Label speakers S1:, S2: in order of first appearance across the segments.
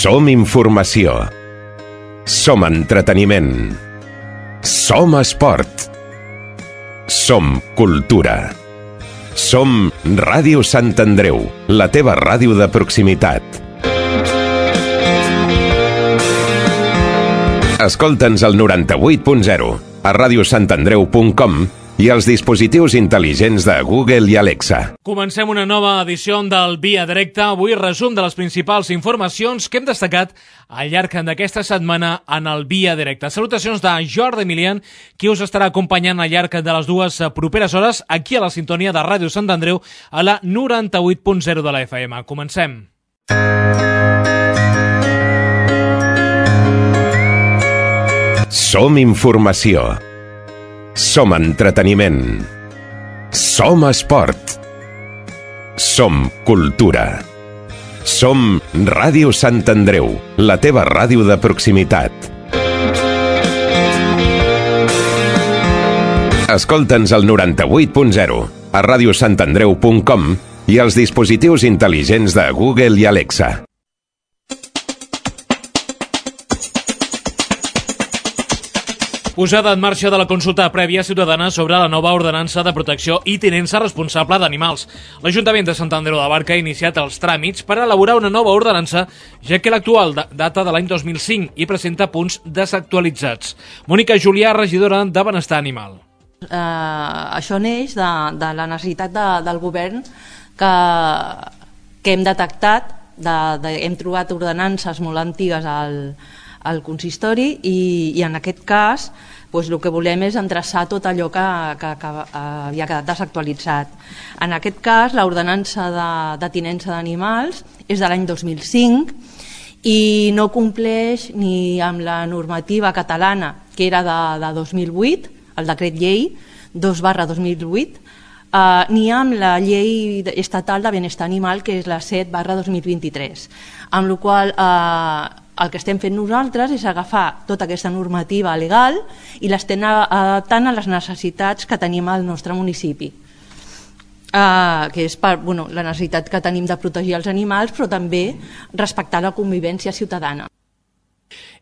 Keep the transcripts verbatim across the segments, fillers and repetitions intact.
S1: Som informació. Som entreteniment. Som esport. Som cultura. Som Ràdio Sant Andreu, la teva ràdio de proximitat. Escolta'ns al noranta-vuit punt zero, a radiosantandreu punt com i als dispositius intel·ligents de Google i Alexa.
S2: Comencem una nova edició del Via Directa. Avui resum de les principals informacions que hem destacat al llarg d'aquesta setmana en el Via Directa. Salutacions de Jordi Emilian, qui us estarà acompanyant al llarg de les dues properes hores aquí a la sintonia de Ràdio Sant Andreu a la noranta-vuit punt zero de la F M. Comencem.
S1: Som informació. Som entreteniment. Som esport. Som cultura. Som Ràdio Sant Andreu, la teva ràdio de proximitat. Escolta'ns al noranta-vuit punt zero, a radiosantandreu punt com i als dispositius intel·ligents de Google i Alexa.
S2: Posada en marxa de la consulta prèvia ciutadana sobre la nova ordenança de protecció i tinença responsable d'animals. L'Ajuntament de Sant Andreu de Barca ha iniciat els tràmits per elaborar una nova ordenança, ja que l'actual data de l'any dos mil cinc i presenta punts desactualitzats. Mònica Julià, regidora de Benestar Animal.
S3: Uh, això neix de, de la necessitat de, del govern que, que hem detectat, de, de, hem trobat ordenances molt antigues al al consistori i, i en aquest cas doncs, el que volem és endreçar tot allò que, que, que havia quedat desactualitzat. En aquest cas l'ordenança de, de tinença d'animals és de l'any dos mil cinc i no compleix ni amb la normativa catalana que era de, de dos mil vuit, el decret llei dos barra dos mil vuit, Uh, ni amb la llei estatal de benestar animal, que és la set barra dos mil vint-i-tres. Amb la qual uh, el que estem fent nosaltres és agafar tota aquesta normativa legal i l'estem adaptant a les necessitats que tenim al nostre municipi. Uh, que és per, bueno, la necessitat que tenim de protegir els animals, però també respectar la convivència ciutadana.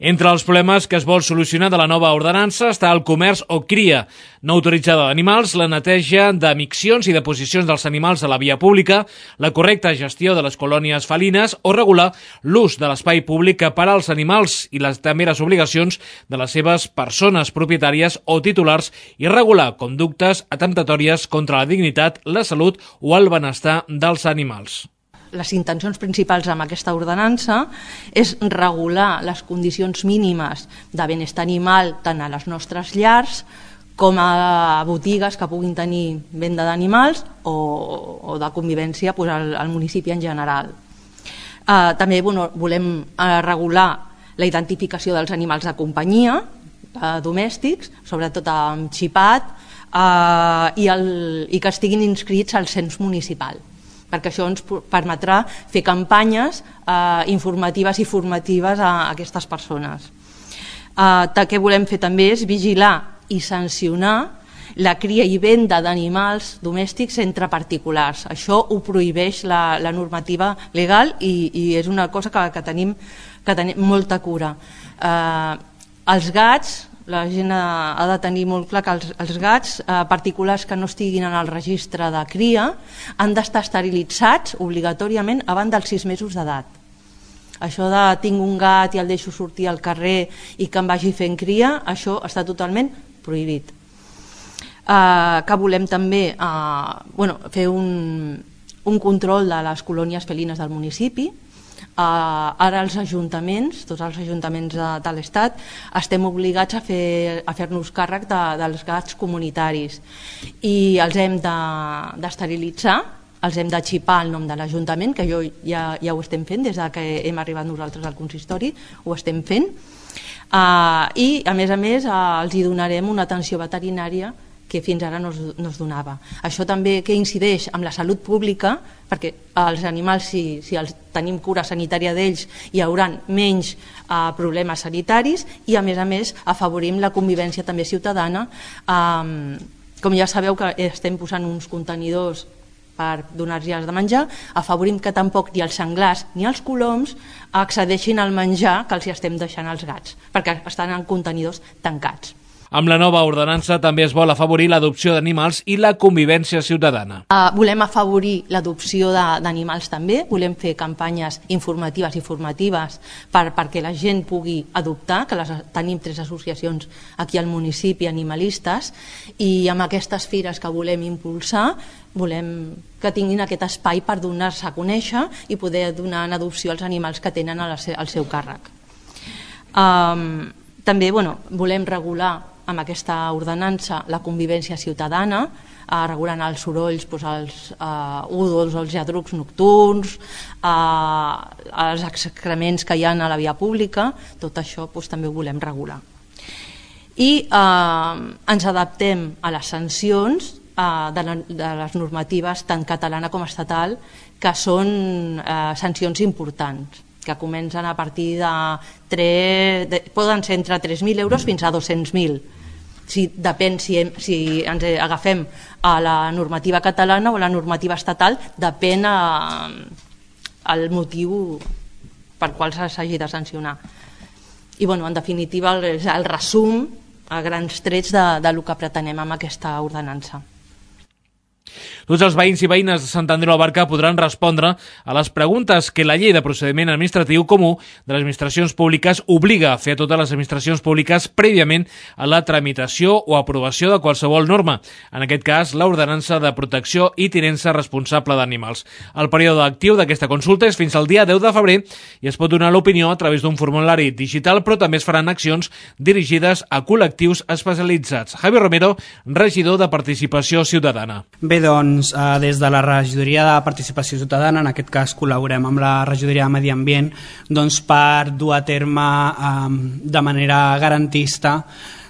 S2: Entre els problemes que es vol solucionar de la nova ordenança està el comerç o cria no autoritzada d'animals, la neteja de miccions i deposicions dels animals a la via pública, la correcta gestió de les colònies felines o regular l'ús de l'espai públic per als animals i les també les obligacions de les seves persones propietàries o titulars i regular conductes atemptatòries contra la dignitat, la salut o el benestar dels animals.
S3: Les intencions principals amb aquesta ordenança és regular les condicions mínimes de benestar animal tant a les nostres llars com a botigues que puguin tenir venda d'animals o, o de convivència pues, al, al municipi en general. Uh, també bueno, volem uh, regular la identificació dels animals de companyia, uh, domèstics, sobretot amb xipat, uh, i, el, i que estiguin inscrits al cens municipal, perquè això ens permetrà fer campanyes eh, informatives i formatives a, a aquestes persones. Eh, el que volem fer també és vigilar i sancionar la cria i venda d'animals domèstics entre particulars. Això ho prohibeix la, la normativa legal i, i és una cosa que, que, tenim, que tenim molta cura. Eh, els gats, la gent ha, ha de tenir molt clar que els, els gats eh, particulars que no estiguin en el registre de cria han d'estar esterilitzats obligatòriament abans dels sis mesos d'edat. Això de tinc un gat i el deixo sortir al carrer i que em vagi fent cria, això està totalment prohibit. Eh, que volem també eh, bueno, fer un, un control de les colònies felines del municipi. Uh, ara els ajuntaments, tots els ajuntaments de, de l'Estat estem obligats a fer a fer-nos càrrec de, dels gats comunitaris i els hem d'esterilitzar, de, els hem de xipar el nom de l'Ajuntament, que jo ja, ja ho estem fent des que hem arribat nosaltres al consistori, ho estem fent, uh, i a més a més uh, els hi donarem una atenció veterinària que fins ara no es, no es donava. Això també que incideix amb la salut pública, perquè els animals, si, si els tenim cura sanitària d'ells, hi haurà menys eh, problemes sanitaris i, a més a més, afavorim la convivència també ciutadana. Eh, com ja sabeu que estem posant uns contenidors per donar-los de menjar, afavorim que tampoc ni els senglars ni els coloms accedeixin al menjar que els estem deixant als gats, perquè estan en contenidors tancats.
S2: Amb la nova ordenança també es vol afavorir l'adopció d'animals i la convivència ciutadana.
S3: Uh, volem afavorir l'adopció d'animals també, volem fer campanyes informatives i formatives per, perquè la gent pugui adoptar, que les, tenim tres associacions aquí al municipi animalistes, i amb aquestes fires que volem impulsar volem que tinguin aquest espai per donar-se a conèixer i poder donar en adopció els animals que tenen al seu càrrec. Um, també bueno, volem regular amb aquesta ordenança la convivència ciutadana, eh, regulant els sorolls, doncs, els eh, údols, els lladrucs nocturns, eh, els excrements que hi ha a la via pública, tot això doncs, també ho volem regular. I eh, ens adaptem a les sancions eh, de, la, de les normatives tant catalana com estatal, que són eh, sancions importants, que comencen a partir de, tres, de poden ser entre tres mil euros fins a dos-cents mil. Si, depèn si, hem, si ens agafem a la normativa catalana o a la normativa estatal, depèn a, al motiu per qual s'hagi de sancionar. I bueno, en definitiva el, el resum a grans trets de, de lo que pretenem amb aquesta ordenança.
S2: Tots els veïns i veïnes de Sant Andreu de la Barca podran respondre a les preguntes que la llei de procediment administratiu comú de les administracions públiques obliga a fer a totes les administracions públiques prèviament a la tramitació o aprovació de qualsevol norma, en aquest cas l'ordenança de protecció i tinença responsable d'animals. El període actiu d'aquesta consulta és fins al dia deu de febrer i es pot donar l'opinió a través d'un formulari digital, però també es faran accions dirigides a col·lectius especialitzats. Javi Romero, regidor de Participació Ciutadana.
S4: Bé, doncs, eh, des de la regidoria de Participació Ciutadana, en aquest cas col·laborem amb la regidoria de Medi Ambient, doncs, per dur a terme eh, de manera garantista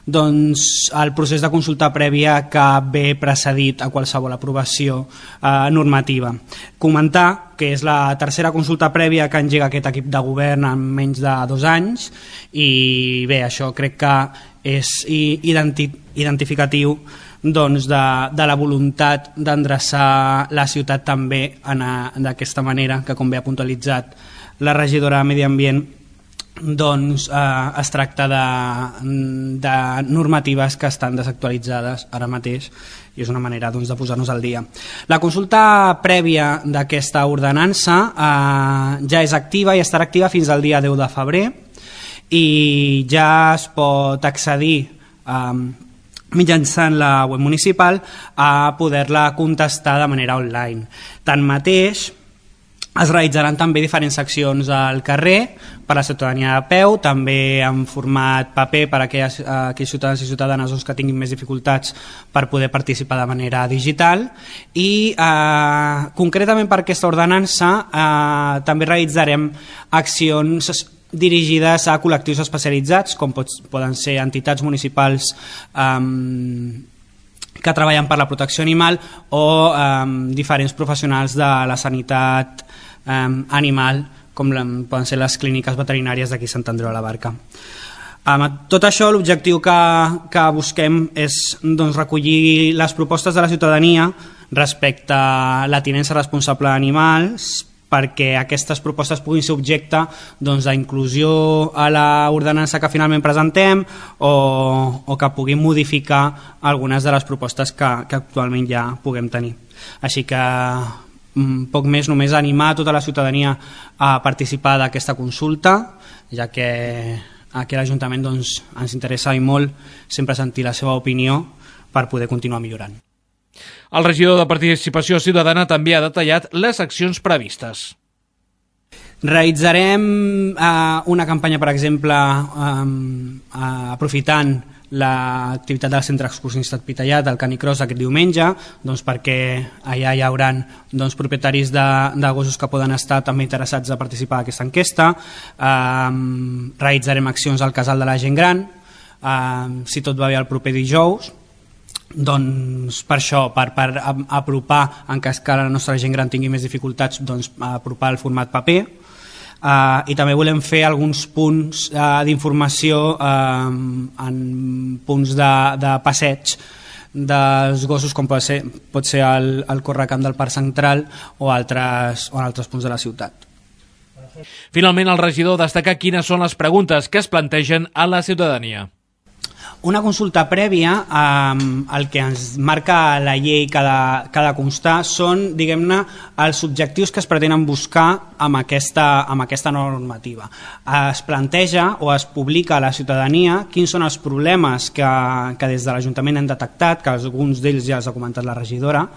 S4: doncs, el procés de consulta prèvia que ve precedit a qualsevol aprovació eh, normativa. Comentar que és la tercera consulta prèvia que engega aquest equip de govern en menys de dos anys i bé, això crec que és identi identificatiu doncs, de, de la voluntat d'endreçar la ciutat també d'aquesta manera, que com bé ha puntualitzat la regidora de Medi Ambient, doncs eh, es tracta de, de normatives que estan desactualitzades ara mateix i és una manera doncs, de posar-nos al dia. La consulta prèvia d'aquesta ordenança eh, ja és activa i estarà activa fins al dia deu de febrer i ja es pot accedir eh, mitjançant la web municipal a poder-la contestar de manera online. Tanmateix, es realitzaran també diferents accions al carrer per a la ciutadania de peu, també en format paper per a aquells, aquells ciutadans i ciutadanes doncs, que tinguin més dificultats per poder participar de manera digital i eh, concretament per aquesta ordenança eh, també realitzarem accions dirigides a col·lectius especialitzats com pot, poden ser entitats municipals eh, que treballen per la protecció animal o eh, diferents professionals de la sanitat eh, animal, com la, poden ser les clíniques veterinàries d'aquí Sant Andreu de la Barca. Amb tot això, l'objectiu que, que busquem és doncs, recollir les propostes de la ciutadania respecte a la tinença responsable d'animals, perquè aquestes propostes puguin ser objecte doncs, d'inclusió a l'ordenança que finalment presentem o, o que puguin modificar algunes de les propostes que, que actualment ja puguem tenir. Així que poc més, només animar a tota la ciutadania a participar d'aquesta consulta, ja que aquí a l'Ajuntament doncs, ens interessa i molt sempre sentir la seva opinió per poder continuar millorant.
S2: El regidor de Participació Ciutadana també ha detallat les accions previstes.
S4: Realitzarem eh, una campanya, per exemple, eh, eh, aprofitant l'activitat del Centre Excursionista Pitallat, del Canicross, aquest diumenge, doncs perquè allà hi haurà doncs, propietaris de, de gossos que poden estar també interessats a participar d'aquesta enquesta. Eh, realitzarem accions al Casal de la Gent Gran, eh, si tot va bé el proper dijous. Doncs per això, per, per apropar, en cas que la nostra gent gran tingui més dificultats, doncs apropar el format paper. Uh, i també volem fer alguns punts uh, d'informació uh, en punts de, de passeig dels gossos, com pot ser, pot ser el, el correcamp del Parc Central o altres, o altres punts de la ciutat.
S2: Finalment, el regidor destaca quines són les preguntes que es plantegen a la ciutadania.
S4: Una consulta prèvia, eh, el que ens marca la llei que ha de constar són, diguem-ne, els objectius que es pretenen buscar amb aquesta, amb aquesta normativa. Es planteja o es publica a la ciutadania quins són els problemes que, que des de l'Ajuntament hem detectat, que alguns d'ells ja els ha comentat la regidora,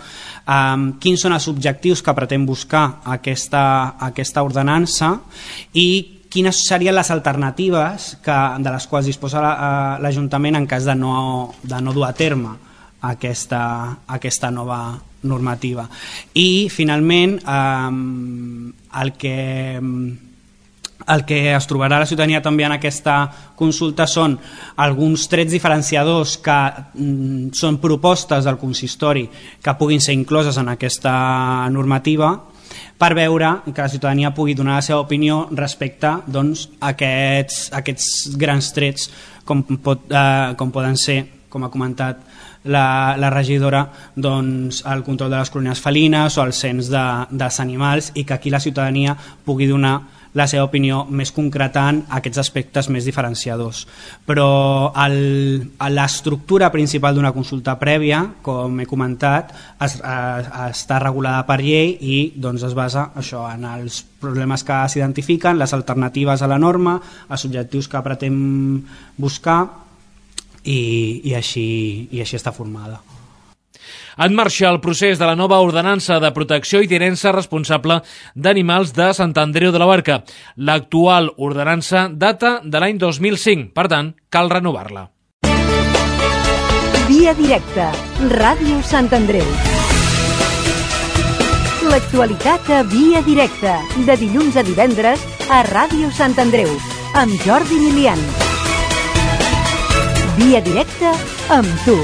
S4: eh, quins són els objectius que pretén buscar aquesta, aquesta ordenança i quines serien les alternatives que, de les quals disposa l'Ajuntament en cas de no, de no dur a terme aquesta, aquesta nova normativa. I finalment eh, el que el que es trobarà la ciutadania també en aquesta consulta són alguns trets diferenciadors que mm, són propostes del consistori que puguin ser incloses en aquesta normativa, per veure que la ciutadania pugui donar la seva opinió respecte doncs, a aquests, a aquests grans trets com, pot, eh, com poden ser, com ha comentat la, la regidora, doncs, el control de les colònies felines o el cens de, dels animals, i que aquí la ciutadania pugui donar la seva opinió més concretant aquests aspectes més diferenciadors. Però l'estructura principal d'una consulta prèvia, com he comentat, es, es, està regulada per llei i doncs, es basa això, en els problemes que s'identifiquen, les alternatives a la norma, els objectius que pretén buscar i, i, així, i així està formada.
S2: En marxa el procés de la nova ordenança de protecció i tinença responsable d'animals de Sant Andreu de la Barca. L'actual ordenança data de l'any dos mil cinc, per tant, cal renovar-la.
S5: Via directa, Ràdio Sant Andreu. L'actualitat a Via directa, de dilluns a divendres a Ràdio Sant Andreu, amb Jordi Milian. Via directa amb tu.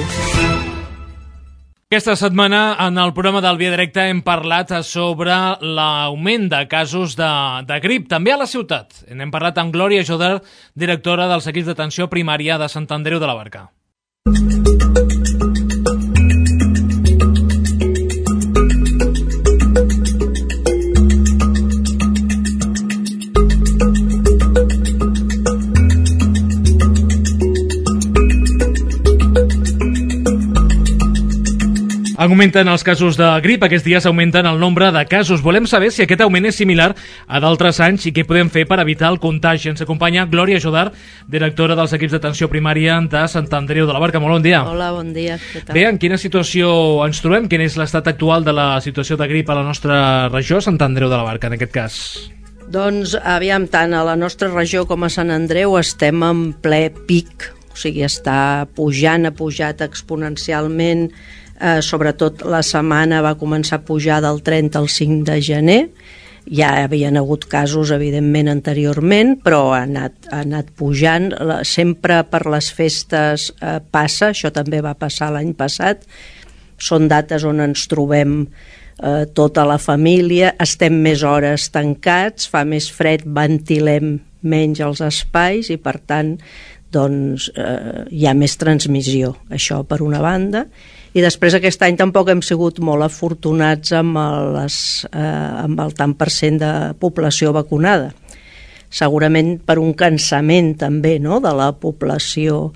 S2: Aquesta setmana, en el programa del Via Directa, hem parlat sobre l'augment de casos de, de grip, també a la ciutat. N'hem parlat amb Glòria Joder, directora dels equips d'atenció primària de Sant Andreu de la Barca. Augmenten els casos de grip, aquests dies augmenten el nombre de casos. Volem saber si aquest augment és similar a d'altres anys i què podem fer per evitar el contagi. Ens acompanya Glòria Joder, directora dels equips d'atenció primària de Sant Andreu de la Barca. Molt bon dia.
S6: Hola, bon dia. Què tal?
S2: Bé, en quina situació ens trobem? Quin és l'estat actual de la situació de grip a la nostra regió, Sant Andreu de la Barca, en aquest cas?
S6: Doncs, aviam, tant a la nostra regió com a Sant Andreu estem en ple pic, o sigui, està pujant, ha pujat exponencialment. Eh, sobretot la setmana va començar a pujar del trenta al cinc de gener. Ja havien hagut casos, evidentment, anteriorment, però ha anat, ha anat pujant. Sempre per les festes eh, passa, això també va passar l'any passat. Són dates on ens trobem eh, tota la família, estem més hores tancats, fa més fred, ventilem menys els espais i, per tant, doncs, eh, hi ha més transmissió. Això per una banda. I després aquest any tampoc hem sigut molt afortunats amb, les, eh, amb el tant per cent de població vacunada. Segurament per un cansament també, no?, de la població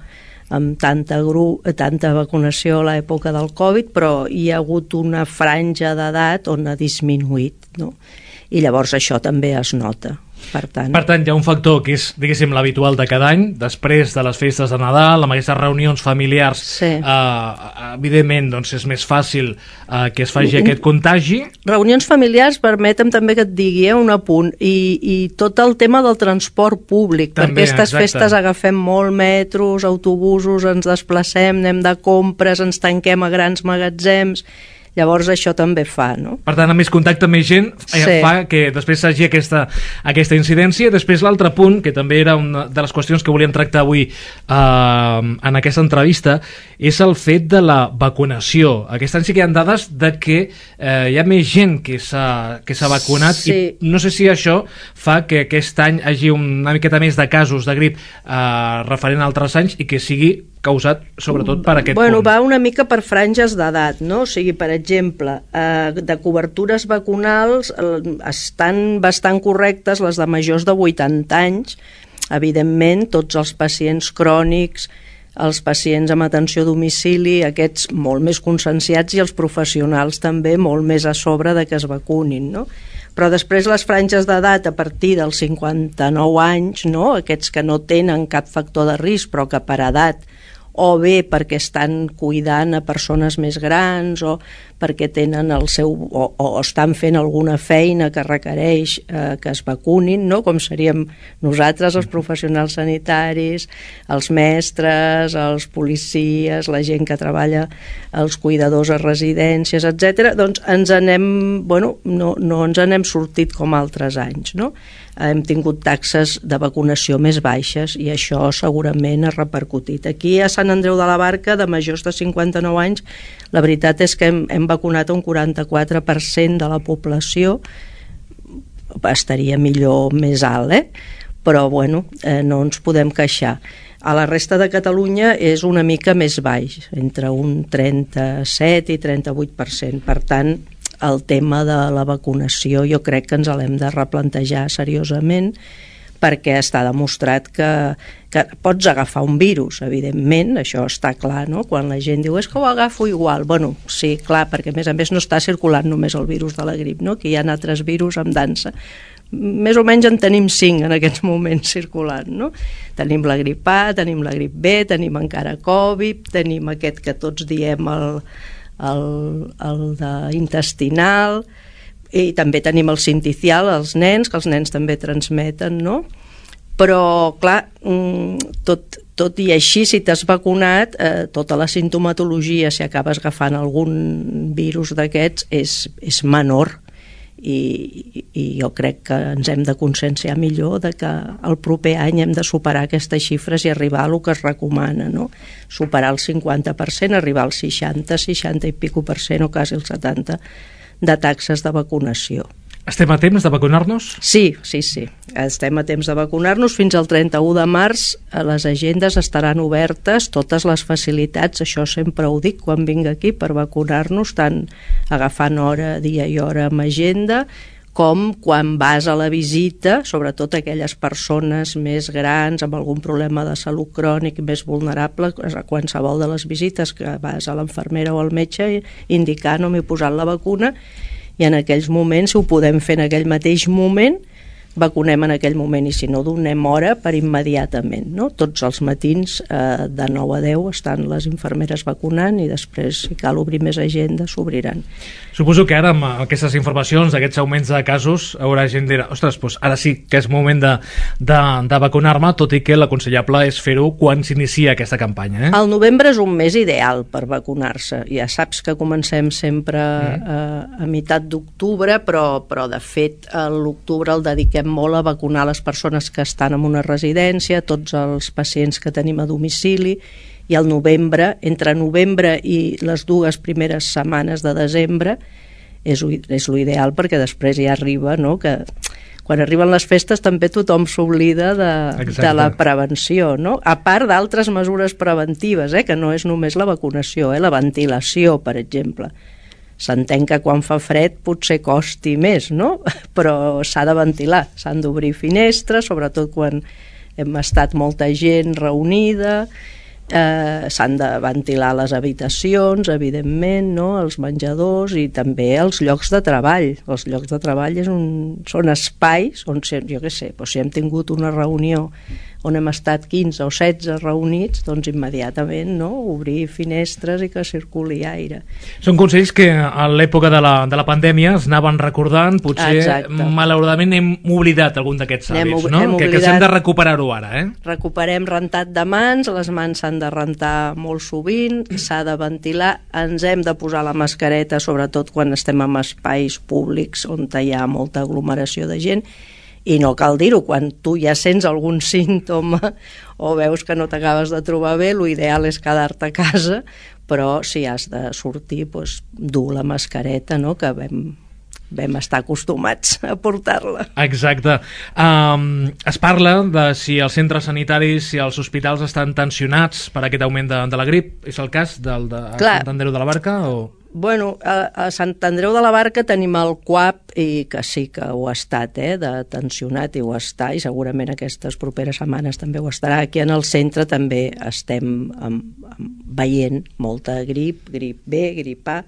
S6: amb tanta, gru, tanta vacunació a l'època del Covid, però hi ha hagut una franja d'edat on ha disminuït, no? I llavors això també es nota. Per tant...
S2: per tant, hi ha un factor que és, diguéssim, l'habitual de cada any, després de les festes de Nadal, amb aquestes reunions familiars, sí. eh, evidentment, doncs és més fàcil eh, que es faci aquest contagi.
S6: Reunions familiars, permetem també que et digui eh, un apunt, i, i tot el tema del transport públic, també, perquè aquestes exacte. Festes agafem molt metros, autobusos, ens desplacem, anem de compres, ens tanquem a grans magatzems. Llavors això també fa, no?
S2: Per tant, a més contacte amb més gent sí. fa que després s'hagi aquesta, aquesta incidència. Després l'altre punt, que també era una de les qüestions que volíem tractar avui eh, en aquesta entrevista, és el fet de la vacunació. Aquest any sí que hi ha dades de que eh, hi ha més gent que s'ha que s'ha vacunat sí. i no sé si això fa que aquest any hi hagi una miqueta més de casos de grip eh, referent a altres anys i que sigui causat sobretot per aquest
S6: bueno,
S2: punt.
S6: Va una mica per franges d'edat, no? O sigui, per exemple, eh, de cobertures vacunals eh, estan bastant correctes les de majors de vuitanta anys. Evidentment, tots els pacients crònics, els pacients amb atenció a domicili, aquests molt més conscienciats, i els professionals també molt més a sobre de que es vacunin, no? Però després les franges d'edat a partir dels cinquanta-nou anys, no? Aquests que no tenen cap factor de risc però que per edat, o bé perquè estan cuidant a persones més grans, o perquè tenen el seu, o, o estan fent alguna feina que requereix eh, que es vacunin, no? Com seríem nosaltres, els professionals sanitaris, els mestres, els policies, la gent que treballa, els cuidadors a residències, etcètera. Doncs ens anem, bueno, no, no ens n'hem sortit com altres anys, no? Hem tingut taxes de vacunació més baixes i això segurament ha repercutit. Aquí a Sant Andreu de la Barca, de majors de cinquanta-nou anys, la veritat és que hem, hem vacunat un quaranta-quatre per cent de la població. Estaria millor més alt, eh? Però bueno, eh, no ens podem queixar. A la resta de Catalunya és una mica més baix, entre un trenta-set i trenta-vuit per cent. Per tant, el tema de la vacunació jo crec que ens l'hem de replantejar seriosament, perquè està demostrat que, que pots agafar un virus, evidentment, això està clar, no? Quan la gent diu és que ho agafo igual, bueno, sí, clar, perquè a més a més no està circulant només el virus de la grip, no? Que hi ha altres virus amb dansa. Més o menys en tenim cinc en aquests moments circulant, no? Tenim la grip A, tenim la grip B, tenim encara Covid, tenim aquest que tots diem el el, el de intestinal, i també tenim el sinticial, els nens, que els nens també transmeten, no? Però, clar, tot, tot i així, si t'has vacunat, eh, tota la sintomatologia, si acabes agafant algun virus d'aquests, és, és menor. I, i jo crec que ens hem de conscienciar millor de que el proper any hem de superar aquestes xifres i arribar a el que es recomana, no? Superar el cinquanta per cent, arribar al seixanta, seixanta i pico per cent o quasi el setanta de taxes de vacunació.
S2: Estem a temps de vacunar-nos?
S6: Sí, sí, sí. Estem a temps de vacunar-nos. Fins al trenta-u de març les agendes estaran obertes, totes les facilitats, això sempre ho dic quan vinc aquí, per vacunar-nos, tant agafant hora, dia i hora amb agenda, com quan vas a la visita, sobretot aquelles persones més grans amb algun problema de salut crònic més vulnerable, a qualsevol de les visites que vas a l'infermera o al metge indicant o m'he posat la vacuna, i en aquells moments, si ho podem fer en aquell mateix moment, vacunem en aquell moment, i si no, donem hora per immediatament, no? Tots els matins eh, de nou a deu estan les infermeres vacunant, i després, si cal obrir més agenda, s'obriran.
S2: Suposo que ara, amb aquestes informacions, aquests augments de casos, haurà gent que dirà, ostres, doncs ara sí que és moment de, de, de vacunar-me, tot i que l'aconsellable és fer-ho quan s'inicia aquesta campanya. Eh?
S6: El novembre és un mes ideal per vacunar-se. Ja saps que comencem sempre mm. eh, a meitat d'octubre, però, però de fet a l'octubre el dediquem molt a vacunar les persones que estan en una residència, tots els pacients que tenim a domicili, i al novembre, entre novembre i les dues primeres setmanes de desembre, és, és l'ideal, perquè després ja arriba, no?, que quan arriben les festes també tothom s'oblida de, de la prevenció, no? A part d'altres mesures preventives, eh, que no és només la vacunació, eh, la ventilació, per exemple. S'entén que quan fa fred potser costi més, no? Però s'ha de ventilar, s'han d'obrir finestres, sobretot quan hem estat molta gent reunida, eh, s'han de ventilar les habitacions, evidentment, no? Els menjadors, i també els llocs de treball. Els llocs de treball és un, són espais on, jo què sé, doncs si hem tingut una reunió on hem estat quinze o setze reunits, doncs immediatament, no?, obrir finestres i que circuli aire.
S2: Són consells que a l'època de la, de la pandèmia es anaven recordant, potser Exacte. malauradament hem oblidat algun d'aquests hàbits, no? Que, que hem de recuperar-ho ara, eh?
S6: Recuperem rentat de mans, les mans s'han de rentar molt sovint, s'ha de ventilar, ens hem de posar la mascareta, sobretot quan estem en espais públics on hi ha molta aglomeració de gent. I no cal dir-ho, quan tu ja sents algun símptoma o veus que no t'acabes de trobar bé, l'ideal és quedar-te a casa, però si has de sortir, doncs, dur la mascareta, no?, que vam, vam estar acostumats a portar-la.
S2: Exacte. Um, es parla de si els centres sanitaris, si els hospitals estan tensionats per aquest augment de, de la grip. És el cas del de
S6: Clar.
S2: Sant Andreu de la Barca? O...
S6: Bueno, a, a Sant Andreu de la Barca tenim el C U A P i que sí que ho ha estat, eh, de tensionat, i ho està, i segurament aquestes properes setmanes també ho estarà. Aquí en el centre també estem amb, amb, veient molta grip, grip B, grip A,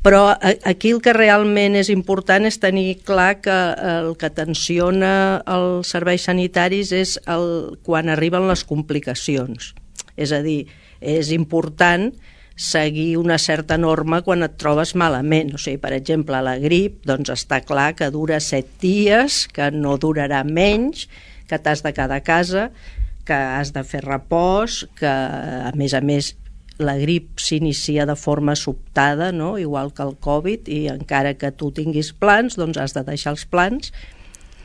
S6: però aquí el que realment és important és tenir clar que el que tensiona els serveis sanitaris és el, quan arriben les complicacions. És a dir, és important seguir una certa norma quan et trobes malament. O sigui, per exemple, la grip, doncs està clar que dura set dies, que no durarà menys, que t'has de quedar a casa, que has de fer repòs, que a més a més la grip s'inicia de forma sobtada, no? Igual que el Covid, i encara que tu tinguis plans, doncs has de deixar els plans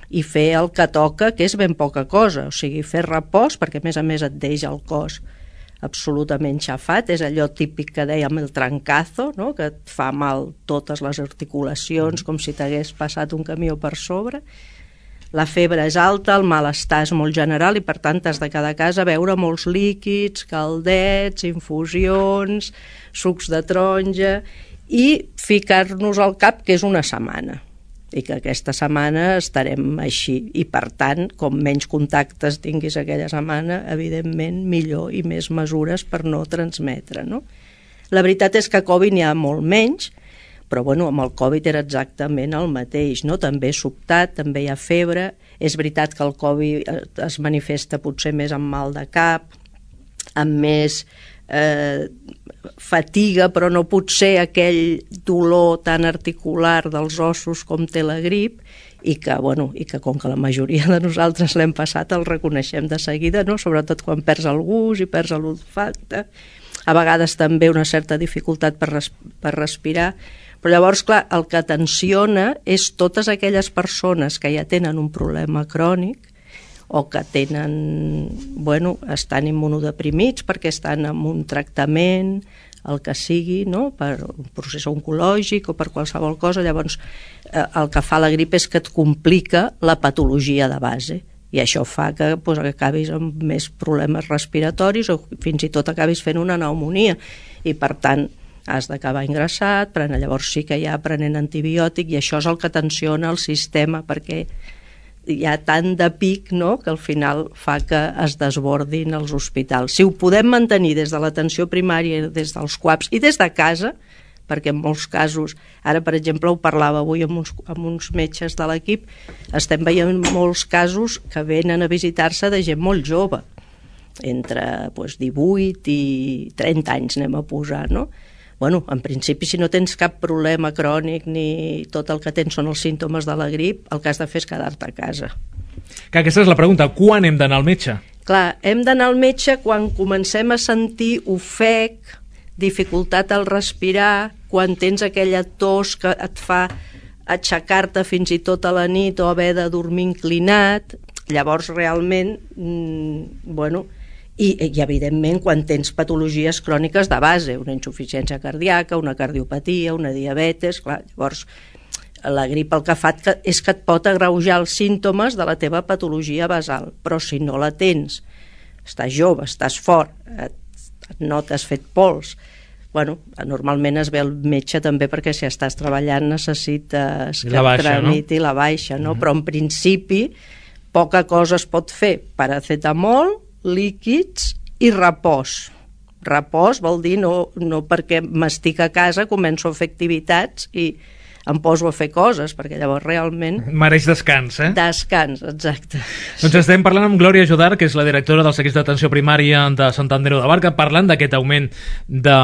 S6: i fer el que toca, que és ben poca cosa. O sigui, fer repòs, perquè a més a més et deixa el cos absolutament xafat, és allò típic que dèiem el trancazo, no? Que et fa mal totes les articulacions, com si t'hagués passat un camió per sobre. La febre és alta, el malestar és molt general i per tant has de quedar a casa a beure molts líquids, caldets, infusions, sucs de taronja, i ficar-nos al cap que és una setmana i que aquesta setmana estarem així, i per tant, com menys contactes tinguis aquella setmana, evidentment millor, i més mesures per no transmetre, no? La veritat és que Covid n'hi ha molt menys, però bueno, amb el Covid era exactament el mateix, no? També sobtat, també hi ha febre. És veritat que el Covid es manifesta potser més amb mal de cap, amb més eh, fatiga, però no pot ser aquell dolor tan articular dels ossos com té la grip, i que, bueno, i que com que la majoria de nosaltres l'hem passat el reconeixem de seguida, no? Sobretot quan perds el gust i perds l'olfacte, a vegades també una certa dificultat per, res, per respirar. Però llavors, clar, el que tensiona és totes aquelles persones que ja tenen un problema crònic o que tenen, bueno, estan immunodeprimits perquè estan en un tractament, el que sigui, no? Per un procés oncològic o per qualsevol cosa. Llavors, eh, el que fa la grip és que et complica la patologia de base, i això fa que pues, acabis amb més problemes respiratoris o fins i tot acabis fent una pneumònia, i per tant has d'acabar ingressat, però llavors sí que ja prenent antibiòtic, i això és el que tensiona el sistema, perquè hi ha tant de pic, no?, que al final fa que es desbordin els hospitals. Si ho podem mantenir des de l'atenció primària, des dels C U A Ps i des de casa, perquè en molts casos, ara per exemple ho parlava avui amb uns, amb uns metges de l'equip, estem veient molts casos que venen a visitar-se de gent molt jove, entre pues, divuit i trenta anys anem a posar, no? Bueno, en principi, si no tens cap problema crònic ni tot el que tens són els símptomes de la grip, el que has de fer és quedar-te a casa.
S2: Que aquesta és la pregunta, quan hem d'anar al metge?
S6: Clar, hem d'anar al metge quan comencem a sentir ofec, dificultat al respirar, quan tens aquella tos que et fa aixecar-te fins i tot a la nit o haver de dormir inclinat. Llavors, realment, mmm, bueno... I, i evidentment quan tens patologies cròniques de base, una insuficiència cardíaca, una cardiopatia, una diabetes, clar, llavors la grip el que fa és que et pot agreujar els símptomes de la teva patologia basal, però si no la tens, estàs jove, estàs fort, et, no t'has fet pols, bueno, normalment es ve el metge també perquè si estàs treballant necessites que et tramiti la baixa, no? Uh-huh. Però en principi poca cosa es pot fer, paracetamol, líquids i repòs. Repòs vol dir no, no perquè m'estic a casa començo a fer activitats i em poso a fer coses, perquè llavors realment...
S2: Mereix descans, eh?
S6: Descans, exacte.
S2: Doncs estem parlant amb Glòria Jodar, que és la directora del Segueix d'Atenció Primària de Sant Andreu de Barca, parlant d'aquest augment de,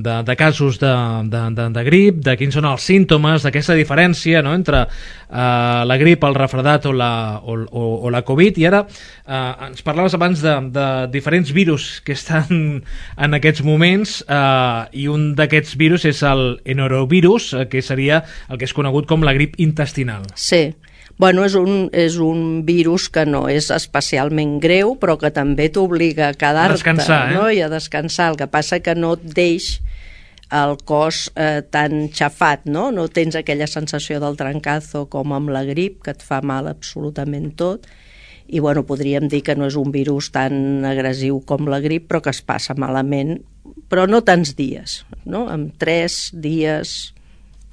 S2: de, de casos de, de, de, de grip, de quins són els símptomes, d'aquesta diferència, no?, entre eh, la grip, el refredat o la, o, o, o la Covid, i ara eh, ens parlaves abans de, de diferents virus que estan en aquests moments, eh, i un d'aquests virus és el enorovirus, eh, que seria el que és conegut com la grip intestinal.
S6: Sí, bueno, és un, és un virus que no és especialment greu, però que també t'obliga a quedar-te,
S2: a descansar, eh?
S6: No? I a descansar. El que passa que no et deix el cos eh, tan xafat, no? No tens aquella sensació del trancazo com amb la grip, que et fa mal absolutament tot, i bueno, podríem dir que no és un virus tan agressiu com la grip, però que es passa malament, però no tants dies, no? En tres dies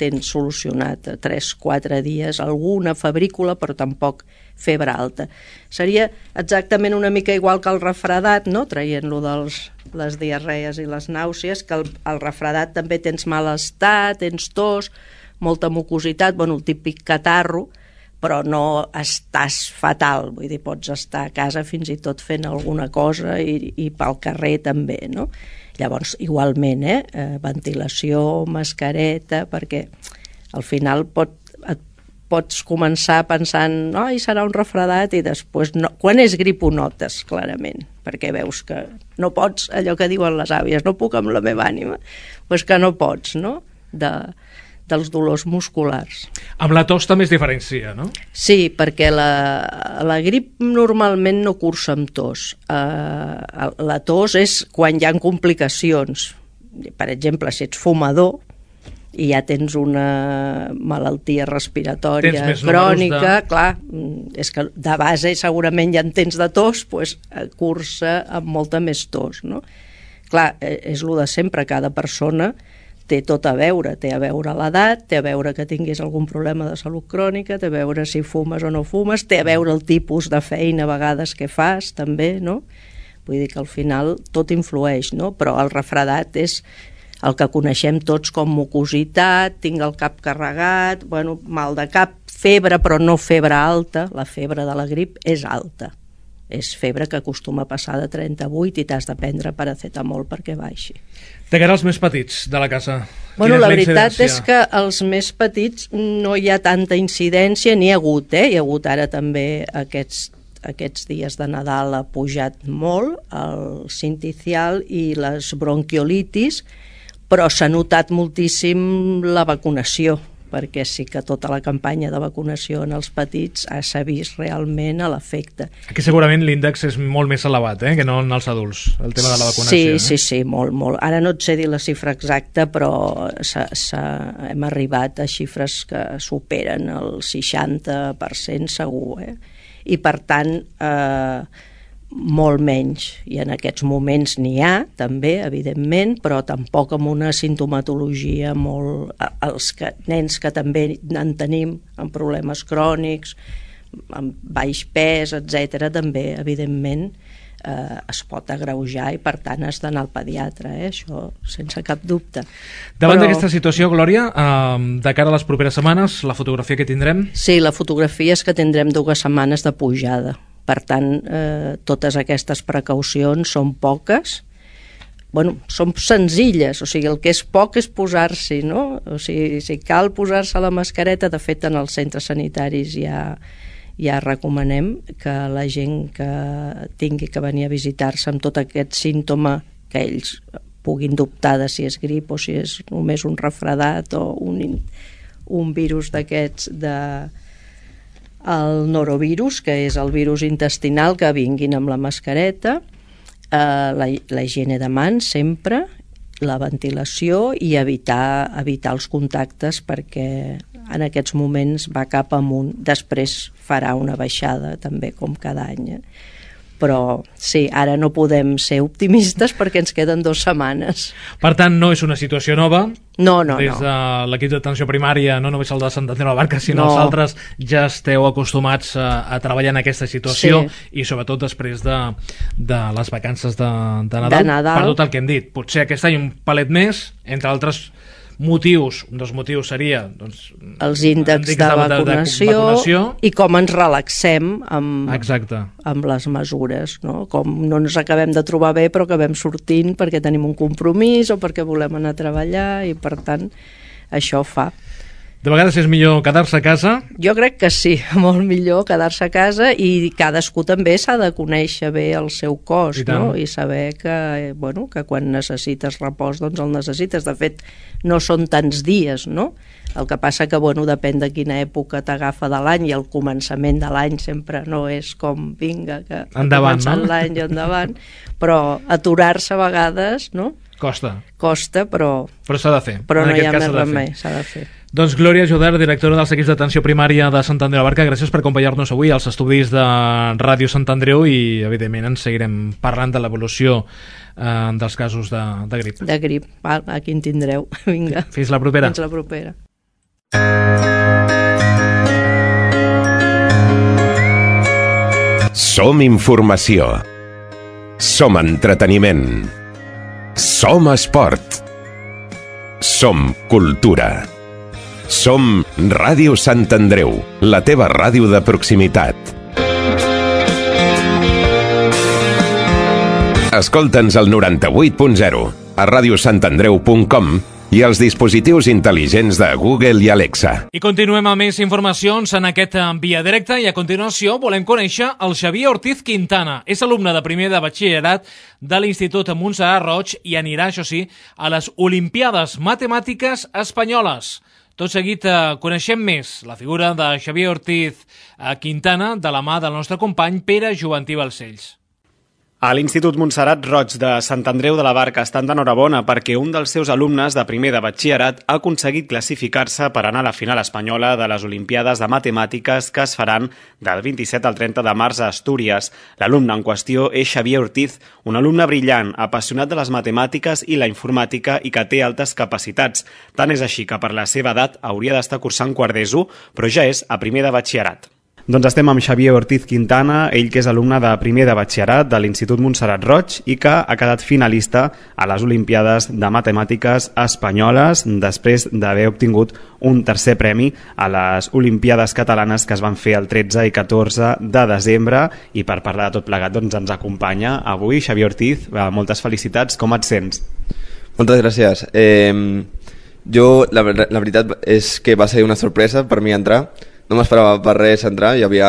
S6: tens solucionat, tres, quatre dies, alguna febrícula, però tampoc febre alta. Seria exactament una mica igual que el refredat, no? Traient-lo de les diarrees i les nàusees, que el, el refredat també tens malestar, tens tos, molta mucositat, bueno, el típic catarro, però no estàs fatal, vull dir, pots estar a casa fins i tot fent alguna cosa i, i pel carrer també, no? Llavors, igualment, eh? eh, ventilació, mascareta, perquè al final pot, et pots començar pensant ai, serà un refredat, i després, no, quan és grip ho notes, clarament, perquè veus que no pots, allò que diuen les àvies, no puc amb la meva ànima, doncs que no pots, no?, de, dels dolors musculars.
S2: Amb la tos també es diferencia, no?
S6: Sí, perquè la, la grip normalment no cursa amb tos. Uh, la tos és quan hi ha complicacions. Per exemple, si ets fumador i ja tens una malaltia respiratòria crònica, de... clar, és que de base segurament ja en tens de tos, doncs cursa amb molta més tos, no? Clar, és el de sempre, cada persona té tot a veure, té a veure l'edat, té a veure que tinguis algun problema de salut crònica, té a veure si fumes o no fumes, té a veure el tipus de feina a vegades que fas, també, no? Vull dir que al final tot influeix, no? Però el refredat és el que coneixem tots com mucositat, tinc el cap carregat, bueno, mal de cap, febre, però no febre alta, la febre de la grip és alta. És febre que acostuma a passar de trenta-vuit i t'has de prendre paracetamol perquè baixi.
S2: De cara als més petits de la casa,
S6: bueno, la veritat és que els més petits no hi ha tanta incidència, n'hi ha hagut, eh? Hi ha hagut ara també aquests, aquests dies de Nadal ha pujat molt el sinticial i les bronquiolitis, però s'ha notat moltíssim la vacunació, perquè sí que tota la campanya de vacunació en els petits s'ha vist realment a l'efecte.
S2: Aquí segurament l'índex és molt més elevat, eh, que no en els adults, el tema de la vacunació.
S6: Sí,
S2: eh?
S6: sí, sí, molt, molt. Ara no et sé dir la xifra exacta, però s'ha, s'ha, hem arribat a xifres que superen el seixanta per cent segur, eh? I per tant, eh, molt menys, i en aquests moments n'hi ha també, evidentment, però tampoc amb una sintomatologia molt... Els que, nens que també en tenim amb problemes crònics, amb baix pes, etcètera, també, evidentment, eh, es pot agreujar i per tant has d'anar al pediatre, eh? Això sense cap dubte.
S2: Davant
S6: però...
S2: d'aquesta situació, Glòria, eh, de cara a les properes setmanes, la fotografia que tindrem?
S6: Sí, la fotografia és que tindrem dues setmanes de pujada. Per tant, eh, totes aquestes precaucions són poques, bueno, són senzilles, o sigui, el que és poc és posar-s'hi, no? O sigui, si cal posar-se la mascareta, de fet, en els centres sanitaris ja, ja recomanem que la gent que tingui que venir a visitar-se amb tot aquest símptoma, que ells puguin dubtar de si és grip o si és només un refredat o un, un virus d'aquests de... el norovirus, que és el virus intestinal, que vinguin amb la mascareta, eh, la, la higiene de mans sempre, la ventilació i evitar, evitar els contactes, perquè en aquests moments va cap amunt, després farà una baixada també com cada any, eh? Però sí, ara no podem ser optimistes perquè ens queden dues setmanes.
S2: Per tant, no és una situació nova.
S6: No, no,
S2: Des
S6: no.
S2: de l'equip d'atenció primària, no només el de Sant Andreu de la Barca, sinó
S6: No.
S2: els altres, ja esteu acostumats a, a treballar en aquesta situació,
S6: Sí.
S2: i sobretot després de, de les vacances de, de, Nadal,
S6: De Nadal.
S2: per tot el que hem dit. Potser aquest any un palet més, entre altres motius, un dels motius seria doncs,
S6: Els índexs de, de, vacunació,
S2: de vacunació
S6: i com ens relaxem amb,
S2: Exacte.
S6: amb les mesures, no? Com no ens acabem de trobar bé però acabem sortint perquè tenim un compromís o perquè volem anar a treballar, i per tant això fa.
S2: De vegades és millor quedar-se a casa.
S6: Jo crec que sí, molt millor quedar-se a casa, i cadascú també s'ha de conèixer bé el seu cos,
S2: I tant.
S6: no? I saber que, bueno, que quan necessites repòs doncs el necessites. De fet, no són tants dies, no? El que passa que, bueno, depèn de quina època t'agafa de l'any, i el començament de l'any sempre no és com vinga, que
S2: Endavant,
S6: ha començat
S2: no?
S6: l'any i endavant, però aturar-se a vegades, no?,
S2: Costa.
S6: Costa, però...
S2: Però s'ha de fer.
S6: Però
S2: En
S6: no hi
S2: aquest
S6: ha
S2: cas
S6: més
S2: s'ha de fer.
S6: remei, s'ha de fer.
S2: Doncs Glòria Joder, directora dels equips d'atenció primària de Sant Andreu de la Barca, gràcies per acompanyar-nos avui als estudis de Ràdio Sant Andreu i, evidentment, ens seguirem parlant de l'evolució eh, dels casos de, de grip.
S6: De grip. Val, aquí en tindreu. Vinga.
S2: Fins la propera.
S6: Fins la propera.
S1: Som informació. Som entreteniment. Som esport. Som cultura. Som Ràdio Sant Andreu, la teva ràdio de proximitat. Escolta'ns al noranta-vuit punt zero, a radiosantandreu punt com i als dispositius intel·ligents de Google i Alexa.
S2: I continuem amb més informacions en aquest Via Directa i a continuació volem conèixer el Xavier Ortiz Quintana. És alumne de primer de batxillerat de l'Institut Montserrat Roig i anirà, això sí, a les Olimpiades Matemàtiques Espanyoles. Tot seguit eh, coneixem més la figura de Xavier Ortiz eh, Quintana de la mà del nostre company Pere Joventí Balcells.
S7: A l'Institut Montserrat Roig de Sant Andreu de la Barca estan d'enhorabona perquè un dels seus alumnes de primer de batxillerat ha aconseguit classificar-se per anar a la final espanyola de les Olimpiades de Matemàtiques que es faran del vint-i-set al trenta de març a Astúries. L'alumne en qüestió és Xavier Ortiz, un alumne brillant, apassionat de les matemàtiques i la informàtica i que té altes capacitats. Tant és així que per la seva edat hauria d'estar cursant quart d'ESO, però ja és a primer de batxillerat. Doncs estem amb Xavier Ortiz Quintana, ell que és alumne de primer de batxillerat de l'Institut Montserrat Roig i que ha quedat finalista a les Olimpiades de Matemàtiques Espanyoles després d'haver obtingut un tercer premi a les Olimpiades Catalanes que es van fer el tretze i catorze de desembre, i per parlar de tot plegat doncs, ens acompanya avui Xavier Ortiz. Moltes felicitats, com et sents?
S8: Moltes gràcies. Eh, jo, la, la veritat és que va ser una sorpresa per mi entrar. No m'esperava per res entrar, hi havia,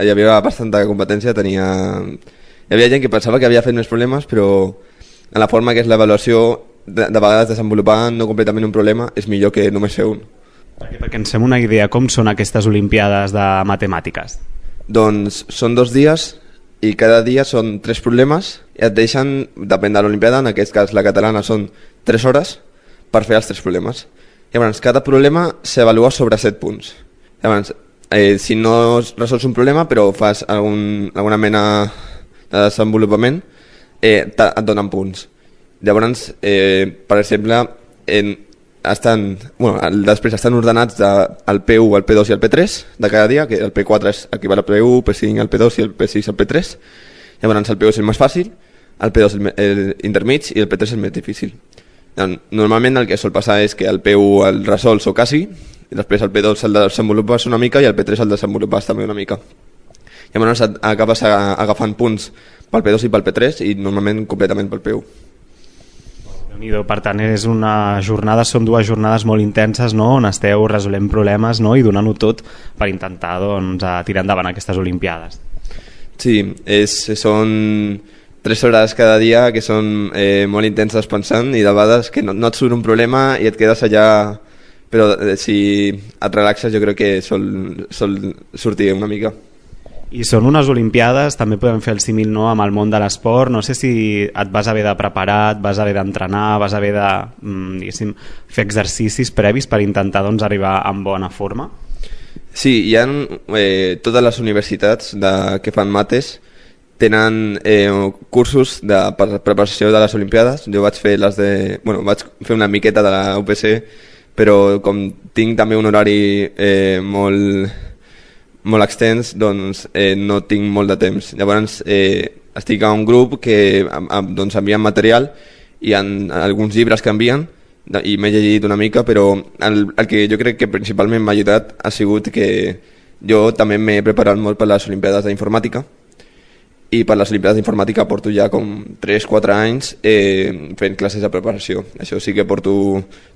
S8: hi havia bastanta competència, tenia... hi havia gent que pensava que havia fet més problemes, però en la forma que és l'avaluació, de, de vegades desenvolupar no completament un problema és millor que només fer un.
S7: Perquè, perquè ens fem una idea, com són aquestes Olimpiades de Matemàtiques?
S8: Doncs són dos dies i cada dia són tres problemes i et deixen, depèn de l'Olimpiada, en aquest cas la catalana són tres hores per fer els tres problemes. Llavors, cada problema s'avalua sobre set punts. Llavors, eh, si no resols un problema però fas algun, alguna mena de desenvolupament, eh, et donen punts. Llavors, eh, per exemple, en, estan, bueno, després estan ordenats de, el P u, el P dos i el P tres de cada dia, que el P quatre és equival al P u, el P cinc al P dos i el P sis al P tres. Llavors el P u és el més fàcil, el P dos el, el intermig i el P tres el més difícil. Normalment el que sol passar és que el P u el resols o quasi, i després el P dos el desenvolupes una mica i el P tres el desenvolupes també una mica. Llavors acabes agafant punts pel P dos i pel P tres i normalment completament pel P u.
S7: Per tant, és una jornada, són dues jornades molt intenses, no?, on esteu resolent problemes, no?, i donant-ho tot per intentar, doncs, tirar endavant aquestes Olimpiades.
S8: Sí, és, són tres hores cada dia que són eh, molt intenses pensant i de vegades que no, no et surt un problema i et quedes allà, però eh, si et relaxes jo crec que sol, sol sortir una mica.
S7: I són unes Olimpiades, també podem fer el símil, no?, amb el món de l'esport. No sé si et vas haver de preparar, et vas haver d'entrenar, vas haver de diguéssim, fer exercicis previs per intentar, doncs, arribar en bona forma.
S8: Sí, hi ha eh, totes les universitats de, que fan mates tenen eh, cursos de preparació de les Olimpiades. Jo vaig fer les de, bueno, vaig fer una miqueta de la U P C, però com tinc també un horari eh, molt molt extens, doncs eh, no tinc molt de temps. Llavors eh, estic a un grup que doncs, envien material i hi ha alguns llibres que envien i m'he llegit una mica, però el, el que jo crec que principalment m'ha ajudat ha sigut que jo també m'he preparat molt per les Olimpiades d'Informàtica i per les Olimpiades d'Informàtica porto ja com tres quatre anys eh, fent classes de preparació. Això sí que porto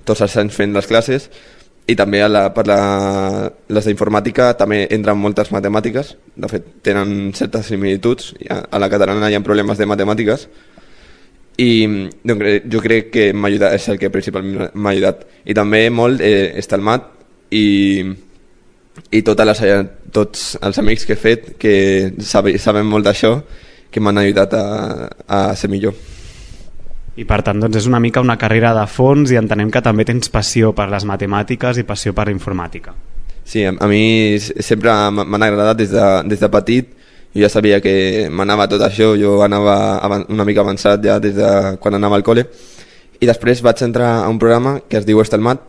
S8: tots els anys fent les classes. I també a la, per la, les d'informàtica també entren moltes matemàtiques, de fet tenen certes similituds, a la catalana hi ha problemes de matemàtiques i doncs, jo crec que m'ha ajudat, és el que principalment m'ha ajudat. I també molt eh, està el mat i, i totes les, tots els amics que he fet que saben, saben molt d'això, que m'han ajudat a, a ser millor.
S7: I per tant doncs, és una mica una carrera de fons i entenem que també tens passió per les matemàtiques i passió per la informàtica.
S8: Sí, a, a mi sempre m'han agradat des de, des de petit. Jo ja sabia que m'anava tot això, jo anava una mica avançat ja des de quan anava al col·le, i després vaig entrar a un programa que es diu Estelmat,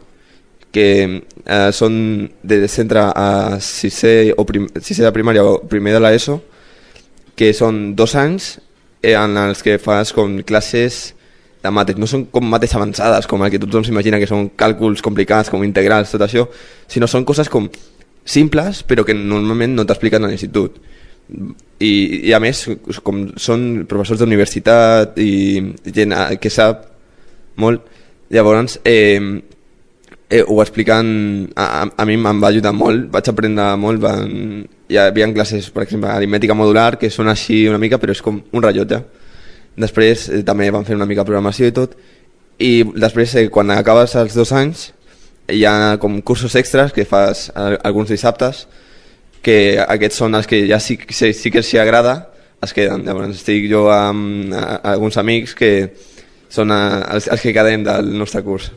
S8: que eh, són de centre a sisè, o prim, sisè de primària o primer de l'ESO, que són dos anys en els que fas com classes de mates. No són com mates avançades, com el que tothom s'imagina, que són càlculs complicats, com integrals, tot això, sinó són coses com simples, però que normalment no t'expliquen a l'institut. I, i a més, com són professors d'universitat i gent que sap molt, llavors eh, eh, ho expliquen, a, a mi em va ajudar molt, vaig aprendre molt. Van, hi havia classes, per exemple, aritmètica modular, que són així una mica, però és com un rellotge. Després eh, també van fer una mica programació i tot, i després eh, quan acabes els dos anys hi ha com cursos extras que fas alguns dissabtes, que aquests són els que ja sí, sí, sí que s'hi agrada, es queden. Llavors estic jo amb a, a alguns amics que són a, els, els que quedem del nostre curs.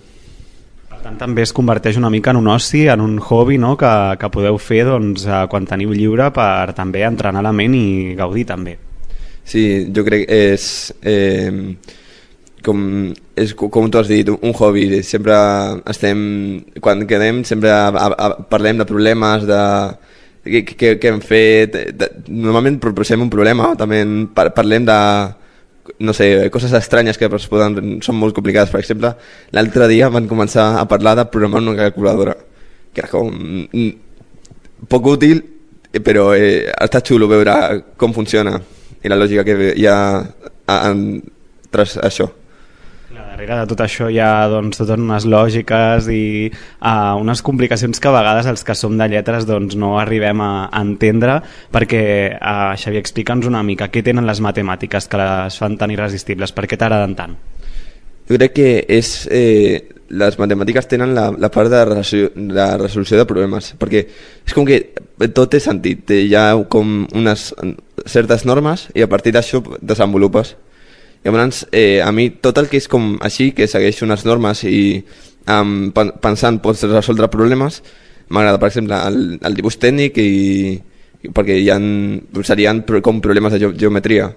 S7: Per tant, també es converteix una mica en un oci, en un hobby, no? que, que podeu fer doncs, quan teniu lliure per també entrenar la ment i gaudir també.
S8: Sí, jo crec que és, eh, com, és com tu has dit, un hobby. Sempre estem, quan quedem, sempre a, a, a, parlem de problemes, de què, què, què hem fet. De, normalment proposem un problema, també par, parlem de, no sé, coses estranyes que poden, són molt complicades. Per exemple, l'altre dia van començar a parlar de programar una calculadora, que era com poc útil, però eh, està xulo veure com funciona i la lògica que hi ha en, tras això.
S7: Darrere de tot això hi ha doncs, totes unes lògiques i uh, unes complicacions que a vegades els que som de lletres doncs, no arribem a, a entendre, perquè uh, Xavier, explica'ns una mica què tenen les matemàtiques que les fan tan irresistibles, per què t'agraden tant?
S8: Jo crec que és, eh, les matemàtiques tenen la, la part de resolució, de resolució de problemes, perquè és com que tot té sentit, hi ha com unes certes normes i a partir d'això desenvolupes. Llavors, eh, a mi tot el que és com així, que segueix unes normes i um, pensant pots resoldre problemes, m'agrada. Per exemple, el, el dibuix tècnic, i, perquè hi ha, serien com problemes de ge geometria.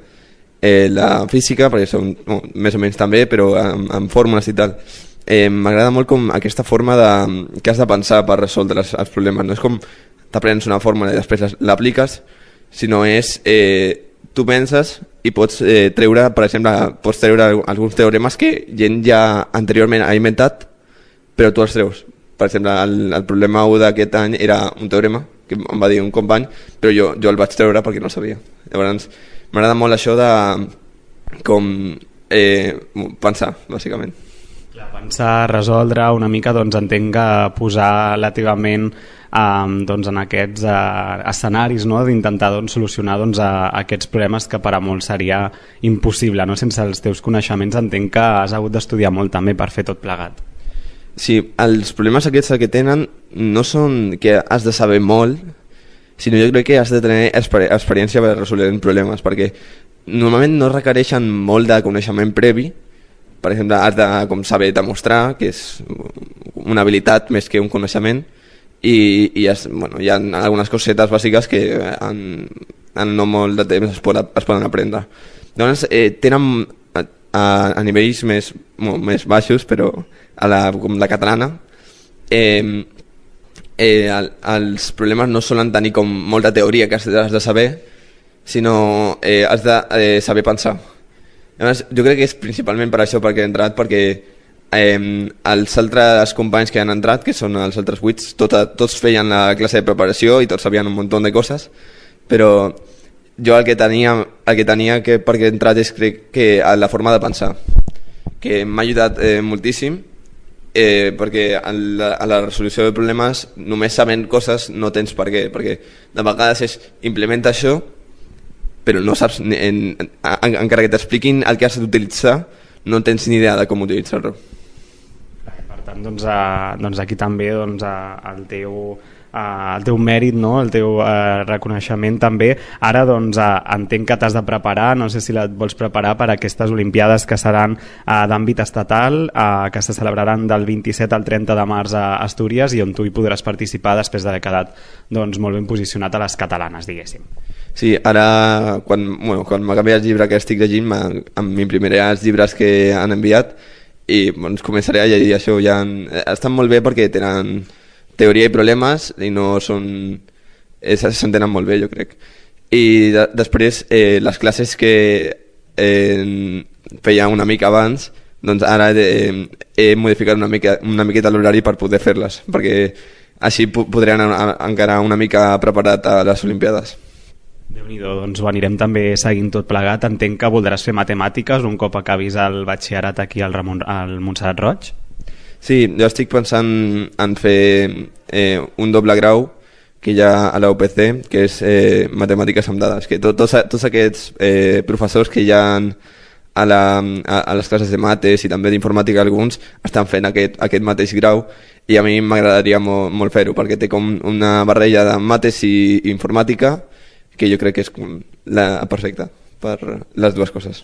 S8: Eh, la física, perquè són no, més o menys també, però amb, amb fórmules i tal. Eh, m'agrada molt com aquesta forma de, que has de pensar per resoldre els, els problemes. No és com t'aprens una fórmula i després l'apliques, sinó és eh, tu penses i pots eh, treure, per exemple, pots treure alguns teoremes que gent ja anteriorment ha inventat, però tu els treus. Per exemple, el, el problema u d'aquest any era un teorema que em va dir un company, però jo, jo el vaig treure perquè no el sabia. Llavors, m'agrada molt això de com eh, pensar, bàsicament.
S7: Clar, pensar, resoldre una mica, doncs entenc que posar la teva ment Um, doncs en aquests uh, escenaris, no? D'intentar doncs, solucionar doncs, a, a aquests problemes que per a molts seria impossible, no? Sense els teus coneixements entenc que has hagut d'estudiar molt també per fer tot plegat.
S8: Sí, els problemes aquests que tenen no són que has de saber molt, sinó jo crec que has de tenir exper experiència per resoldre problemes, perquè normalment no requereixen molt de coneixement previ. Per exemple, has de com, saber demostrar, que és una habilitat més que un coneixement, i, i es, bueno, hi ha algunes cosetes bàsiques que en, en no molt de temps es, pot, es poden aprendre. Llavors eh, tenen a, a, a nivells més, bueno, més baixos, però a la, com la catalana eh, eh, el, els problemes no solen tenir com molta teoria que has de, has de saber, sinó eh, has de eh, saber pensar. Llavors, jo crec que és principalment per això perquè he entrat, perquè Eh, els altres companys que han entrat, que són els altres vuit, tot, tots feien la classe de preparació i tots sabien un munt de coses, però jo el que tenia, el que tenia que perquè he entrat és crec que la forma de pensar, que m'ha ajudat eh, moltíssim, eh, perquè a la, a la resolució de problemes només sabent coses no tens per què, perquè de vegades és implementa això però no saps, en, en, encara que t'expliquin el que has d'utilitzar no tens ni idea de com utilitzar-lo.
S7: Per tant, doncs, a, doncs aquí també doncs, a, el teu el teu mèrit, no? El teu uh, reconeixement també. Ara doncs uh, entenc que t'has de preparar, no sé si et vols preparar per a aquestes Olimpiades que seran uh, d'àmbit estatal, uh, que se celebraran del vint-i-set al trenta de març a Astúries i on tu hi podràs participar després d'haver quedat doncs, molt ben posicionat a les catalanes, diguéssim.
S8: Sí, ara quan, bueno, quan m'acabi el llibre que estic llegint m'imprimiré els llibres que han enviat i doncs, començaré a llegir això. Ja han, estan molt bé perquè tenen teoria i problemes i no són... s'entenen molt bé, jo crec. I de, després eh, les classes que eh, feia una mica abans, doncs ara eh, he modificat una, mica, una miqueta l'horari per poder fer-les, perquè així podré anar encara una mica preparat a les Olimpiades.
S7: Déu-n'hi-do, doncs ho anirem també seguint tot plegat. Entenc que voldràs fer matemàtiques un cop acabis el batxillerat aquí al, Ramon, al Montserrat Roig?
S8: Sí, jo estic pensant en fer eh, un doble grau que hi ha a la U P C, que és eh, matemàtiques amb dades, que tot, tots, tots aquests eh, professors que hi ha a, la, a, a les classes de mates i també d'informàtica alguns estan fent aquest, aquest mateix grau i a mi m'agradaria molt, molt fer-ho perquè té com una barreja de mates i informàtica que jo crec que és la perfecta per les dues coses.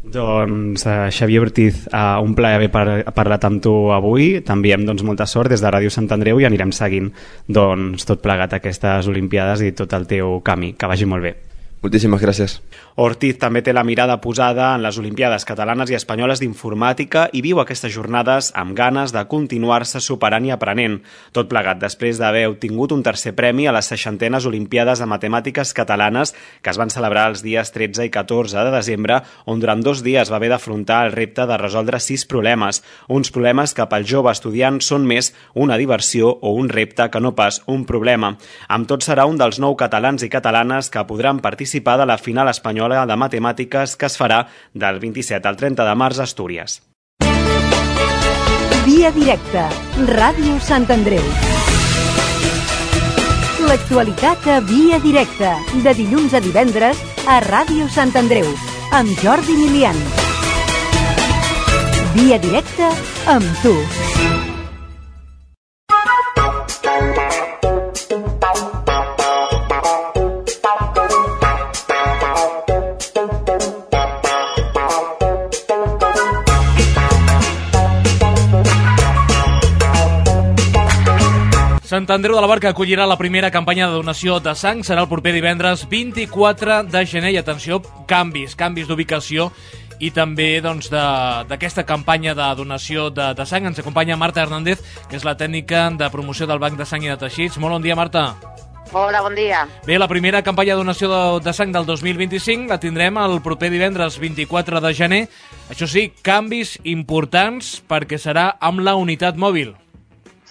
S7: Doncs uh, Xavier Ortiz, uh, un plaer haver par parlat amb tu avui. T'enviem doncs, molta sort des de Ràdio Sant Andreu i anirem seguint doncs, tot plegat aquestes Olimpiades i tot el teu camí. Que vagi molt bé.
S8: Moltíssimes gràcies.
S7: Ortiz també té la mirada posada en les Olimpiades catalanes i espanyoles d'informàtica i viu aquestes jornades amb ganes de continuar-se superant i aprenent. Tot plegat després d'haver obtingut un tercer premi a les seixantenes Olimpiades de Matemàtiques catalanes que es van celebrar els dies tretze i catorze de desembre, on durant dos dies va haver d'afrontar el repte de resoldre sis problemes. Uns problemes que pel jove estudiant són més una diversió o un repte que no pas un problema. Amb tot serà un dels nou catalans i catalanes que podran participar de la final espanyola de matemàtiques que es farà del vint-i-set al trenta de març a Astúries.
S5: Via directa, Ràdio Sant Andreu. L'actualitat a Via directa, de dilluns a divendres a Ràdio Sant Andreu, amb Jordi Milian. Via directa amb tu.
S2: Sant Andreu de la Barca acollirà la primera campanya de donació de sang. Serà el proper divendres vint-i-quatre de gener. I atenció, canvis, canvis d'ubicació i també doncs, d'aquesta campanya de donació de, de sang. Ens acompanya Marta Hernández, que és la tècnica de promoció del Banc de Sang i de Teixits. Molt bon dia, Marta.
S9: Hola, bon dia.
S2: Bé, la primera campanya de donació de, de sang del dos mil vint-i-cinc la tindrem el proper divendres vint-i-quatre de gener. Això sí, canvis importants perquè serà amb la unitat mòbil.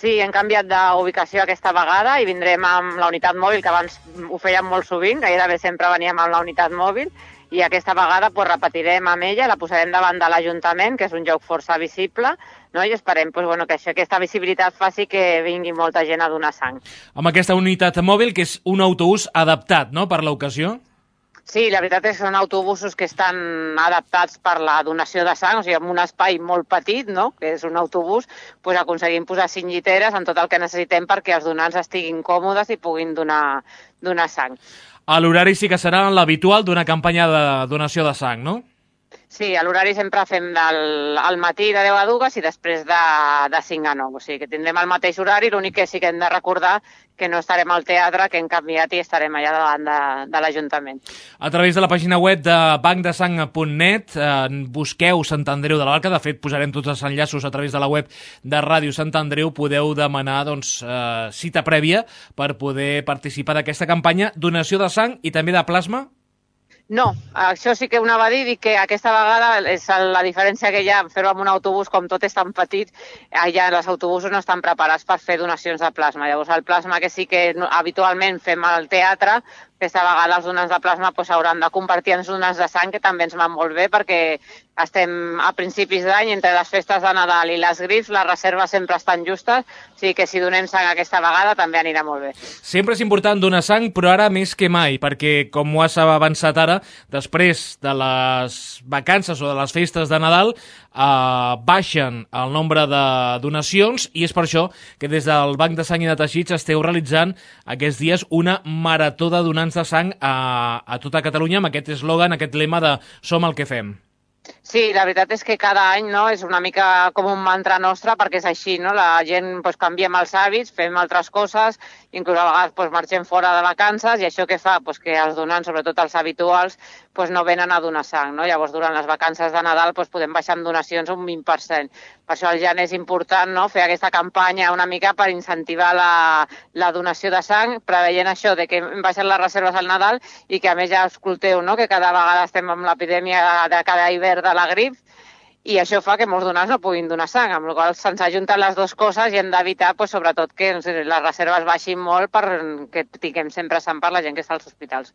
S9: Sí, hem canviat d'ubicació aquesta vegada i vindrem amb la unitat mòbil, que abans ho fèiem molt sovint, gairebé sempre veníem amb la unitat mòbil, i aquesta vegada pues, repetirem amb ella, la posarem davant de l'Ajuntament, que és un lloc força visible, no? I esperem pues, bueno, que això, aquesta visibilitat faci que vingui molta gent a donar sang.
S2: Amb aquesta unitat mòbil, que és un autobús adaptat, no?, per l'ocasió?
S9: Sí, la veritat és que són autobusos que estan adaptats per la donació de sang, o sigui, amb un espai molt petit, no?, que és un autobús, doncs aconseguim posar cinc lliteres en tot el que necessitem perquè els donants estiguin còmodes i puguin donar, donar sang.
S2: A l'horari sí que serà l'habitual d'una campanya de donació de sang, no?
S9: Sí, a l'horari sempre fem del, al matí de deu a dues i després de, de cinc a nou. O sigui que tindrem el mateix horari, l'únic que sí que hem de recordar que no estarem al teatre, que hem canviat i estarem allà davant de, de l'Ajuntament.
S2: A través de la pàgina web de banc de sang punt net eh, busqueu Sant Andreu de la Barca. De fet, posarem tots els enllaços a través de la web de Ràdio Sant Andreu. Podeu demanar doncs, eh, cita prèvia per poder participar d'aquesta campanya. Donació de sang i també de plasma?
S9: No, això sí que ho anava a dir, dic que aquesta vegada és la diferència que hi ha fer-ho amb un autobús, com tot és tan petit, allà els autobusos no estan preparats per fer donacions de plasma. Llavors el plasma que sí que habitualment fem al teatre, aquesta vegada els donants de plasma s'hauran doncs, de convertir en donants de sang, que també ens va molt bé perquè estem a principis d'any, entre les festes de Nadal i les grips, les reserves sempre estan justes, o sigui que si donem sang aquesta vegada també anirà molt bé.
S2: Sempre és important donar sang, però ara més que mai, perquè com ho has avançat ara, després de les vacances o de les festes de Nadal, eh, baixen el nombre de donacions i és per això que des del Banc de Sang i de Teixits esteu realitzant aquests dies una marató de donants de sang a, a tota Catalunya amb aquest eslògan, aquest lema de Som el que fem.
S9: Sí, la veritat és que cada any, no, és una mica com un mantra nostre perquè és així, no? La gent pues, canviem els hàbits, fem altres coses, inclús a vegades pues, marxem fora de vacances i això què fa? Pues, que els donants, sobretot els habituals, pues, no venen a donar sang, no? Llavors durant les vacances de Nadal pues, podem baixar en donacions un vint per cent. Per això al gener és important, no, fer aquesta campanya una mica per incentivar la, la donació de sang, preveient això de que hem baixat les reserves al Nadal i que a més ja escolteu, no, que cada vegada estem amb l'epidèmia de cada hivern de la grip i això fa que molts donants no puguin donar sang, amb la qual cosa se'ns ajunten les dues coses i hem d'evitar pues, sobretot que les reserves baixin molt perquè tinguem sempre sang per la gent que està als hospitals.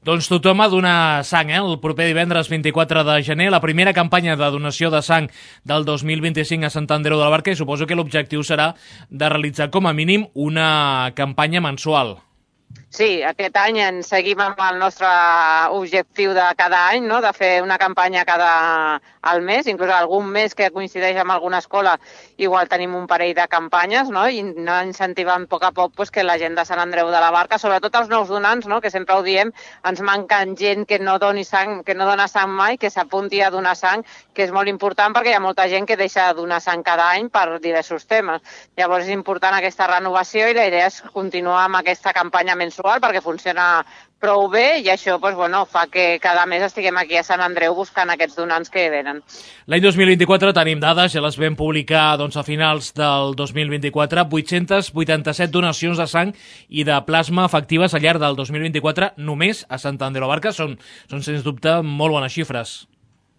S2: Doncs tothom a donar sang, eh? El proper divendres vint-i-quatre de gener, la primera campanya de donació de sang del dos mil vint-i-cinc a Sant Andreu de la Barca i suposo que l'objectiu serà de realitzar com a mínim una campanya mensual.
S9: Sí, aquest any en seguim amb el nostre objectiu de cada any, no? De fer una campanya cada al mes, inclús algun mes que coincideix amb alguna escola, igual tenim un parell de campanyes, no? I anar incentivant a poc a poc pues, que la gent de Sant Andreu de la Barca, sobretot els nous donants, no? Que sempre ho diem, ens manquen gent que no doni sang, que no dona sang mai, que s'apunti a donar sang, que és molt important perquè hi ha molta gent que deixa de donar sang cada any per diversos temes. Llavors és important aquesta renovació i la idea és continuar amb aquesta campanya mensual perquè funciona prou bé i això pues, bueno, fa que cada mes estiguem aquí a Sant Andreu buscant aquests donants que venen.
S2: L'any dos mil vint-i-quatre tenim dades, ja les vam publicar doncs, a finals del dos mil vint-i-quatre, vuit-cents vuitanta-set donacions de sang i de plasma efectives al llarg del dos mil vint-i-quatre només a Sant Andreu de la Barca. Són, són sens dubte molt bones xifres.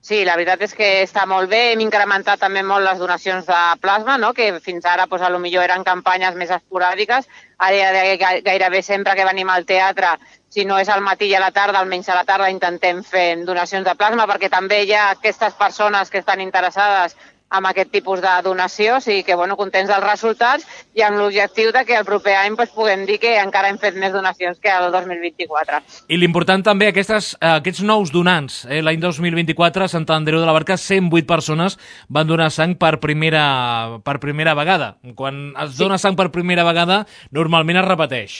S9: Sí, la veritat és que està molt bé. Hem incrementat també molt les donacions de plasma, no? Que fins ara pues, a lo millor eren campanyes més esporàdiques. Ara gairebé sempre que venim al teatre, si no és al matí i a la tarda, almenys a la tarda intentem fer donacions de plasma perquè també hi ha aquestes persones que estan interessades amb aquest tipus de donació, o sigui que bueno, contents dels resultats i amb l'objectiu de que el proper any pues, puguem dir que encara hem fet més donacions que el dos mil vint-i-quatre.
S2: I l'important també, aquestes, aquests nous donants, eh, l'any dos mil vint-i-quatre a Sant Andreu de la Barca, cent vuit persones van donar sang per primera, per primera vegada. Quan es dona sang per primera vegada, normalment es repeteix.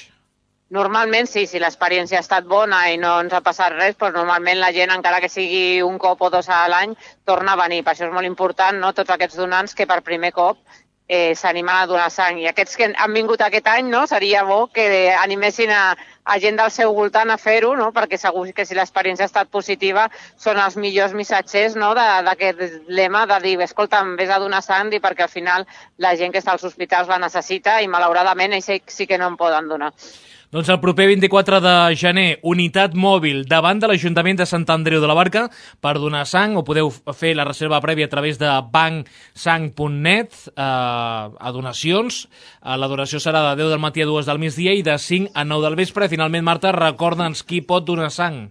S9: Normalment sí, si l'experiència ha estat bona i no ens ha passat res, doncs normalment la gent, encara que sigui un cop o dos a l'any, torna a venir. Per això és molt important, no?, tots aquests donants que per primer cop eh, s'animen a donar sang. I aquests que han vingut aquest any, no?, seria bo que animessin a, a gent del seu voltant a fer-ho, no?, perquè segur que si l'experiència ha estat positiva són els millors missatgers, no?, d'aquest lema de dir, escolta, vés a donar sang, i perquè al final la gent que està als hospitals la necessita i malauradament ells sí que no en poden donar.
S2: Doncs el proper vint-i-quatre de gener, unitat mòbil davant de l'Ajuntament de Sant Andreu de la Barca per donar sang, o podeu fer la reserva prèvia a través de banc sang punt net eh, a donacions. Eh, la donació serà de deu del matí a dues del migdia i de cinc a nou del vespre. I finalment, Marta, recorda'ns qui pot donar sang.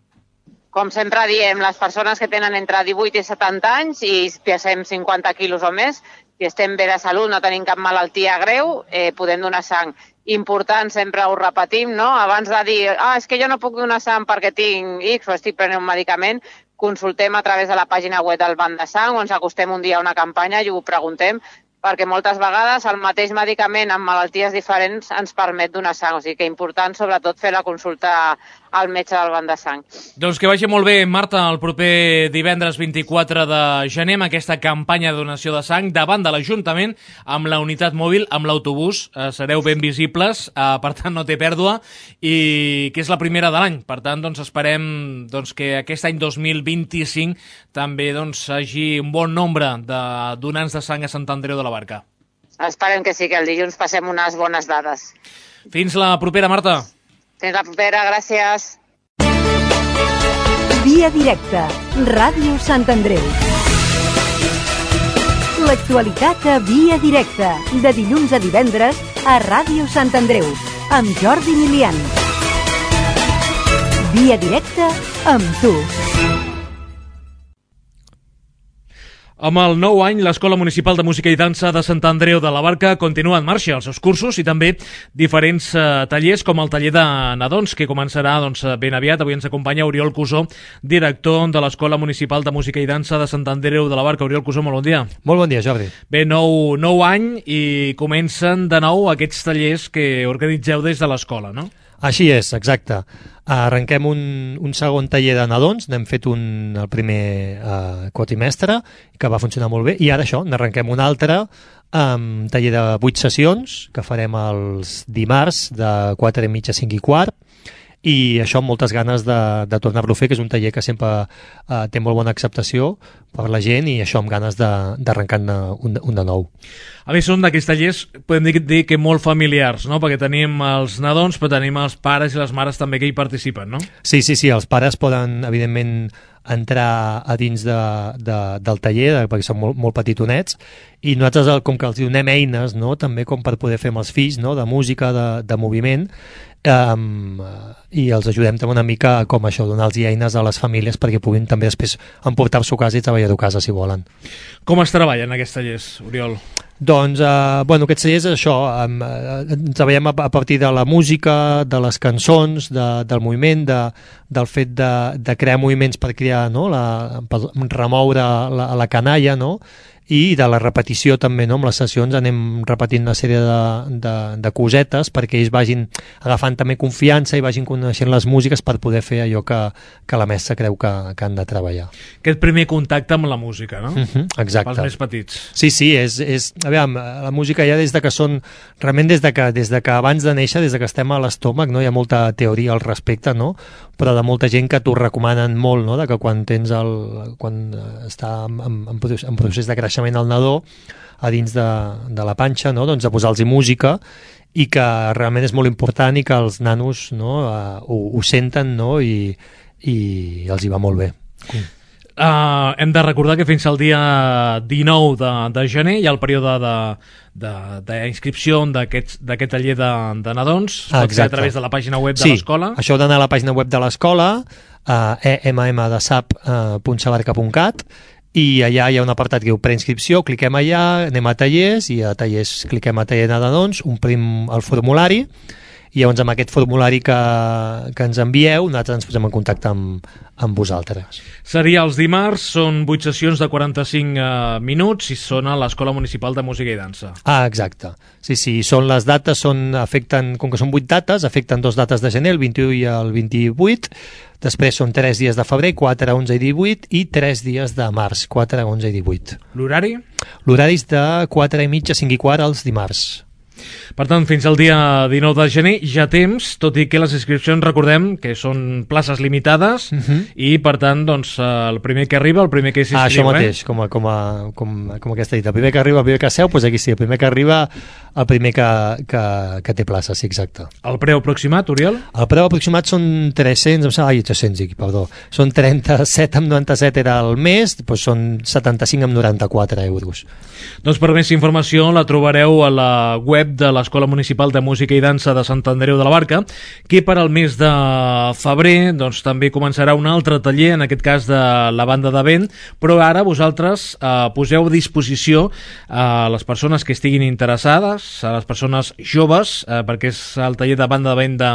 S9: Com sempre diem, les persones que tenen entre divuit i setanta anys i pesem cinquanta quilos o més, si estem bé de salut, no tenim cap malaltia greu, eh, podem donar sang. Important, sempre ho repetim, no? Abans de dir, ah, és que jo no puc donar sang perquè tinc X o estic prenent un medicament, consultem a través de la pàgina web del Banc de Sang o ens acostem un dia a una campanya i ho preguntem, perquè moltes vegades el mateix medicament amb malalties diferents ens permet donar sang. O sigui que és important, sobretot, fer la consulta al metge del Banc de Sang.
S2: Doncs que vagi molt bé, Marta, el proper divendres vint-i-quatre de gener amb aquesta campanya de donació de sang davant de l'Ajuntament amb la unitat mòbil, amb l'autobús. Eh, sereu ben visibles, eh, per tant no té pèrdua, i que és la primera de l'any. Per tant, doncs, esperem doncs, que aquest any dos mil vint-i-cinc també doncs, hagi un bon nombre de donants de sang a Sant Andreu de la Barca.
S9: Esperem que sí, que el dilluns passem unes bones dades.
S2: Fins la propera, Marta.
S9: Fins la propera, gràcies.
S5: Via directa, Ràdio Sant Andreu. L'actualitat a Via directa, de dilluns a divendres a Ràdio Sant Andreu, amb Jordi Milian. Via directa amb tu.
S2: Amb el nou any, l'Escola Municipal de Música i Dansa de Sant Andreu de la Barca continua en marxa els seus cursos i també diferents eh, tallers com el taller de nadons, que començarà doncs, ben aviat. Avui ens acompanya Oriol Cusó, director de l'Escola Municipal de Música i Dansa de Sant Andreu de la Barca. Oriol Cusó, molt bon dia.
S10: Molt bon dia, Jordi.
S2: Bé, nou, nou any i comencen de nou aquests tallers que organitzeu des de l'escola, no?
S10: Així és, exacte. Arrenquem un, un segon taller de nadons, n'hem fet un, el primer eh, quatrimestre, que va funcionar molt bé, i ara això, n'arrenquem un altre um, taller de vuit sessions, que farem els dimarts de quatre i mitja a cinc i quart, i això amb moltes ganes de, de tornar-lo a fer, que és un taller que sempre eh, té molt bona acceptació per la gent, i això amb ganes d'arrencar-ne un, un de nou.
S2: A més, són d'aquests tallers, podem dir, dir que molt familiars, no? Perquè tenim els nadons, però tenim els pares i les mares també que hi participen, no?
S10: Sí, sí, sí, els pares poden, evidentment, entrar a dins de, de, del taller, de, perquè són molt, molt petitonets, i nosaltres, com que els donem eines, no? També com per poder fer amb els fills, no? De música, de, de moviment, Um, i els ajudem també una mica com això, donar-los eines a les famílies perquè puguin també després emportar-s'ho a casa i treballar-ho a casa si volen.
S2: Com es treballen aquests tallers, Oriol?
S10: Doncs, eh, bueno, aquests tallers és això, eh, treballem a, a partir de la música, de les cançons, de, del moviment, de, del fet de, de crear moviments per crear, no? La, per remoure la, la canalla, no? I de la repetició també, no? Amb les sessions anem repetint una sèrie de, de, de cosetes perquè ells vagin agafant també confiança i vagin coneixent les músiques per poder fer allò que, que la mestra creu que, que han de treballar.
S2: Aquest primer contacte amb la música, no?
S10: Uh-huh, exacte.
S2: Pels més petits.
S10: Sí, sí, és, és, a veure, la música ja des de que són, realment des de que, des de que abans de néixer, des de que estem a l'estómac, no? Hi ha molta teoria al respecte, no? Però de molta gent que t'ho recomanen molt, no? De que quan tens el, quan està en, en, en procés de creixement el nadó a dins de, de la panxa, no? Doncs de posar-los música, i que realment és molt important i que els nanos, no? uh, ho, ho senten, no? I, i els hi va molt bé.
S2: Uh, hem de recordar que fins al dia dinou de, de gener hi ha el període d'inscripció d'aquest taller de, de nadons.
S10: Ah,
S2: pot ser a través de la pàgina web de
S10: sí,
S2: l'escola.
S10: Això heu d'anar a la pàgina web de l'escola, uh, e m m de sap punt sabarca punt cat, i allà hi ha un apartat que diu preinscripció, cliquem allà, anem a tallers, i a tallers cliquem a taller de nadons, omplim el formulari, i llavors amb aquest formulari que, que ens envieu nosaltres ens posem en contacte amb, amb vosaltres.
S2: Seria els dimarts, són vuit sessions de quaranta-cinc eh, minuts i són a l'Escola Municipal de Música i Dansa.
S10: Ah, exacte. Sí, sí, són les dates, són, afecten, com que són vuit dates, afecten dos dates de gener, el vint-i-u i el vint-i-vuit, després són tres dies de febrer, quatre, onze i divuit, i tres dies de març, quatre, onze i divuit.
S2: L'horari?
S10: L'horari és de quatre i mitja, cinc i quart els dimarts.
S2: Per tant, fins al dia dinou de gener ja temps, tot i que les inscripcions, recordem que són places limitades, uh-huh. i per tant, doncs, el primer que arriba, el primer que s'inscriu.
S10: Ah, això mateix, eh? com, a, com, a, com, com aquesta dita. El primer que arriba, el primer que seu, doncs aquí sí, el primer que arriba, el primer que, que, que té plaça, sí, exacte.
S2: El preu aproximat, Oriol?
S10: El preu aproximat són tres-cents, em sembla, ai, tres-cents, perdó, són trenta-set amb noranta-set era el mes, doncs són setanta-cinc amb noranta-quatre euros.
S2: Doncs per més informació la trobareu a la web de l'Escola Municipal de Música i Dansa de Sant Andreu de la Barca, que per al mes de febrer doncs, també començarà un altre taller, en aquest cas de la banda de vent, però ara vosaltres eh, poseu a disposició a les persones que estiguin interessades, a les persones joves, eh, perquè és el taller de banda de vent de,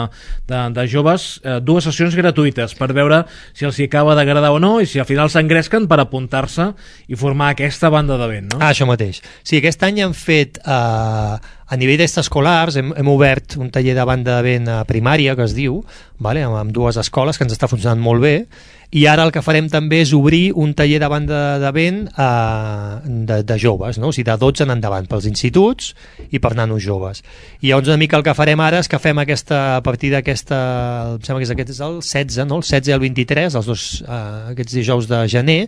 S2: de, de joves, eh, dues sessions gratuïtes per veure si els hi acaba d'agradar o no i si al final s'engresquen per apuntar-se i formar aquesta banda de vent, no?
S10: Ah, això mateix. Sí, aquest any hem fet eh, a nivell d'extraescolars hem, hem obert un taller de banda de vent a primària, que es diu, vale? amb, amb dues escoles, que ens està funcionant molt bé, i ara el que farem també és obrir un taller de banda de vent eh, de, de joves, no? O sigui, de dotze en endavant, pels instituts i per nanos joves. I llavors una mica el que farem ara és que fem aquesta, a partir d'aquesta, em sembla que és aquest és el setze, no? El setze i el vint-i-tres, els dos, eh, aquests dijous de gener,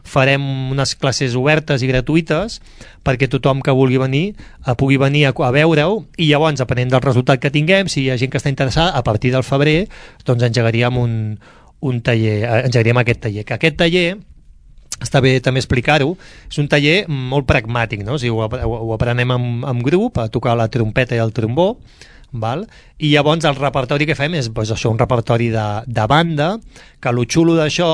S10: farem unes classes obertes i gratuïtes perquè tothom que vulgui venir eh, pugui venir a, a veure-ho, i llavors, depenent del resultat que tinguem, si hi ha gent que està interessada, a partir del febrer doncs engegaríem un un taller, engegaríem aquest taller, que aquest taller està bé també explicar-ho, és un taller molt pragmàtic, no? O sigui, ho, ho, ho aprenem en, en grup, a tocar la trompeta i el trombó, val? I llavors el repertori que fem és pues, això, un repertori de, de banda, que lo xulo d'això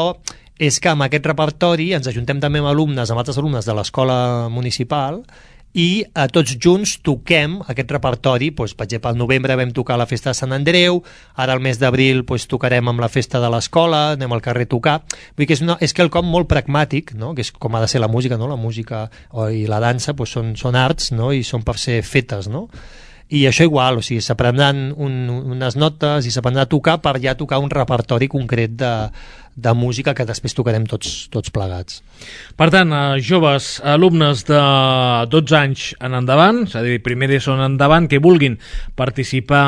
S10: és que amb aquest repertori ens ajuntem també amb alumnes, amb altres alumnes de l'escola municipal, i a tots junts toquem aquest repertori. Doncs, per exemple, al novembre vam tocar la festa de Sant Andreu, ara al mes d'abril doncs, tocarem amb la festa de l'escola, anem al carrer a tocar. Vull dir que és, una, és quelcom molt pragmàtic, no? Que és com ha de ser la música, no? La música i la dansa doncs, són, són arts, no? I són per ser fetes, no? I això igual, o sigui, s'aprendran un, unes notes i s'aprendrà a tocar per ja tocar un repertori concret de, de música que després tocarem tots, tots plegats.
S2: Per tant, eh, joves, alumnes de dotze anys en endavant, és a dir, primer d'ESO en endavant, que vulguin participar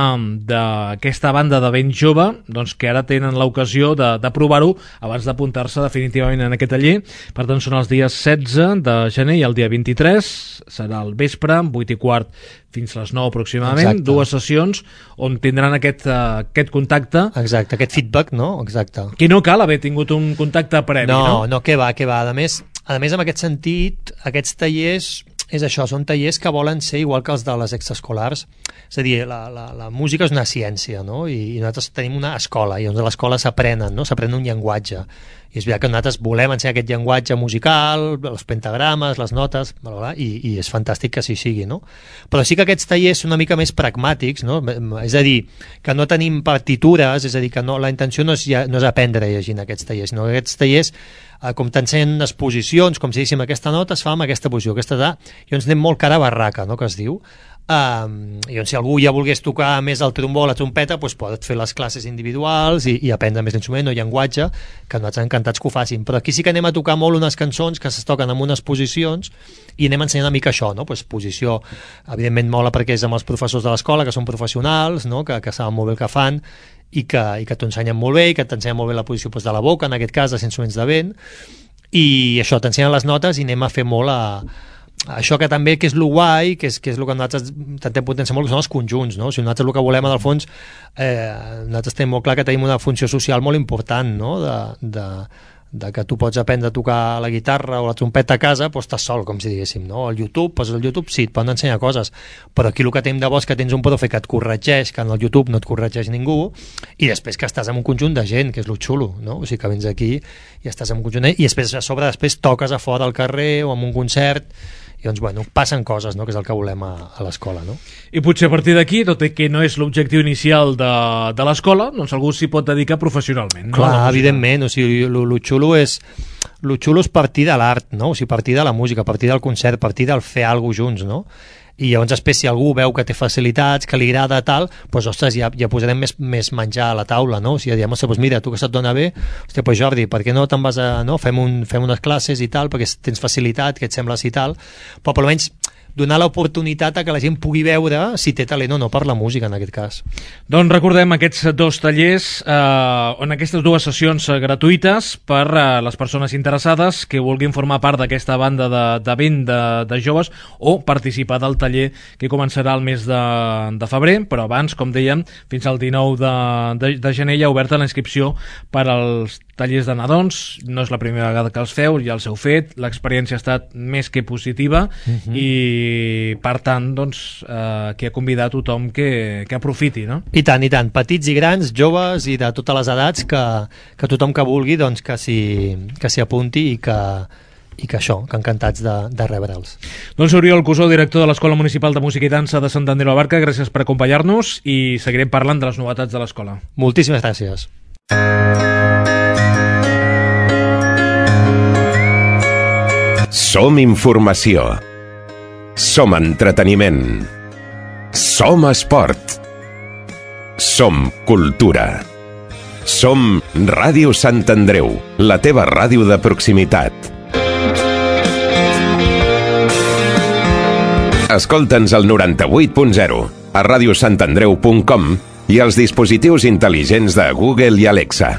S2: d'aquesta banda de ben jove, doncs que ara tenen l'ocasió de, de provar-ho abans d'apuntar-se definitivament en aquest taller. Per tant, són els dies setze de gener i el dia vint-i-tres, serà al vespre, vuit i quart fins a les nou aproximadament. Exacte. Dues sessions on tindran aquest, uh, aquest contacte.
S10: Exacte, aquest feedback, no? Exacte.
S2: Que no cal haver tingut un contacte previ, no?
S10: No, no, que va, que va. A més, a més, en aquest sentit, aquests tallers, és això, són tallers que volen ser igual que els de les extraescolars. És a dir, la, la, la música és una ciència, no? I, i nosaltres tenim una escola, i doncs a l'escola s'aprenen, no? S'aprèn un llenguatge. I és veritat que nosaltres volem ensenyar aquest llenguatge musical, els pentagrames, les notes, bla, bla, bla, i, i és fantàstic que així sigui, no? Però sí que aquests tallers són una mica més pragmàtics, no? És a dir, que no tenim partitures, és a dir, que no, la intenció no és, ja, no és aprendre llegint aquests tallers, sinó que aquests tallers, eh, com t'ensenyen les posicions, com si diguéssim aquesta nota es fa amb aquesta posició, aquesta da, i ens anem molt cara a barraca, no?, que es diu. Um, i doncs si algú ja volgués tocar més el trombó o la trompeta, doncs pot fer les classes individuals i, i aprendre més l'instrument o llenguatge, que nosaltres encantats que ho facin. Però aquí sí que anem a tocar molt unes cançons que es toquen en unes posicions i anem ensenyant una mica això, no? Pues posició, evidentment mola perquè és amb els professors de l'escola, que són professionals, no? que, que saben molt bé el que fan i que, i que t'ho ensenyen molt bé i que t'ensenyen molt bé la posició pues, de la boca, en aquest cas dels instruments de vent, i això, t'ensenyen les notes i anem a fer molt a això que també que és lo guai, que és, que és el que nosaltres intentem potenciar molt, que són els conjunts, no? O sigui, nosaltres el que volem, en el fons, eh, nosaltres tenim molt clar que tenim una funció social molt important, no? De, de, de que tu pots aprendre a tocar la guitarra o la trompeta a casa, doncs estàs sol, com si diguéssim, no? Al YouTube, poses al YouTube, sí, et poden ensenyar coses, però aquí el que tenim de bo és que tens un profe que et corregeix, que en el YouTube no et corregeix ningú, i després que estàs en un conjunt de gent, que és lo xulo, no? O sigui, que vens aquí i estàs en un conjunt de... i després a sobre després toques a fora al carrer o en un concert, i doncs, bueno, passen coses, no?, que és el que volem a, a l'escola, no?
S2: I potser a partir d'aquí, tot i que no és l'objectiu inicial de, de l'escola, doncs algú s'hi pot dedicar professionalment, no?
S10: Clar, evidentment, o sigui, lo, lo xulo és lo xulo és partir de l'art, no? O sigui, partir de la música, partir del concert, partir del fer alguna cosa junts, no? I llavors després si algú veu que té facilitats, que li agrada tal, doncs ostres, ja, ja posarem més, més menjar a la taula, no? O sigui, diem, ostres, doncs mira, tu que se't dona bé, ostres, doncs Jordi, per què no te'n vas a, no? Fem, un, fem unes classes i tal, perquè tens facilitat, que et sembles i tal, però per almenys donar l'oportunitat a que la gent pugui veure si té talent o no per la música, en aquest cas.
S2: Doncs recordem aquests dos tallers, eh, on aquestes dues sessions gratuïtes per a eh, les persones interessades que vulguin formar part d'aquesta banda de, de vent de, de joves o participar del taller que començarà el mes de, de febrer, però abans, com dèiem, fins al dinou de, de, de gener hi ha oberta la inscripció per als tallers de nadons. No és la primera vegada que els feu, ja els heu fet, l'experiència ha estat més que positiva, uh-huh. i per tant doncs, eh, que ha convidat tothom que, que aprofiti, no?
S10: I tant, i tant, petits i grans, joves i de totes les edats, que, que tothom que vulgui doncs, que s'hi que s'hi apunti i que, i que això, que encantats de, de rebre'ls.
S2: Doncs Oriol Cusó, director de l'Escola Municipal de Música i Dansa de Sant Andreu Abarca, gràcies per acompanyar-nos i seguirem parlant de les novetats de l'escola.
S10: Moltíssimes gràcies.
S1: Som informació. Som entreteniment. Som esport. Som cultura. Som Ràdio Sant Andreu, la teva ràdio de proximitat. Escolta'ns al noranta-vuit punt zero, a radiosantandreu punt com i als dispositius intel·ligents de Google i Alexa.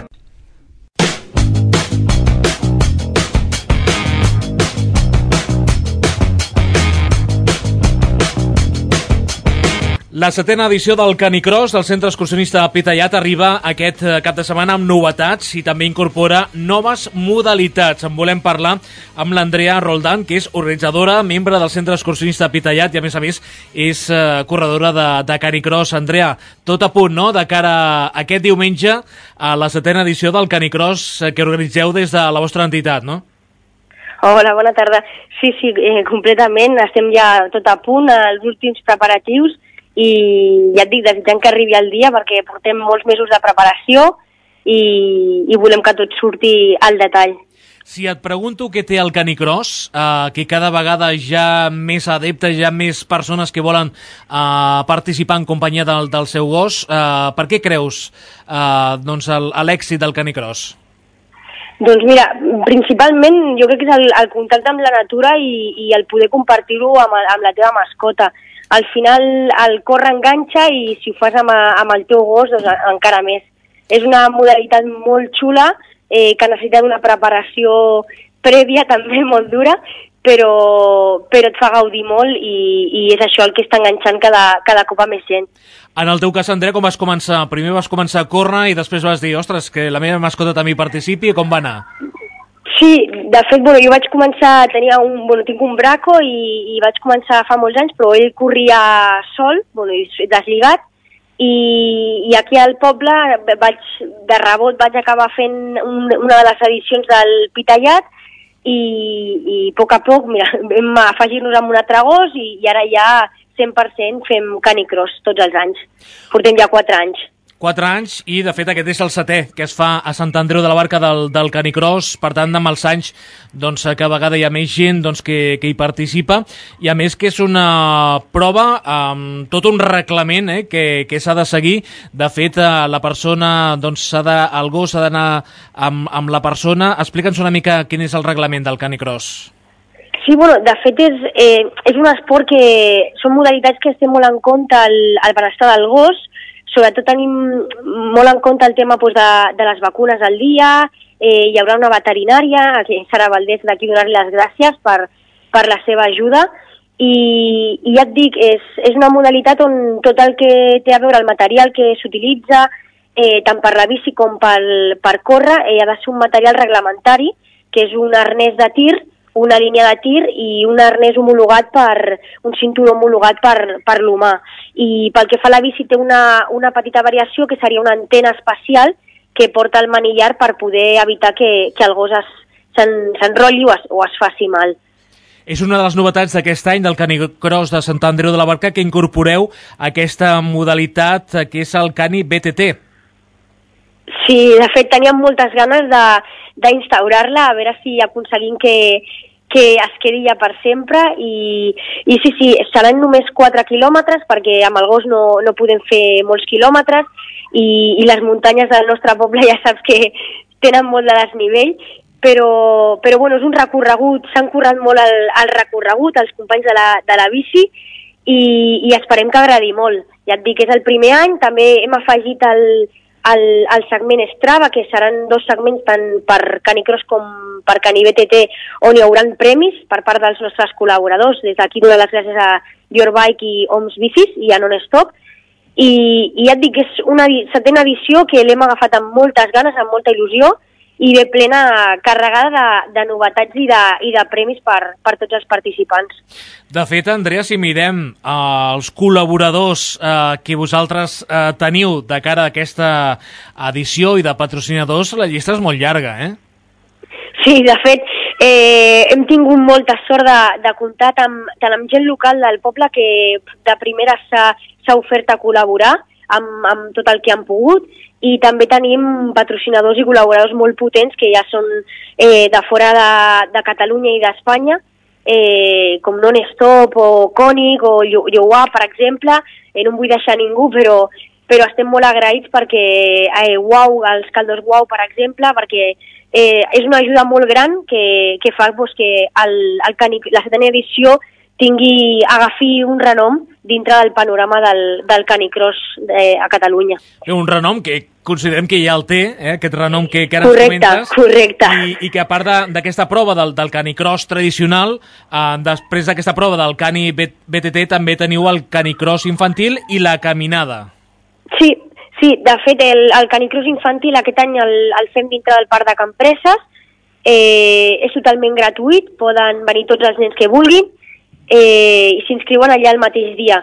S2: La setena edició del Canicross del Centre Excursionista Pitaiat arriba aquest cap de setmana amb novetats i també incorpora noves modalitats. En volem parlar amb l'Andrea Roldán, que és organitzadora, membre del Centre Excursionista Pitaiat i, a més a més, és eh, corredora de, de Canicross. Andrea, tot a punt, no?, de cara a aquest diumenge a la setena edició del Canicross que organitzeu des de la vostra entitat, no?
S11: Hola, bona tarda. Sí, sí, eh, completament. Estem ja tot a punt, als últims preparatius, i ja et dic, desitjant que arribi el dia perquè portem molts mesos de preparació i, i volem que tot surti al detall.
S2: Si et pregunto què té el Canicross, eh, que cada vegada hi ha més adeptes, hi ha més persones que volen eh, participar en companyia del, del seu gos, eh, per què creus eh, doncs l'èxit del Canicross?
S11: Doncs mira, principalment jo crec que és el, el contacte amb la natura i, i el poder compartir-ho amb, amb la teva mascota. Al final el córrer enganxa i si ho fas amb, amb el teu gos, doncs encara més. És una modalitat molt xula, eh, que necessita una preparació prèvia també molt dura, però, però et fa gaudir molt i, i és això el que està enganxant cada, cada cop a més gent.
S2: En el teu cas, Andrea, com vas començar? Primer vas començar a córrer i després vas dir, ostres, que la meva mascota també hi participi, com va anar?
S11: Sí, de fet, bueno, jo vaig començar, tenia un, bueno, tinc un braco i, i vaig començar fa molts anys, però ell corria sol, bueno, desligat, i, i aquí al poble vaig, de rebot vaig acabar fent un, una de les edicions del Pitaiat i, i a poc a poc, mira, vam afegir-nos amb un altre gos i, i ara ja cent per cent fem Canicross tots els anys. Portem ja quatre anys.
S2: Quatre anys i, de fet, aquest és el setè que es fa a Sant Andreu de la Barca del, del Canicross. Per tant, amb els anys, doncs, cada vegada hi ha més gent doncs, que, que hi participa. I, a més, que és una prova amb tot un reglament eh, que, que s'ha de seguir. De fet, la persona, doncs, s'ha de, el gos s'ha d'anar amb, amb la persona. Explica'ns una mica quin és el reglament del Canicross.
S11: Sí, bueno, de fet és, eh, és un esport que són modalitats que estem molt en compte el, el benestar del gos. Sobretot tenim molt en compte el tema doncs, de, de les vacunes al dia, eh, hi haurà una veterinària, que Sara Valdés, d'aquí donar-li les gràcies per, per la seva ajuda, i, i ja et dic, és, és una modalitat on tot el que té a veure el material que s'utilitza, eh, tant per la bici com pel, per córrer, eh, ha de ser un material reglamentari, que és un arnès de tir, una línia de tir i un arnès homologat per, un cinturó homologat per, per l'humà. I pel que fa a la bici té una, una petita variació que seria una antena espacial que porta el manillar per poder evitar que, que el gos s'enrotlli o, es, o es faci mal.
S2: És una de les novetats d'aquest any del Canicross de Sant Andreu de la Barca que incorporeu aquesta modalitat que és el Cani B T T.
S11: Sí, de fet teníem moltes ganes de d'instaurar-la, a veure si aconseguim que, que es quedi ja per sempre i, i sí, sí, seran només quatre quilòmetres perquè amb el gos no, no podem fer molts quilòmetres i, i les muntanyes del nostre poble ja saps que tenen molt de desnivell, però, però bueno, és un recorregut, s'han currat molt el, el recorregut, els companys de la, de la bici i, i esperem que agradi molt. Ja et dic, és el primer any, també hem afegit el El, el segment Strava, que seran dos segments tant per Canicross com per Cani B T T, on hi haurà premis per part dels nostres col·laboradors. Des d'aquí donar les gràcies a Your Bike i Oms Bicis i a Non-Stop. I, I ja et dic que és una setena edició que l'hem agafat amb moltes ganes, amb molta il·lusió, i ve plena carregada de, de novetats i de, i de premis per, per tots els participants.
S2: De fet, Andrea, si mirem eh, els col·laboradors eh, que vosaltres eh, teniu de cara a aquesta edició i de patrocinadors, la llista és molt llarga, eh?
S11: Sí, de fet, eh, hem tingut molta sort de, de comptar amb, tant amb gent local del poble que de primera s'ha ofert a col·laborar amb, amb tot el que han pogut, i també tenim patrocinadors i col·laboradors molt potents que ja són eh, de fora de, de Catalunya i d'Espanya, eh, com Non-Stop o Koenig o Youwa, per exemple. Eh, no em vull deixar ningú, però, però estem molt agraïts perquè eh, Wow, els caldos Wow, per exemple, perquè eh, és una ajuda molt gran que, que fa pues, que el, el canic, la setena edició tingui, agafi un renom dintre del panorama del, del canicross eh, a Catalunya.
S2: Un renom que considerem que ja el té, eh, aquest renom que, que ara
S11: correcte,
S2: ens comentes.
S11: Correcte,
S2: i, i que a part d'aquesta prova del, del canicross tradicional, eh, després d'aquesta prova del cani B T T també teniu el canicross infantil i la caminada.
S11: Sí, sí, de fet el, el canicross infantil aquest any el, el fem dintre del Parc de Campreses, eh, és totalment gratuït, poden venir tots els nens que vulguin, eh, i s'inscriuen allà el mateix dia.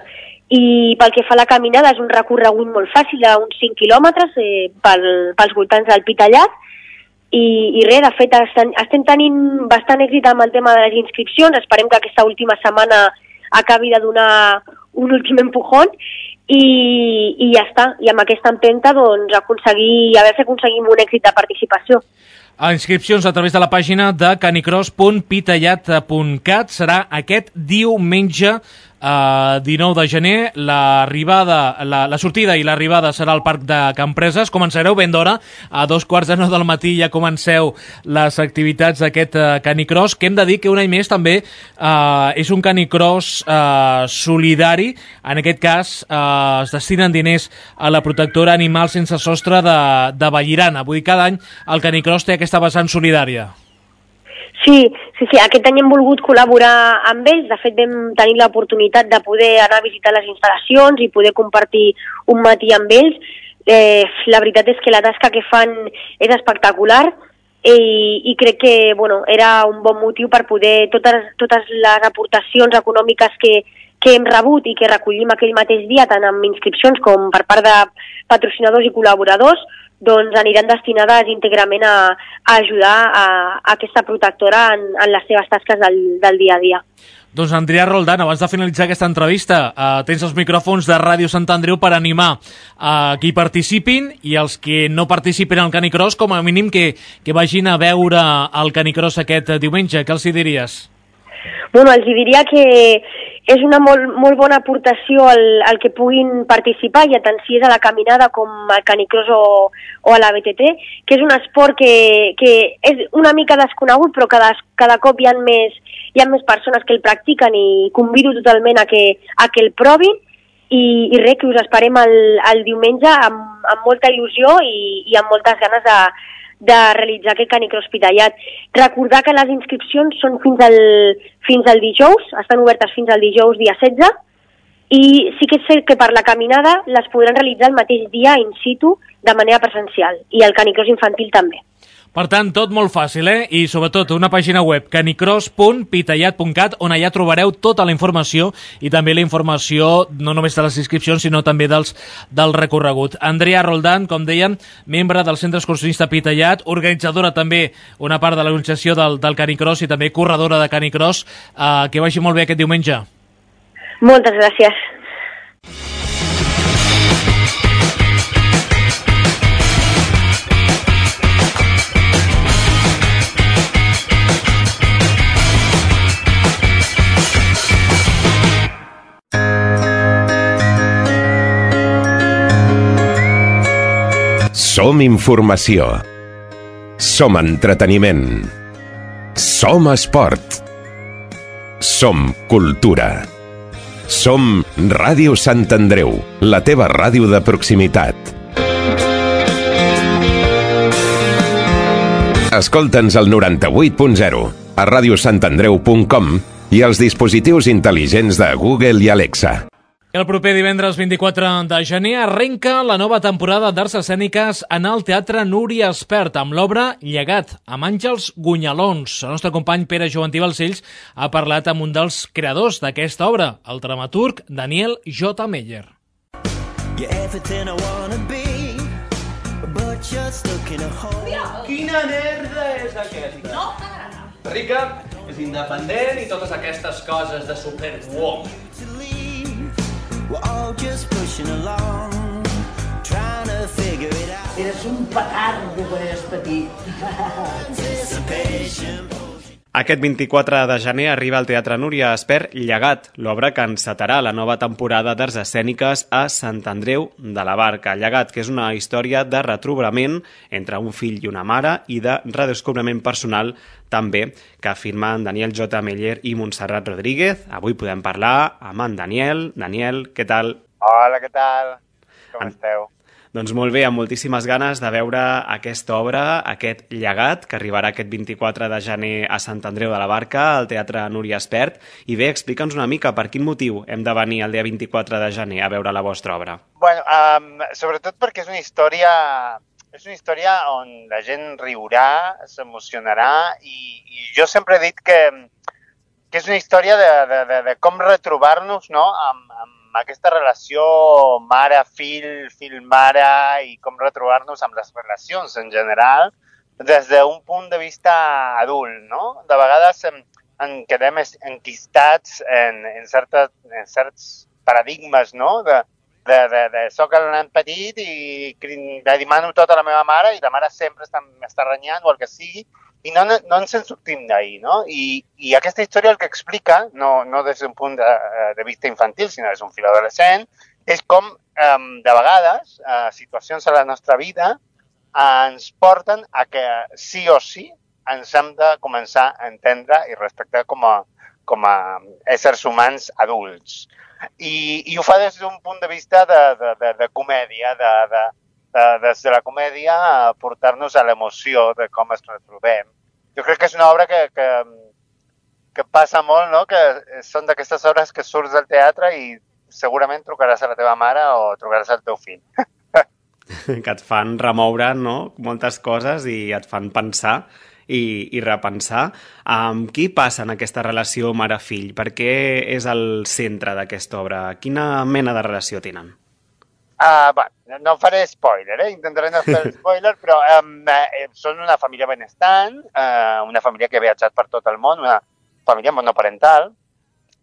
S11: I pel que fa a la caminada és un recorregut molt fàcil d'uns cinc quilòmetres eh, pel, pels voltants del Pitallat i, i res, de fet estem, estem tenint bastant èxit amb el tema de les inscripcions, esperem que aquesta última setmana acabi de donar un últim empujón i, i ja està, i amb aquesta empenta doncs aconseguir, a veure si aconseguim un èxit de participació.
S2: A inscripcions a través de la pàgina de canicross punt pitallat punt cat serà aquest diumenge Uh, dinou de gener, l'arribada, la, la sortida i l'arribada serà al Parc de Campreses. Començareu ben d'hora, a dos quarts de nou del matí ja comenceu les activitats d'aquest uh, canicross, que hem de dir que un any més també uh, és un canicross uh, solidari. En aquest cas uh, es destinen diners a la protectora Animal Sense Sostre de, de Vallirana. Vull dir, cada any el canicross té aquesta vessant solidària.
S11: Sí, sí, sí, aquest any hem volgut col·laborar amb ells, de fet vam tenir l'oportunitat de poder anar a visitar les instal·lacions i poder compartir un matí amb ells. Eh, la veritat és que la tasca que fan és espectacular i, i crec que bueno, era un bon motiu per poder, totes, totes les aportacions econòmiques que, que hem rebut i que recollim aquell mateix dia, tant amb inscripcions com per part de patrocinadors i col·laboradors, doncs aniran destinades íntegrament a, a ajudar a, a aquesta protectora en, en les seves tasques del, del dia a dia.
S2: Doncs Andrea Roldán, abans de finalitzar aquesta entrevista, eh, tens els micròfons de Ràdio Sant Andreu per animar a eh, qui participin i els que no participin al canicross, com a mínim que, que vagin a veure el canicross aquest diumenge. Què els hi diries?
S11: Bueno, els diria que és una molt, molt bona aportació al, al que puguin participar, ja tant si és a la caminada com al canicross o, o a la B T T, que és un esport que, que és una mica desconegut, però cada, cada cop hi ha, més, hi ha més persones que el practiquen i convido totalment a que, a que el provin i, i res, que us esperem el, el diumenge amb, amb molta il·lusió i, i amb moltes ganes de, de realitzar aquest canicross Pitallat. Recordar que les inscripcions són fins al, fins al dijous, estan obertes fins al dijous dia setze, i sí que és cert que per la caminada les podran realitzar el mateix dia in situ de manera presencial, i el canicross infantil també.
S2: Per tant, tot molt fàcil, eh? I sobretot una pàgina web, canicross punt pitallat punt cat, on allà trobareu tota la informació i també la informació no només de les inscripcions, sinó també dels, del recorregut. Andrea Roldán, com dèiem, membre del Centre Excursionista Pitallat, organitzadora també una part de l'organització del, del canicross i també corredora de canicross. Eh, que vagi molt bé aquest diumenge.
S11: Moltes gràcies.
S1: Som informació. Som entreteniment. Som esport. Som cultura. Som Ràdio Sant Andreu, la teva ràdio de proximitat. Escolta'ns al noranta-vuit punt zero, a ràdio sant andreu punt com i als dispositius intel·ligents de Google i Alexa.
S2: El proper divendres vint-i-quatre de gener arrenca la nova temporada d'Arts Escèniques en el Teatre Núria Espert amb l'obra Llegat, amb Àngels Gunyalons. El nostre company Pere Joventí Balcells ha parlat amb un dels creadors d'aquesta obra, el dramaturg Daniel J. Meyer.
S12: Quina merda és aquesta? No t'agrada. Rica és independent i totes aquestes coses de superwoman.
S13: Eres un petardo quan eres petit.
S7: Aquest vint-i-quatre de gener arriba al Teatre Núria Espert Llegat, l'obra que encetarà la nova temporada d'arts escèniques a Sant Andreu de la Barca. Llegat, que és una història de retrobament entre un fill i una mare i de redescobriment personal també, que afirmen Daniel J. Meller i Montserrat Rodríguez. Avui podem parlar amb en Daniel. Daniel, què tal?
S13: Hola, què tal? Com en... esteu?
S7: Doncs molt bé, amb moltíssimes ganes de veure aquesta obra, aquest Llegat, que arribarà aquest vint-i-quatre de gener a Sant Andreu de la Barca, al Teatre Núria Espert. I bé, explica'ns una mica per quin motiu hem de venir el dia vint-i-quatre de gener a veure la vostra obra.
S13: Bueno, um, sobretot perquè és una història, és una història on la gent riurà, s'emocionarà, i, i jo sempre he dit que, que és una història de, de, de, de com retrobar-nos, no?, amb, amb aquesta relació mare-fill, fill-mare, i com retrobar-nos amb les relacions en general des d'un punt de vista adult, no? De vegades en, en quedem enquistats en, en, certes, en certs paradigmes, no? De, de, de, de soc el nen petit i li demano tot a la meva mare i la mare sempre m'està renyant o el que sigui, i no, no, no ens en sortim d'ahir, no? I, I aquesta història el que explica, no, no des d'un punt de, de vista infantil, sinó des d'un fil adolescent, és com, um, de vegades, uh, situacions a la nostra vida uh, ens porten a que sí o sí ens hem de començar a entendre i respectar com a, com a éssers humans adults. I, i ho fa des d'un punt de vista de, de, de, de comèdia, de, de, de, des de la comèdia a portar-nos a l'emoció de com es retrobem. Jo crec que és una obra que, que, que passa molt, no? Que són d'aquestes obres que surts del teatre i segurament trucaràs a la teva mare o trucaràs al teu fill.
S7: Que et fan remoure, no?, moltes coses i et fan pensar i, i repensar. Amb qui passa en aquesta relació mare-fill? Per què és el centre d'aquesta obra? Quina mena de relació tenen?
S13: Uh, va, no faré spoiler, eh? Intentaré no fer spoiler, però um, eh, són una família benestant, uh, una família que ha viatjat per tot el món, una família monoparental,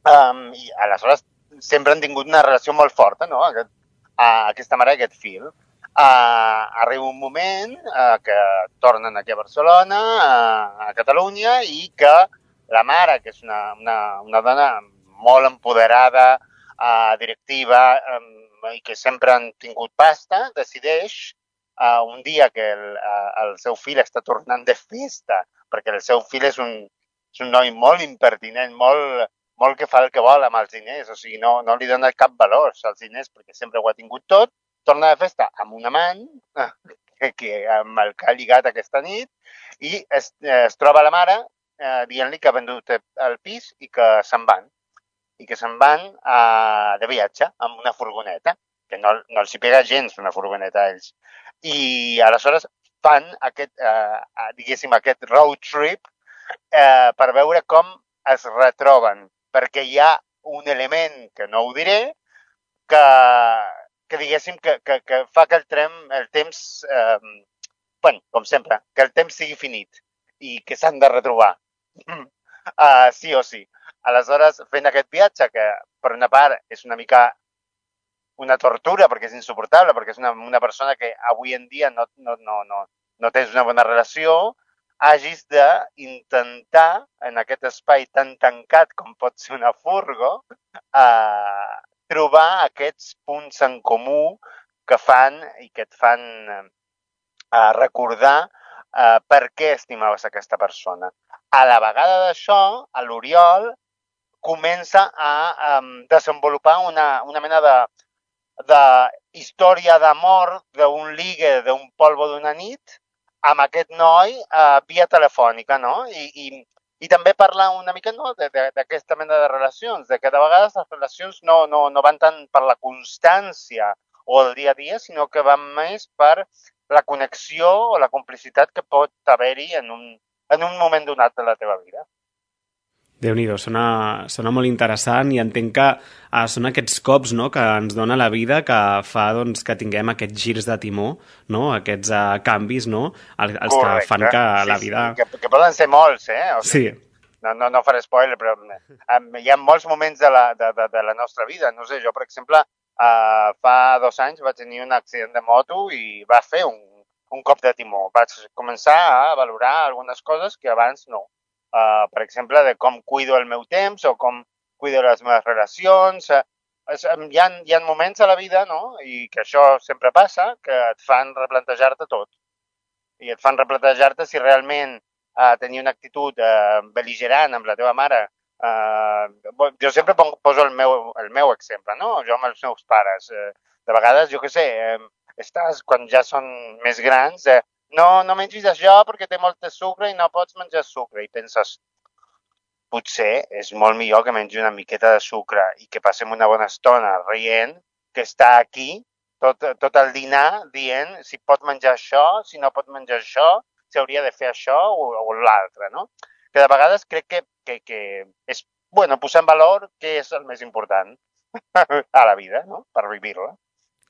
S13: um, i aleshores sempre han tingut una relació molt forta, no?, aquest, uh, aquesta mare i aquest fill. Uh, arriba un moment uh, que tornen aquí a Barcelona, uh, a Catalunya, i que la mare, que és una, una, una dona molt empoderada, uh, directiva, um, i que sempre han tingut pasta, decideix uh, un dia que el, uh, el seu fill està tornant de festa, perquè el seu fill és un, és un noi molt impertinent, molt, molt que fa el que vol amb els diners, o sigui, no, no li dona cap valor als diners perquè sempre ho ha tingut tot, torna de festa amb un amant, que, que, amb el que ha lligat aquesta nit, i es, es troba la mare eh, dient-li que ha vendut el pis i que se'n van. i que se'n van uh, de viatge amb una furgoneta, que no, no els hi pega gens una furgoneta a ells. I aleshores fan aquest, uh, diguéssim, aquest road trip uh, per veure com es retroben, perquè hi ha un element, que no ho diré, que, que diguéssim, que, que, que fa que el, trem, el temps, eh, bueno, com sempre, que el temps sigui finit i que s'han de retrobar, uh, sí o sí. Aleshores, fent aquest viatge, que per una part és una mica una tortura, perquè és insuportable, perquè és una, una persona que avui en dia no, no, no, no, no tens una bona relació, hagis d'intentar, en aquest espai tan tancat com pot ser una furgo, eh, trobar aquests punts en comú que fan i que et fan eh, recordar eh, per què estimaves aquesta persona. A la vegada d'això, a l'Oriol comença a um, desenvolupar una, una mena de, de història d'amor, d'un ligue, d'un polvo d'una nit, amb aquest noi uh, via telefònica, no? I, i, i també parla una mica, no?, d'aquesta mena de relacions, de que de vegades les relacions no, no, no van tant per la constància o el dia a dia, sinó que van més per la connexió o la complicitat que pot haver-hi en un, en un moment donat de la teva vida.
S7: Déu-n'hi-do, sona, sona molt interessant i entenc que ah, són aquests cops, no?, que ens dona la vida que fa doncs, que tinguem aquests girs de timó, no?, aquests uh, canvis, no?, els, els que fan que
S13: sí,
S7: la vida...
S13: Sí, que, que poden ser molts, eh? O sigui,
S7: sí.
S13: No, no, no faré spoiler, però um, hi ha molts moments de la, de, de, de la nostra vida. No sé, jo, per exemple, uh, fa dos anys vaig tenir un accident de moto i va fer un, un cop de timó. Vaig començar a valorar algunes coses que abans no. uh, per exemple, de com cuido el meu temps o com cuido les meves relacions. Uh, hi, ha, hi ha moments a la vida, no?, i que això sempre passa, que et fan replantejar-te tot. I et fan replantejar-te si realment uh, tenir una actitud uh, bel·ligerant amb la teva mare. Uh, jo sempre poso el meu, el meu exemple, no? Jo amb els meus pares. Uh, de vegades, jo què sé, eh, estàs, quan ja són més grans, eh, no, no mengis això perquè té molt de sucre i no pots menjar sucre. I penses, potser és molt millor que mengi una miqueta de sucre i que passem una bona estona rient, que està aquí tot, tot el dinar dient si pot menjar això, si no pot menjar això, si hauria de fer això o, o l'altre, no? Que de vegades crec que, que, que és, bueno, posar en valor què és el més important a la vida, no?, per viure-la.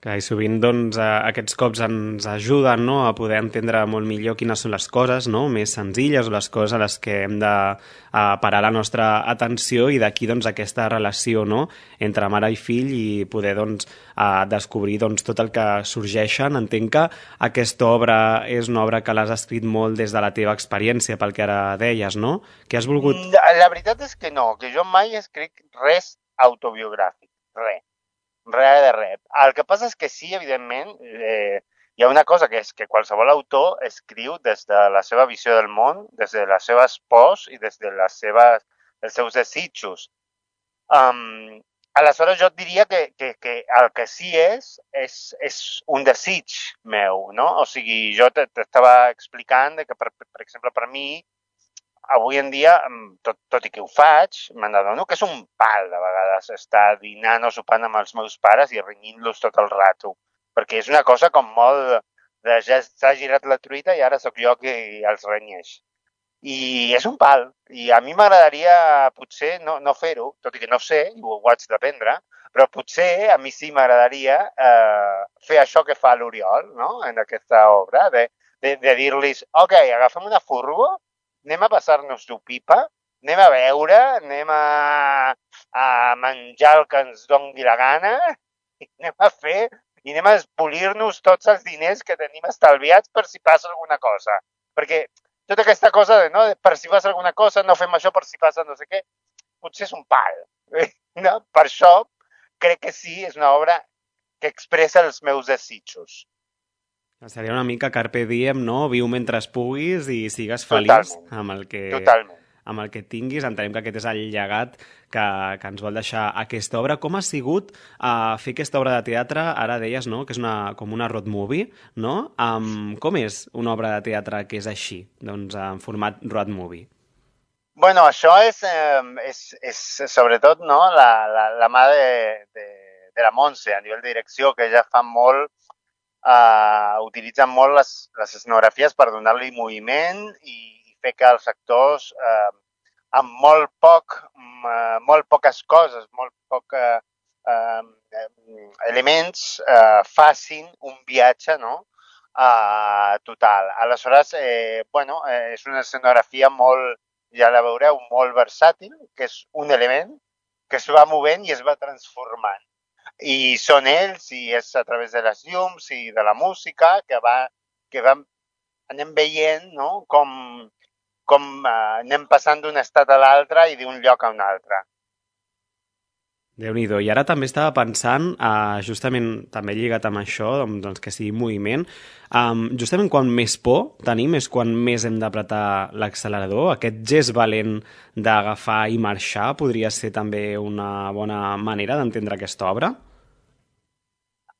S7: Que i sovint doncs, aquests cops ens ajuden, no?, a poder entendre molt millor quines són les coses, no?, més senzilles o les coses a les que hem de a, parar la nostra atenció, i d'aquí doncs, aquesta relació, no?, entre mare i fill, i poder doncs, a descobrir doncs, tot el que sorgeixen. Entenc que aquesta obra és una obra que l'has escrit molt des de la teva experiència, pel que ara deies, no? Que has volgut...
S13: La veritat és que no, que jo mai escric res autobiogràfic, res. Res de res. El que passa és que sí, evidentment, eh, hi ha una cosa que és que qualsevol autor escriu des de la seva visió del món, des de les seves pors i des de les seves, els seus desitjos. Um, aleshores, jo et diria que, que, que el que sí és, és, és un desig meu, no? O sigui, jo t'estava explicant que, per, per exemple, per mi, avui en dia, tot, tot i que ho faig, m'adono que és un pal de vegades estar dinant o sopant amb els meus pares i renyint-los tot el rato. Perquè és una cosa com molt de ja s'ha girat la truita i ara sóc jo qui els renyeix. I és un pal. I a mi m'agradaria potser no, no fer-ho, tot i que no sé, i ho, ho haig d'aprendre, però potser a mi sí m'agradaria eh, fer això que fa l'Oriol, no?, en aquesta obra, de, de, de dir-los, ok, agafem una furgo, anem a passar-nos-ho pipa, anem a beure, anem a, a menjar el que ens doni la gana, i anem a fer, i anem a espolir-nos tots els diners que tenim estalviats per si passa alguna cosa. Perquè tota aquesta cosa de, no, de per si passa alguna cosa, no fem això per si passa no sé què, potser és un pal. No? Per això crec que sí, és una obra que expressa els meus desitjos.
S7: Seria una mica carpe diem, no? Viu mentre puguis i sigues feliç amb el que, amb el que tinguis. Entenem que aquest és el llegat que, que ens vol deixar aquesta obra. Com ha sigut uh, fer aquesta obra de teatre? Ara deies, no?, que és una, com una road movie, no? Um, com és una obra de teatre que és així, doncs, en format road movie?
S13: Bueno, això és, eh, és, és sobretot, no?, la, la, la mà de, de, de la Montse, a nivell de direcció, que ja fa molt Uh, utilitzen molt les, les escenografies per donar-li moviment i, i fer que els actors uh, amb molt poc, uh, molt poques coses, molt poc uh, uh, elements uh, facin un viatge, no?, uh, total. Aleshores, eh, bueno, eh, és una escenografia molt, ja la veureu, molt versàtil, que és un element que es va movent i es va transformant. I són ells, i és a través de les llums i de la música que, va, que va, anem veient, no?, com, com uh, anem passant d'un estat a l'altre i d'un lloc a un altre.
S7: Déu-n'hi-do. I ara també estava pensant, uh, justament també lligat amb això, doncs que sigui moviment, um, justament quan més por tenim és quan més hem d'apretar l'accelerador. Aquest gest valent d'agafar i marxar podria ser també una bona manera d'entendre aquesta obra?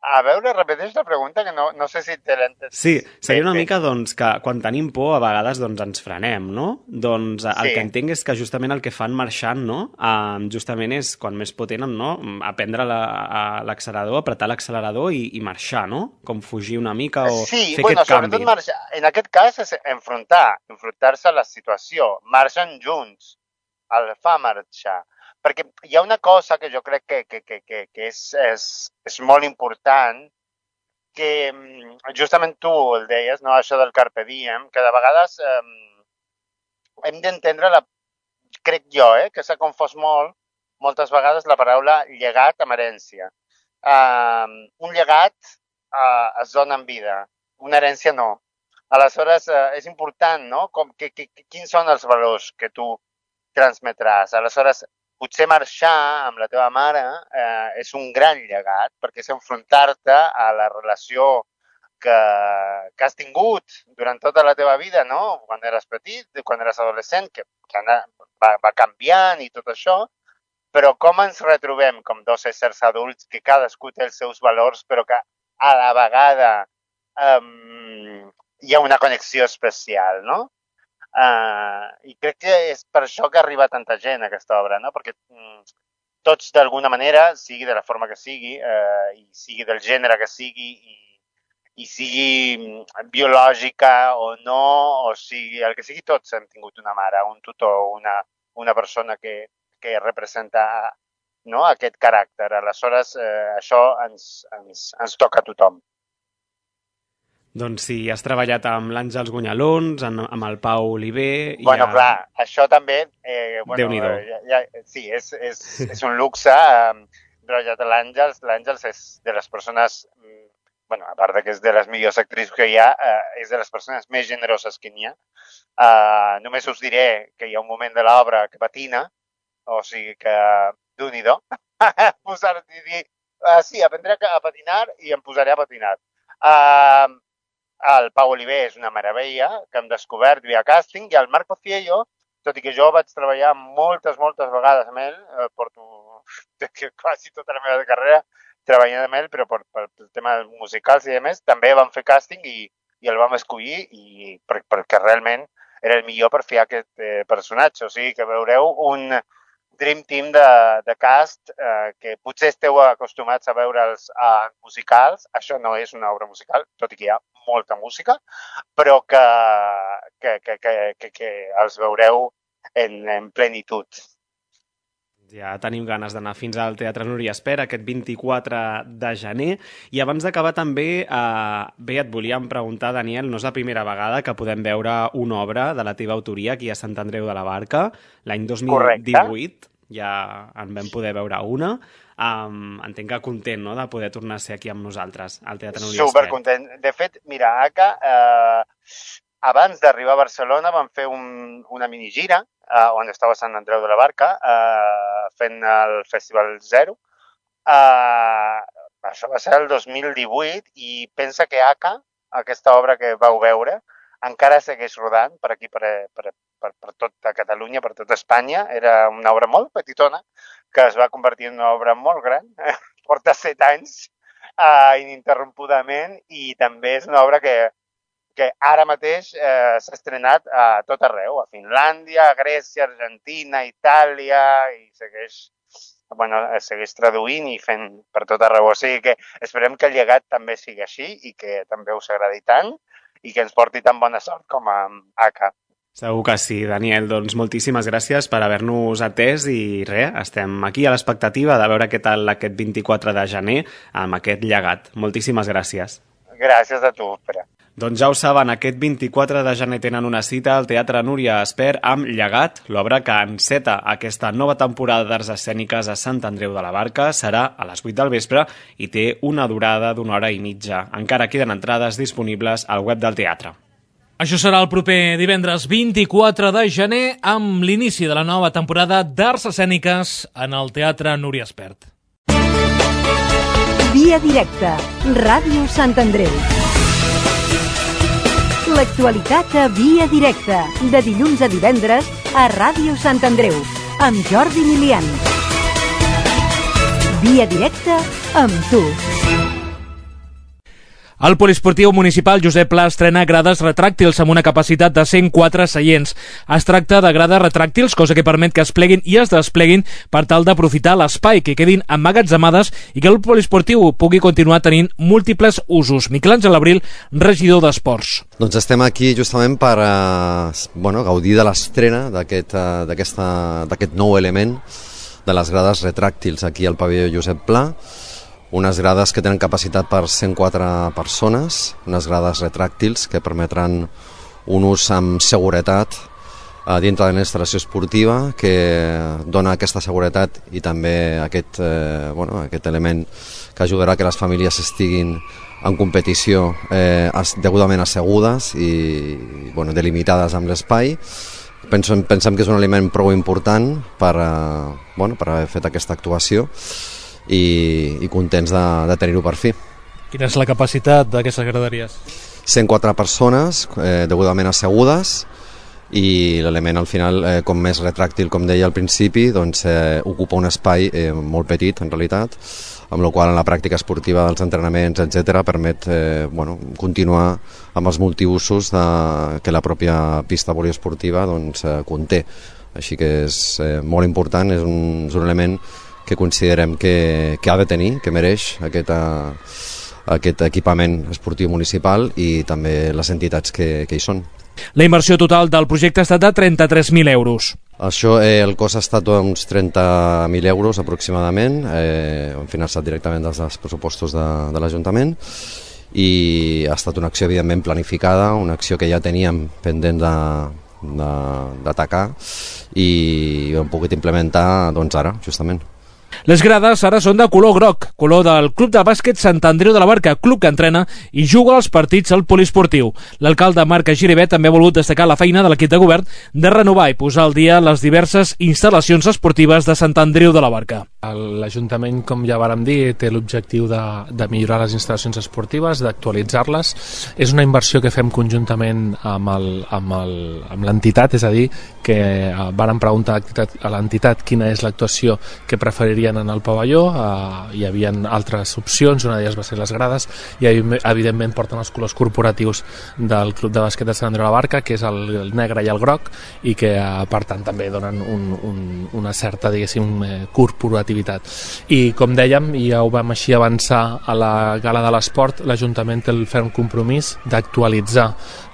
S13: A veure, repeteix la pregunta, que no, no sé si te l'he entès.
S7: Sí, seria una mica doncs, que quan tenim por a vegades doncs, ens frenem, no? Doncs el sí. que entenc és que justament el que fan marxant, no? Uh, justament és, quan més por tenen, no?, aprendre l'accelerador, la, apretar l'accelerador i, i marxar, no? Com fugir una mica o
S13: sí,
S7: fer
S13: bueno,
S7: aquest canvi.
S13: Sobretot marxar. En aquest cas és enfrontar, enfrontar-se a la situació. Marxen junts, el fa marxar. Perquè hi ha una cosa que jo crec que, que, que, que, que és, és, és molt important, que justament tu el deies, no?, això del carpe diem, que de vegades eh, hem d'entendre, la, crec jo, eh, que s'ha confós molt, moltes vegades la paraula llegat amb herència. Uh, un llegat uh, es dona en vida, una herència no. Aleshores, eh, és important, no? Com, que, que, quins són els valors que tu transmetràs? Aleshores, potser marxar amb la teva mare eh, és un gran llegat, perquè és enfrontar-te a la relació que, que has tingut durant tota la teva vida, no? Quan eres petit, quan eres adolescent, que, que va, va canviant i tot això, però com ens retrobem com dos éssers adults que cadascú té els seus valors, però que a la vegada um, hi ha una connexió especial, no? Uh, I crec que és per això que arriba tanta gent a aquesta obra, no? Perquè um, tots d'alguna manera, sigui de la forma que sigui, uh, i sigui del gènere que sigui, i i sigui biològica o no, o sigui, el que sigui, tots hem tingut una mare, un tutor, una, una persona que, que representa, no, aquest caràcter. Aleshores, eh, això ens, ens, ens toca a tothom.
S7: Doncs sí, has treballat amb l'Àngels Gunyalons, amb el Pau Oliver...
S13: Bueno,
S7: ha...
S13: clar, això també... Eh, bueno,
S7: Déu-n'hi-do.
S13: Eh, ja, sí, és, és, és un luxe. Eh, treballat a l'Àngels. L'Àngels és de les persones... Bueno, a part de que és de les millors actrius que hi ha, eh, és de les persones més generoses que n'hi ha. Uh, només us diré que hi ha un moment de l'obra que patina, o sigui que d'un-i-do, posar-te i dir, uh, sí, aprendré a patinar i em posaré a patinar. Uh, el Pau Oliver és una meravella, que hem descobert via càsting, i el Marc Pociello, tot i que jo vaig treballar moltes, moltes vegades amb ell, eh, porto quasi tota la meva carrera, treballant amb ell, però per, per el tema musicals i demés, també vam fer càsting i, i el vam escollir i per, perquè realment era el millor per fer aquest eh, personatge. O sigui que veureu un dream team de, de cast eh, que potser esteu acostumats a veure'ls a musicals. Això no és una obra musical, tot i que hi ha molta música, però que, que, que, que, que, que els veureu en, en plenitud.
S7: Ja tenim ganes d'anar fins al Teatre Núria Espert aquest vint-i-quatre de gener. I abans d'acabar també, eh, bé, et volíem preguntar, Daniel, no és la primera vegada que podem veure una obra de la teva autoria aquí a Sant Andreu de la Barca. L'any dos mil divuit Correcte. Ja en vam poder veure una. Um, entenc que content, no?, de poder tornar a ser aquí amb nosaltres al Teatre Núria Espert.
S13: Supercontent. De fet, mira, Aka, eh, abans d'arribar a Barcelona vam fer un, una minigira Uh, on estava Sant Andreu de la Barca, uh, fent el Festival Zero. Uh, això va ser el dos mil divuit i pensa que Aka, aquesta obra que vau veure, encara segueix rodant per aquí, per, per, per, per tota Catalunya, per tota Espanya. Era una obra molt petitona que es va convertir en una obra molt gran. Porta set anys uh, ininterrompudament i també és una obra que que ara mateix eh, s'ha estrenat a tot arreu, a Finlàndia, a Grècia, Argentina, Itàlia, i segueix, bueno, segueix traduint i fent per tot arreu. O sigui que esperem que el llegat també sigui així i que també us agradi tant i que ens porti tan bona sort com a Aka.
S7: Segur que sí, Daniel. Doncs moltíssimes gràcies per haver-nos atès i res, estem aquí a l'expectativa de veure què tal aquest vint-i-quatre de gener amb aquest llegat. Moltíssimes gràcies.
S13: Gràcies a tu, Pere.
S7: Doncs ja ho saben, aquest vint-i-quatre de gener tenen una cita al Teatre Núria Espert amb Llegat, l'obra que enceta aquesta nova temporada d'arts escèniques a Sant Andreu de la Barca. Serà a les vuit del vespre i té una durada d'una hora i mitja. Encara queden entrades disponibles al web del teatre.
S2: Això serà el proper divendres vint-i-quatre de gener amb l'inici de la nova temporada d'arts escèniques en el Teatre Núria Espert.
S5: Via directa, Ràdio Sant Andreu. L'actualitat a Via directa, de dilluns a divendres a Ràdio Sant Andreu, amb Jordi Milian. Via directa amb tu.
S2: El Poliesportiu Municipal Josep Pla estrena grades retràctils amb una capacitat de cent quatre seients. Es tracta de grades retràctils, cosa que permet que es pleguin i es despleguin per tal d'aprofitar l'espai, que quedin emmagatzemades i que el poliesportiu pugui continuar tenint múltiples usos. Miquel Àngel Abril, regidor d'Esports.
S14: Doncs estem aquí justament per eh, bueno, gaudir de l'estrena d'aquest eh, d'aquest nou element de les grades retràctils aquí al pavelló Josep Pla. Unes grades que tenen capacitat per cent quatre persones, unes grades retràctils que permetran un ús amb seguretat dintre de la instal·lació esportiva, que dona aquesta seguretat i també aquest, eh, bueno, aquest element que ajudarà que les famílies estiguin en competició eh, degudament assegudes i bueno, delimitades amb l'espai. Pensem, pensem que és un element prou important per, uh, bueno, per haver fet aquesta actuació i, i contents de, de tenir-ho per fi.
S2: Quina és la capacitat d'aquestes graderies?
S14: cent quatre persones eh, degudament assegudes i l'element al final, eh, com més retràctil, com deia al principi, doncs, eh, ocupa un espai eh, molt petit en realitat, amb la qual en la pràctica esportiva dels entrenaments, etcètera, permet eh, bueno, continuar amb els multiusos de, que la pròpia pista poliesportiva doncs, eh, conté. Així que és eh, molt important, és un, és un element que considerem que, que ha de tenir, que mereix aquest, eh, aquest equipament esportiu municipal i també les entitats que, que hi són.
S2: La inversió total del projecte ha estat de trenta-tres mil euros.
S14: Això, eh, el cost ha estat uns trenta mil euros aproximadament, eh, han finançat directament des dels pressupostos de, de l'Ajuntament i ha estat una acció evidentment planificada, una acció que ja teníem pendent de, de, d'atacar i hem pogut implementar doncs ara, justament.
S2: Les grades ara són de color groc, color del Club de Bàsquet Sant Andreu de la Barca, club que entrena i juga els partits al poliesportiu. L'alcalde Marc Giribet també ha volgut destacar la feina de l'equip de govern de renovar i posar al dia les diverses instal·lacions esportives de Sant Andreu de la Barca.
S15: L'Ajuntament, com ja vàrem dir, té l'objectiu de, de millorar les instal·lacions esportives, d'actualitzar-les. És una inversió que fem conjuntament amb, el, amb, el, amb l'entitat, és a dir, que vàrem preguntar a l'entitat quina és l'actuació que preferirien en el pavelló. Eh, hi havia altres opcions, una d'elles va ser les grades, i evidentment porten els colors corporatius del Club de Bàsquet de Sant Andreu de la Barca, que és el, el negre i el groc, i que eh, per tant també donen un, un, una certa, diguéssim, eh, corporativa. I com dèiem, i ja ho vam així avançar a la Gala de l'Esport, l'Ajuntament té el ferm compromís d'actualitzar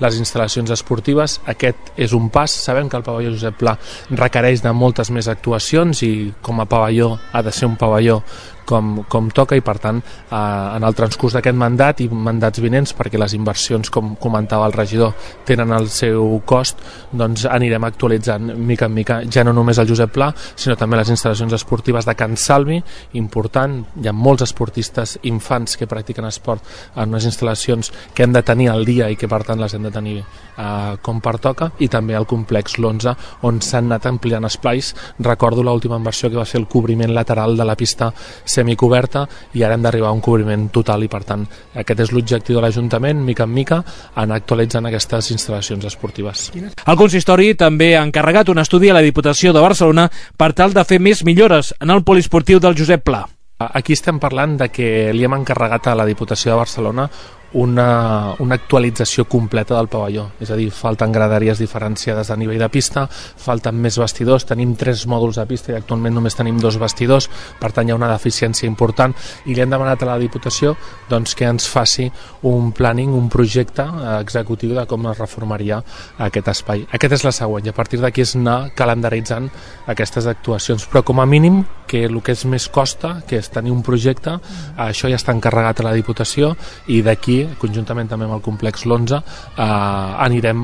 S15: les instal·lacions esportives. Aquest és un pas. Sabem que el pavelló Josep Pla requereix de moltes més actuacions i com a pavelló ha de ser un pavelló com, com toca i per tant eh, en el transcurs d'aquest mandat i mandats vinents, perquè les inversions, com comentava el regidor, tenen el seu cost, doncs anirem actualitzant mica en mica, ja no només el Josep Pla sinó també les instal·lacions esportives de Can Salvi, important. Hi ha molts esportistes infants que practiquen esport en unes instal·lacions que hem de tenir al dia i que per tant les hem de tenir eh, com pertoca, i també el complex l'onze on s'han anat ampliant esplais. Recordo l'última inversió que va ser el cobriment lateral de la pista semicoberta i ara hem d'arribar a un cobriment total i per tant aquest és l'objectiu de l'Ajuntament, mica en mica, anar actualitzant aquestes instal·lacions esportives.
S2: El consistori també ha encarregat un estudi a la Diputació de Barcelona per tal de fer més millores en el poliesportiu del Josep Pla.
S15: Aquí estem parlant de que li hem encarregat a la Diputació de Barcelona una, una actualització completa del pavelló, és a dir, falten graderies diferenciades a nivell de pista, falten més vestidors, tenim tres mòduls de pista i actualment només tenim dos vestidors, per tant hi ha una deficiència important i li hem demanat a la Diputació doncs, que ens faci un planning, un projecte executiu de com es reformaria aquest espai. Aquest és la següent i a partir d'aquí és anar calendaritzant aquestes actuacions, però com a mínim que el que és més costa, que és tenir un projecte, això ja està encarregat a la Diputació i d'aquí conjuntament també amb el complex l'onze eh, anirem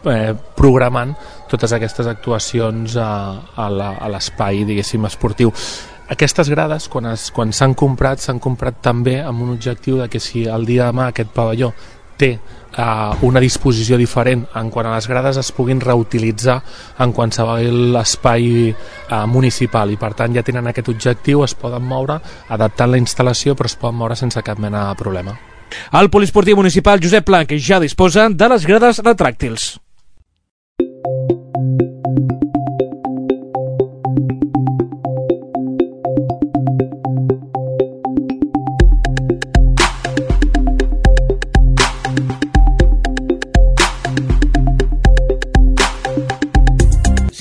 S15: eh, programant totes aquestes actuacions a, a l'espai, diguéssim, esportiu. Aquestes grades, quan, es, quan s'han comprat, s'han comprat també amb un objectiu de que si el dia de demà aquest pavelló té eh, una disposició diferent en quant a les grades es puguin reutilitzar en qualsevol espai eh, municipal i per tant ja tenen aquest objectiu, es poden moure adaptant la instal·lació però es poden moure sense cap mena de problema.
S2: El poliesportiu municipal Josep Pla, que ja disposa de les grades retràctils.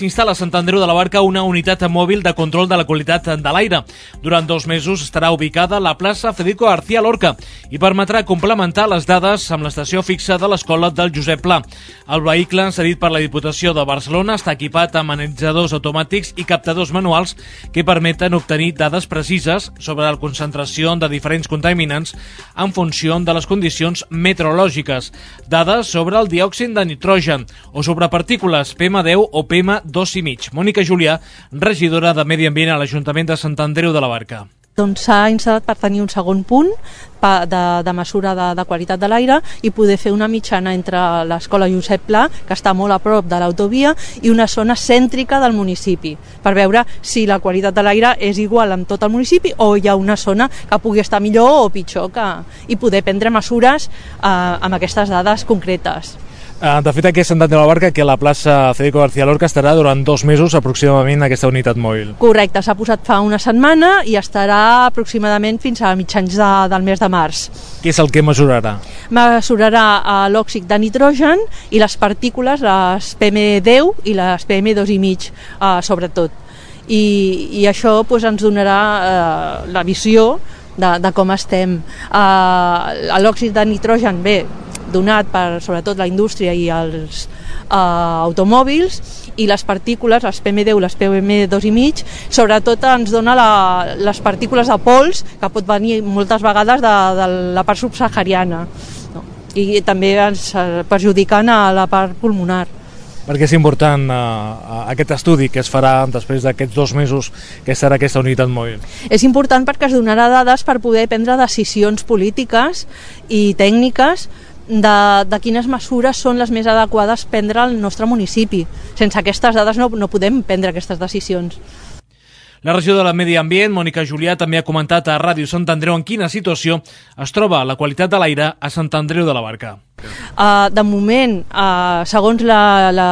S2: S'instal·la a Sant Andreu de la Barca una unitat mòbil de control de la qualitat de l'aire. Durant dos mesos estarà ubicada a la plaça Federico García Lorca i permetrà complementar les dades amb l'estació fixa de l'escola del Josep Pla. El vehicle, cedit per la Diputació de Barcelona, està equipat amb analitzadors automàtics i captadors manuals que permeten obtenir dades precises sobre la concentració de diferents contaminants en funció de les condicions meteorològiques, dades sobre el diòxid de nitrogen o sobre partícules P M deu o P M dos i mig. Mònica Julià, regidora de Medi Ambient a l'Ajuntament de Sant Andreu de la Barca.
S3: doncs s'ha instal·lat per tenir un segon punt de, de mesura de, de qualitat de l'aire i poder fer una mitjana entre l'escola Josep Pla, que està molt a prop de l'autovia, i una zona cèntrica del municipi, per veure si la qualitat de l'aire és igual en tot el municipi o hi ha una zona que pugui estar millor o pitjor, que, i poder prendre mesures eh, amb aquestes dades concretes.
S2: De fet, aquí a Sant Andreu de la Barca, que la plaça Federico García Lorca estarà durant dos mesos aproximadament aquesta unitat mòbil.
S3: Correcte, s'ha posat fa una setmana i estarà aproximadament fins a mitjans de, del mes de març.
S2: Què és el que mesurarà?
S3: Mesurarà l'òxid de nitrogen i les partícules, les P M deu i les P M dos i mig, eh, sobretot. I, i això pues, ens donarà eh, la visió de, de com estem. Eh, l'òxid de nitrogen, bé, donat per sobretot la indústria i els uh, automòbils, i les partícules, les P M deu, les P M dos i mig, sobretot ens dona la, les partícules de pols que pot venir moltes vegades de, de la part subsahariana, no? I també ens perjudiquen a la part pulmonar.
S2: Perquè és important uh, aquest estudi que es farà després d'aquests dos mesos que serà aquesta unitat mòbil?
S3: És important perquè es donarà dades per poder prendre decisions polítiques i tècniques de, de quines mesures són les més adequades prendre al nostre municipi. Sense aquestes dades no, no podem prendre aquestes decisions.
S2: La regidora de Medi Ambient, Mònica Julià, també ha comentat a Ràdio Sant Andreu en quina situació es troba la qualitat de l'aire a Sant Andreu de la Barca.
S3: Uh, de moment, uh, segons la, la,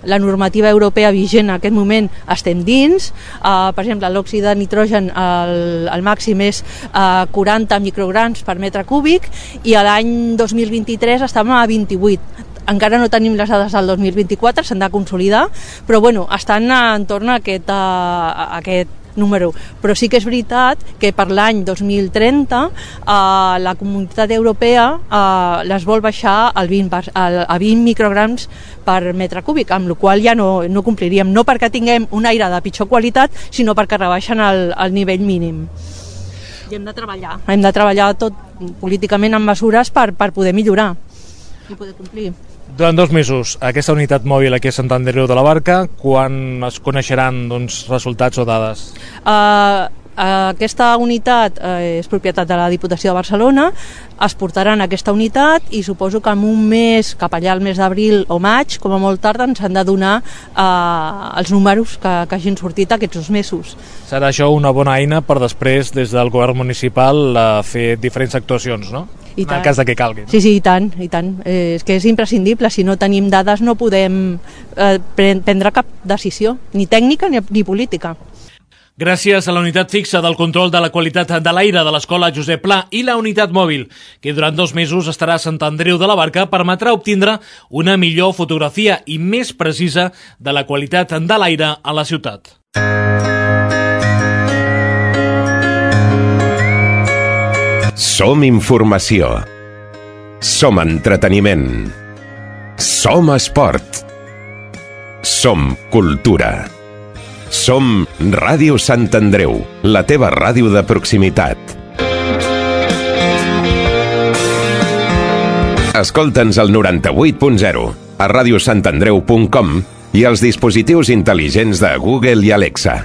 S3: la normativa europea vigent en aquest moment, estem dins. Uh, per exemple, l'òxid de nitrogen, el, el màxim és uh, quaranta micrograms per metre cúbic i l'any dos mil vint-i-tres estàvem a vint-i-vuit. Encara no tenim les dades del dos mil vint-i-quatre, s'han de consolidar, però bueno, estan entorn a aquest, a, a aquest número. Però sí que és veritat que per l'any dos mil trenta eh, la Comunitat Europea eh, les vol baixar al vint, a vint micrograms per metre cúbic, amb la qual ja no, no compliríem, no perquè tinguem un aire de pitjor qualitat, sinó perquè rebaixen el, el nivell mínim. I hem de treballar. Hem de treballar tot políticament amb mesures per, per poder millorar i poder complir.
S2: Durant dos mesos, aquesta unitat mòbil aquí a Sant Andreu de la Barca, quan es coneixeran doncs, resultats o dades?
S3: Uh, aquesta unitat uh, és propietat de la Diputació de Barcelona, es portaran aquesta unitat i suposo que en un mes, cap allà al mes d'abril o maig, com a molt tard, ens han de donar uh, els números que, que hagin sortit aquests dos mesos.
S2: Serà això una bona eina per després, des del govern municipal, uh, fer diferents actuacions, no?
S3: I
S2: en el cas de que calgui.
S3: Sí, sí, i tant, i tant. Eh, és que és imprescindible, si no tenim dades no podem eh, prendre cap decisió, ni tècnica ni, ni política.
S2: Gràcies a la unitat fixa del control de la qualitat de l'aire de l'Escola Josep Pla i la unitat mòbil, que durant dos mesos estarà a Sant Andreu de la Barca, permetrà obtindre una millor fotografia i més precisa de la qualitat de l'aire a la ciutat.
S1: Som informació. Som entreteniment. Som esport. Som cultura. Som Ràdio Sant Andreu, la teva ràdio de proximitat. Escolta'ns al noranta-vuit punt zero, a ràdio sant andreu punt com i als dispositius intel·ligents de Google i Alexa.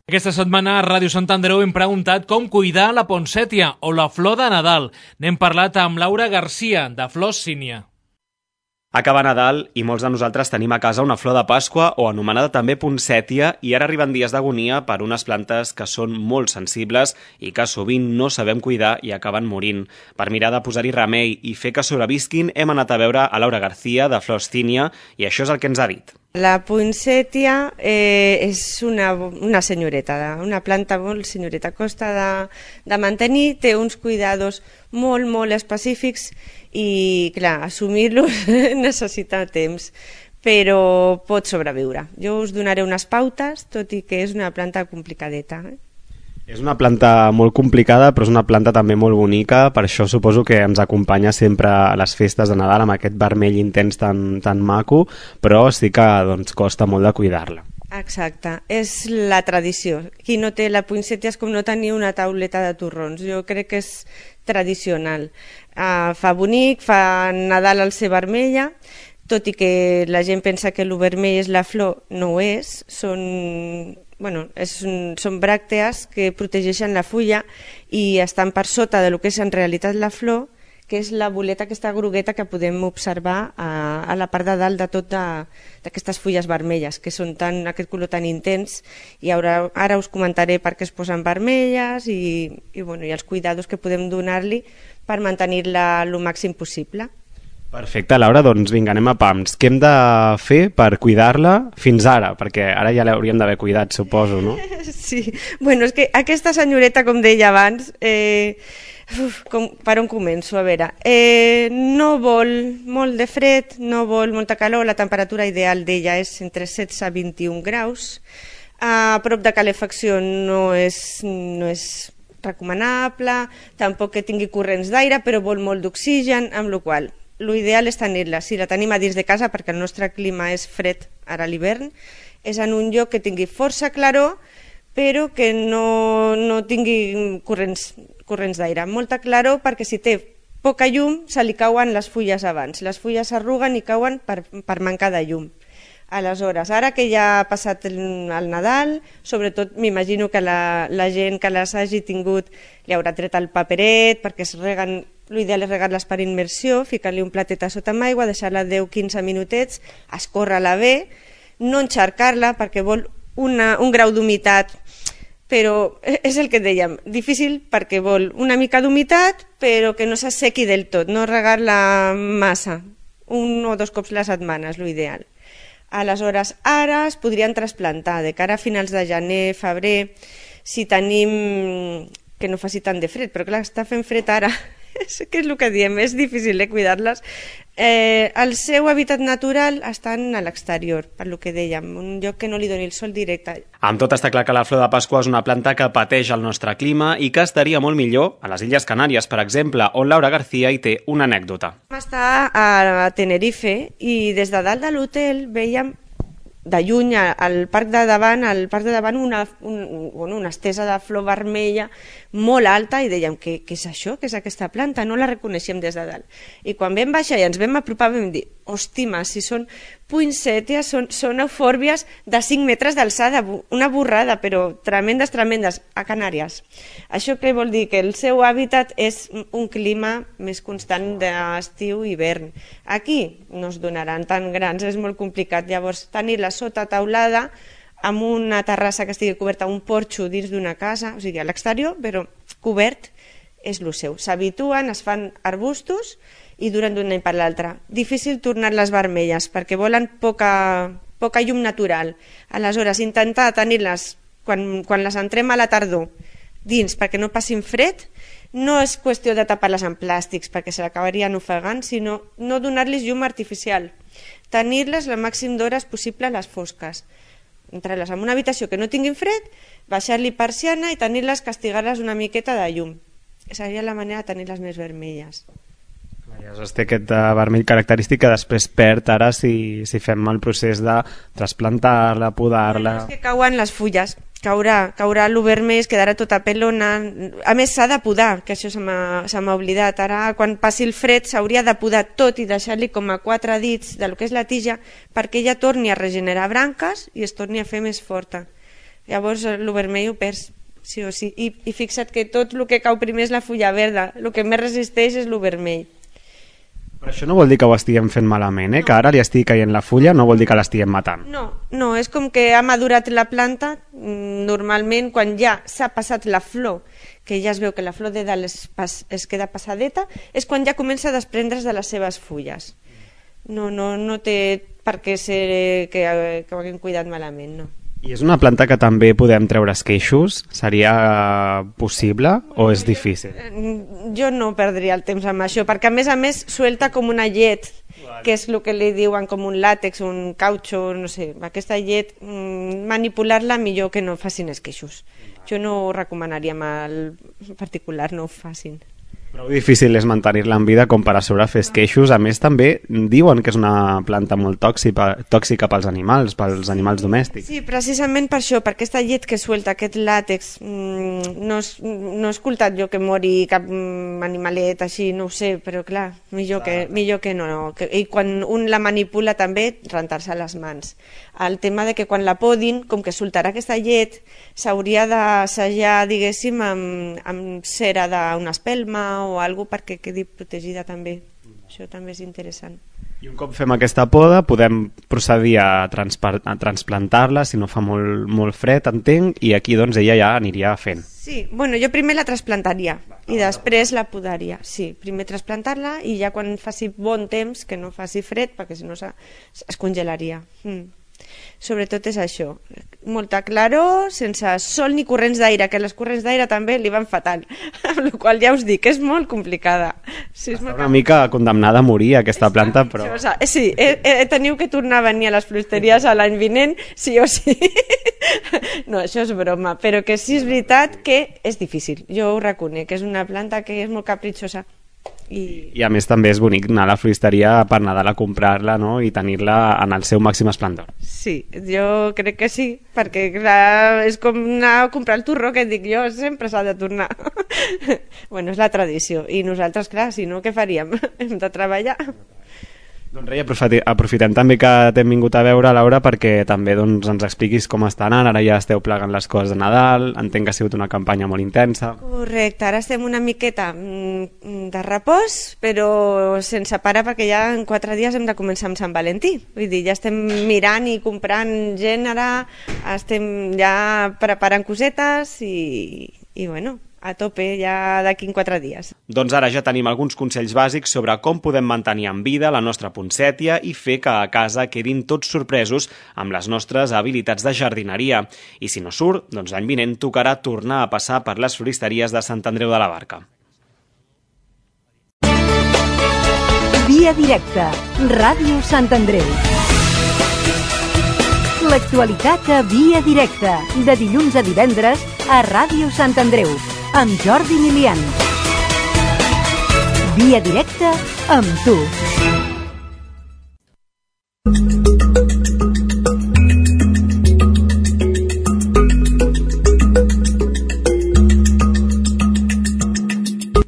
S2: Aquesta setmana a Ràdio Sant Andreu hem preguntat com cuidar la ponsètia o la flor de Nadal. N'hem parlat amb Laura Garcia, de Flors Sínia.
S7: Acaba Nadal i molts de nosaltres tenim a casa una flor de Pasqua o anomenada també ponsètia, i ara arriben dies d'agonia per unes plantes que són molt sensibles i que sovint no sabem cuidar i acaben morint. Per mirar de posar-hi remei i fer que sobrevisquin hem anat a veure a Laura Garcia de Flors Sínia i això és el que ens ha dit.
S16: La ponsètia eh, és una, una senyoreta, una planta molt senyoreta, costa de, de mantenir, té uns cuidados molt, molt específics i, clar, assumir-los necessita temps, però pot sobreviure. Jo us donaré unes pautes, tot i que és una planta complicadeta. Eh?
S7: És una planta molt complicada, però és una planta també molt bonica, per això suposo que ens acompanya sempre a les festes de Nadal amb aquest vermell intens tan, tan maco, però sí que doncs, costa molt de cuidar-la.
S16: Exacte, és la tradició. Qui no té la ponsètia és com no tenir una tauleta de torrons. Jo crec que és tradicional. Uh, fa bonic, fa Nadal al ser vermella, tot i que la gent pensa que el vermell és la flor, no ho és, són bueno, és un, són bràctees que protegeixen la fulla i estan per sota de lo que és en realitat la flor, que és la boleta aquesta grogueta que podem observar a, a la part de dalt de tot d'aquestes fulles vermelles, que són tan, aquest color tan intens, i ara, ara us comentaré per què es posen vermelles i, i, bueno, i els cuidados que podem donar-li per mantenir-la el màxim possible.
S7: Perfecte, Laura, doncs vinga, anem a pams. Què hem de fer per cuidar-la fins ara? Perquè ara ja l'hauríem d'haver cuidat, suposo, no?
S16: Sí, bueno, és que aquesta senyoreta, com deia abans, eh, uf, com, per on començo? A veure, eh, no vol molt de fred, no vol molta calor, la temperatura ideal d'ella és entre setze i vint-i-un graus, a prop de calefacció no és, no és recomanable, tampoc que tingui corrents d'aire, però vol molt d'oxigen, amb la qual cosa l'ideal és tenir-la, si la tenim a dins de casa, perquè el nostre clima és fred ara a l'hivern, és en un lloc que tingui força claror, però que no, no tingui corrents, corrents d'aire. Molta claror perquè si té poca llum se li cauen les fulles abans. Les fulles s'arruguen i cauen per, per mancar de llum. Aleshores, ara que ja ha passat el, el Nadal, sobretot m'imagino que la, la gent que les hagi tingut li haurà tret el paperet perquè es reguen. L'ideal és regar-les per immersió, ficar-li un platet a sota amb aigua, deixar-la deu a quinze minutets, escórrer-la bé, no encharcar-la perquè vol una, un grau d'humitat, però és el que dèiem, difícil perquè vol una mica d'humitat però que no s'assequi del tot, no regar-la massa, un o dos cops la setmana és l'ideal. Aleshores, ara es podrien trasplantar de cara a finals de gener, febrer, si tenim que no faci tant de fred, però clar, està fent fred ara. Què és el que diem? És difícil eh, cuidar-les. Eh, el seu hàbitat natural està a l'exterior, per lo que dèiem, un lloc que no li doni el sol directe.
S7: Amb tot està clar que la flor de Pasqua és una planta que pateix el nostre clima i que estaria molt millor a les Illes Canàries, per exemple, on Laura García hi té una anècdota.
S16: Vam estar a Tenerife i des de dalt de l'hotel veiem de lluny al parc de davant, al parc de davant una, un, bueno, una estesa de flor vermella molt alta i dèiem, què, què és això? Què és aquesta planta? No la reconeixíem des de dalt. I quan vam baixar i ens vam apropar vam dir, hòstima, si són poinsettias, són, són eufòrbies de cinc metres d'alçada, una borrada, però tremendes, tremendes, a Canàries. Això què vol dir? Que el seu hàbitat és un clima més constant d'estiu i hivern. Aquí no es donaran tan grans, és molt complicat. Llavors, tenir-la sota taulada, amb una terrassa que estigui coberta, un porxo dins d'una casa, o sigui, a l'exterior, però cobert, és el seu. S'habituen, es fan arbustos i duren d'un any per l'altre. Difícil tornar-les vermelles perquè volen poca, poca llum natural. Aleshores, intentar tenir-les quan, quan les entrem a la tardor dins perquè no passin fred, no és qüestió de tapar-les en plàstics perquè se l'acabarien ofegant, sinó no donar-los llum artificial. Tenir-les el màxim d'hores possible a les fosques. Entrar-les en una habitació que no tinguin fred, baixar-li persiana i tenir-les, castigar-les una miqueta de llum. Seria la manera de tenir-les més vermelles.
S7: Aleshores té aquest uh, vermell característic que després perd ara si, si fem el procés de trasplantar-la, podar-la...
S16: Bueno, és que cauen les fulles, caurà, caurà el vermell, quedarà tota pelona. A més s'ha de podar, que això se m'ha oblidat. Ara quan passi el fred s'hauria de podar tot i deixar-li com a quatre dits del que és la tija perquè ella torni a regenerar branques i es torni a fer més forta. Llavors el vermell ho perds, sí o sí. I, i fixa't que tot el que cau primer és la fulla verda, el que més resisteix és el vermell.
S7: Però això no vol dir que ho estiguem fent malament, eh? No. Que ara li estigui caient la fulla no vol dir que l'estiguem matant.
S16: No, no, és com que ha madurat la planta, normalment quan ja s'ha passat la flor, que ja es veu que la flor de dalt es, pas, es queda passadeta, és quan ja comença a desprendre's de les seves fulles. No, no, no té per què ser que, que ho haguem cuidat malament, no.
S7: I és una planta que també podem treure esqueixos? Seria possible o és difícil?
S16: Jo no perdria el temps amb això, perquè a més a més suelta com una llet, que és el que li diuen com un làtex, un cautxo, no sé, aquesta llet, manipular-la millor que no facin esqueixos. Jo no ho recomanaria mal particular, no ho facin.
S7: Prou difícil és mantenir-la en vida com per a sobre fer esqueixos. A més, també diuen que és una planta molt tòxica, tòxica pels animals, pels animals domèstics.
S16: Sí, precisament per això, per aquesta llet que suelta, aquest làtex. No, no he escoltat jo que mori cap animalet així, no ho sé, però clar, millor que, millor que no. I quan un la manipula també, rentar-se les mans. El tema de que quan la podin, com que soltarà aquesta llet, s'hauria d'assajar, diguéssim, amb, amb cera d'una espelma o alguna cosa perquè quedi protegida també. Això també és interessant.
S7: I un cop fem aquesta poda podem procedir a, a transplantar-la si no fa molt, molt fred, entenc, i aquí doncs ella ja aniria fent.
S16: Sí, bueno, jo primer la trasplantaria i després la podaria. Sí, primer trasplantar-la i ja quan faci bon temps, que no faci fred, perquè si no es congelaria. Mm. Sobretot és això, molta claror, sense sol ni corrents d'aire, que les corrents d'aire també li van fatal, amb la qual ja us dic que és molt complicada. Sí, és molt
S7: una mica condemnada a morir aquesta planta, però...
S16: Sí, eh, eh, teniu que tornar a venir a les floristeries l'any vinent, sí o sí. No, això és broma, però que sí és veritat que és difícil, jo ho reconec, que és una planta que és molt capritxosa. I...
S7: I a més també és bonic anar a la floristeria per Nadal a comprar-la, no? I tenir-la en el seu màxim esplendor.
S16: Sí, jo crec que sí, perquè clar, és com anar a comprar el torró, que dic jo, sempre s'ha de tornar. Bueno, és la tradició, i nosaltres, clar, si no, què faríem? Hem de treballar.
S7: Doncs Rei, aprofitem també que t'hem vingut a veure, Laura, perquè també doncs, ens expliquis com està anant. Ara ja esteu plegant les coses de Nadal, entenc que ha sigut una campanya molt intensa.
S16: Correcte, ara estem una miqueta de repòs, però sense parar, perquè ja en quatre dies hem de començar amb Sant Valentí. Vull dir, ja estem mirant i comprant gènere, estem ja preparant cosetes i, i bueno... a tope ja d'aquí en quatre dies.
S7: Doncs ara ja tenim alguns consells bàsics sobre com podem mantenir en vida la nostra poncètia i fer que a casa quedin tots sorpresos amb les nostres habilitats de jardineria. I si no surt, doncs l'any vinent tocarà tornar a passar per les floristeries de Sant Andreu de la Barca.
S5: Via directa, Ràdio Sant Andreu. L'actualitat a Via directa, de dilluns a divendres a Ràdio Sant Andreu, amb Jordi Milian. Via directa amb tu.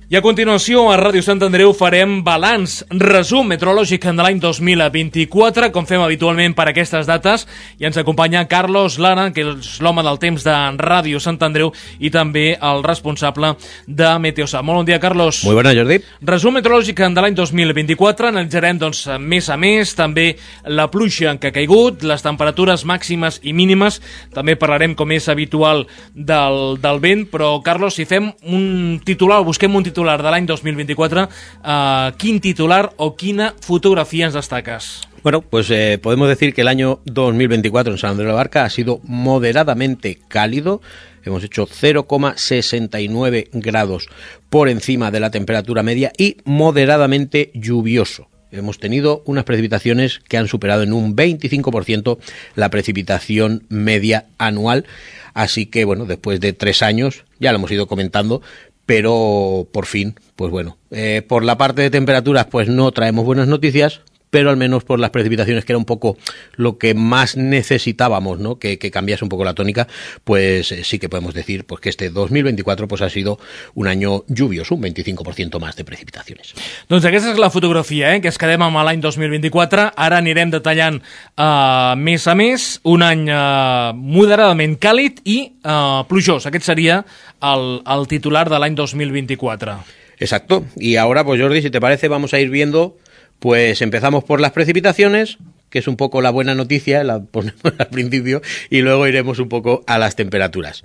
S2: I a continuació, a Ràdio Sant Andreu farem balanç, resum meteorològic de l'any dos mil vint-i-quatre, com fem habitualment per aquestes dates, i ens acompanya Carlos Lara, que és l'home del temps de Ràdio Sant Andreu i també el responsable de Meteosat. Molt bon dia, Carlos.
S17: Muy buena, Jordi.
S2: Resum meteorològic de l'any dos mil vint-i-quatre, analitzarem doncs, més a més, també la pluja que ha caigut, les temperatures màximes i mínimes, també parlarem, com és habitual, del, del vent, però, Carlos, si fem un titular, busquem un titular titular de l'any dos mil vint-i-quatre, uh, quin titular o quina fotografía ens destaques?
S17: Bueno, pues eh, podemos decir que el año dos mil veinticuatro en San Andrés de la Barca ha sido moderadamente cálido. Hemos hecho cero coma sesenta y nueve grados por encima de la temperatura media y moderadamente lluvioso. Hemos tenido unas precipitaciones que han superado en un veinticinco por ciento la precipitación media anual. Así que, bueno, después de tres años, ya lo hemos ido comentando, pero por fin, pues bueno, eh, por la parte de temperaturas pues no traemos buenas noticias, pero al menos por las precipitaciones, que era un poco lo que más necesitábamos, ¿no? Que, que cambiase un poco la tónica, pues eh, sí que podemos decir pues que este dos mil veinticuatro pues ha sido un año lluvioso, un veinticinco por ciento más de precipitaciones.
S2: Doncs aquesta és la fotografia, eh? Que es quedem amb l'any dos mil vint-i-quatre. Ara anirem detallant uh, més a més, un any uh, moderadament càlid i uh, plujós. Aquest seria el, el titular de l'any dos mil vint-i-quatre.
S17: Exacto. Y ahora, pues Jordi, si te parece, vamos a ir viendo. Pues empezamos por las precipitaciones, que es un poco la buena noticia, la ponemos al principio, y luego iremos un poco a las temperaturas.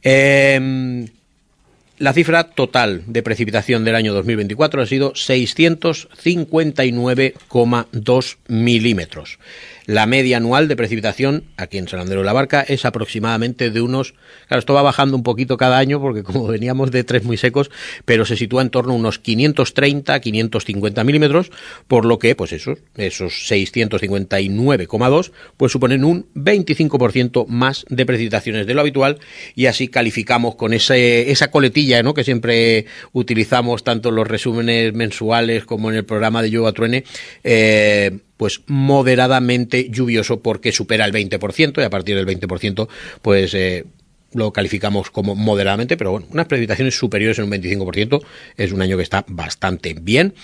S17: Eh, la cifra total de precipitación del año dos mil veinticuatro ha sido seiscientos cincuenta y nueve coma dos milímetros. La media anual de precipitación aquí en San Andreu de la Barca es aproximadamente de unos... Claro, esto va bajando un poquito cada año porque como veníamos de tres muy secos, pero se sitúa en torno a unos quinientos treinta a quinientos cincuenta milímetros, por lo que pues esos, esos seiscientos cincuenta y nueve coma dos pues suponen un veinticinco por ciento más de precipitaciones de lo habitual, y así calificamos con ese, esa coletilla cartilla, ¿no?, que siempre utilizamos tanto en los resúmenes mensuales como en el programa de Llueva Truene, eh, pues moderadamente lluvioso porque supera el veinte por ciento y a partir del veinte por ciento pues eh, lo calificamos como moderadamente, pero bueno, unas precipitaciones superiores en un veinticinco por ciento es un año que está bastante bien.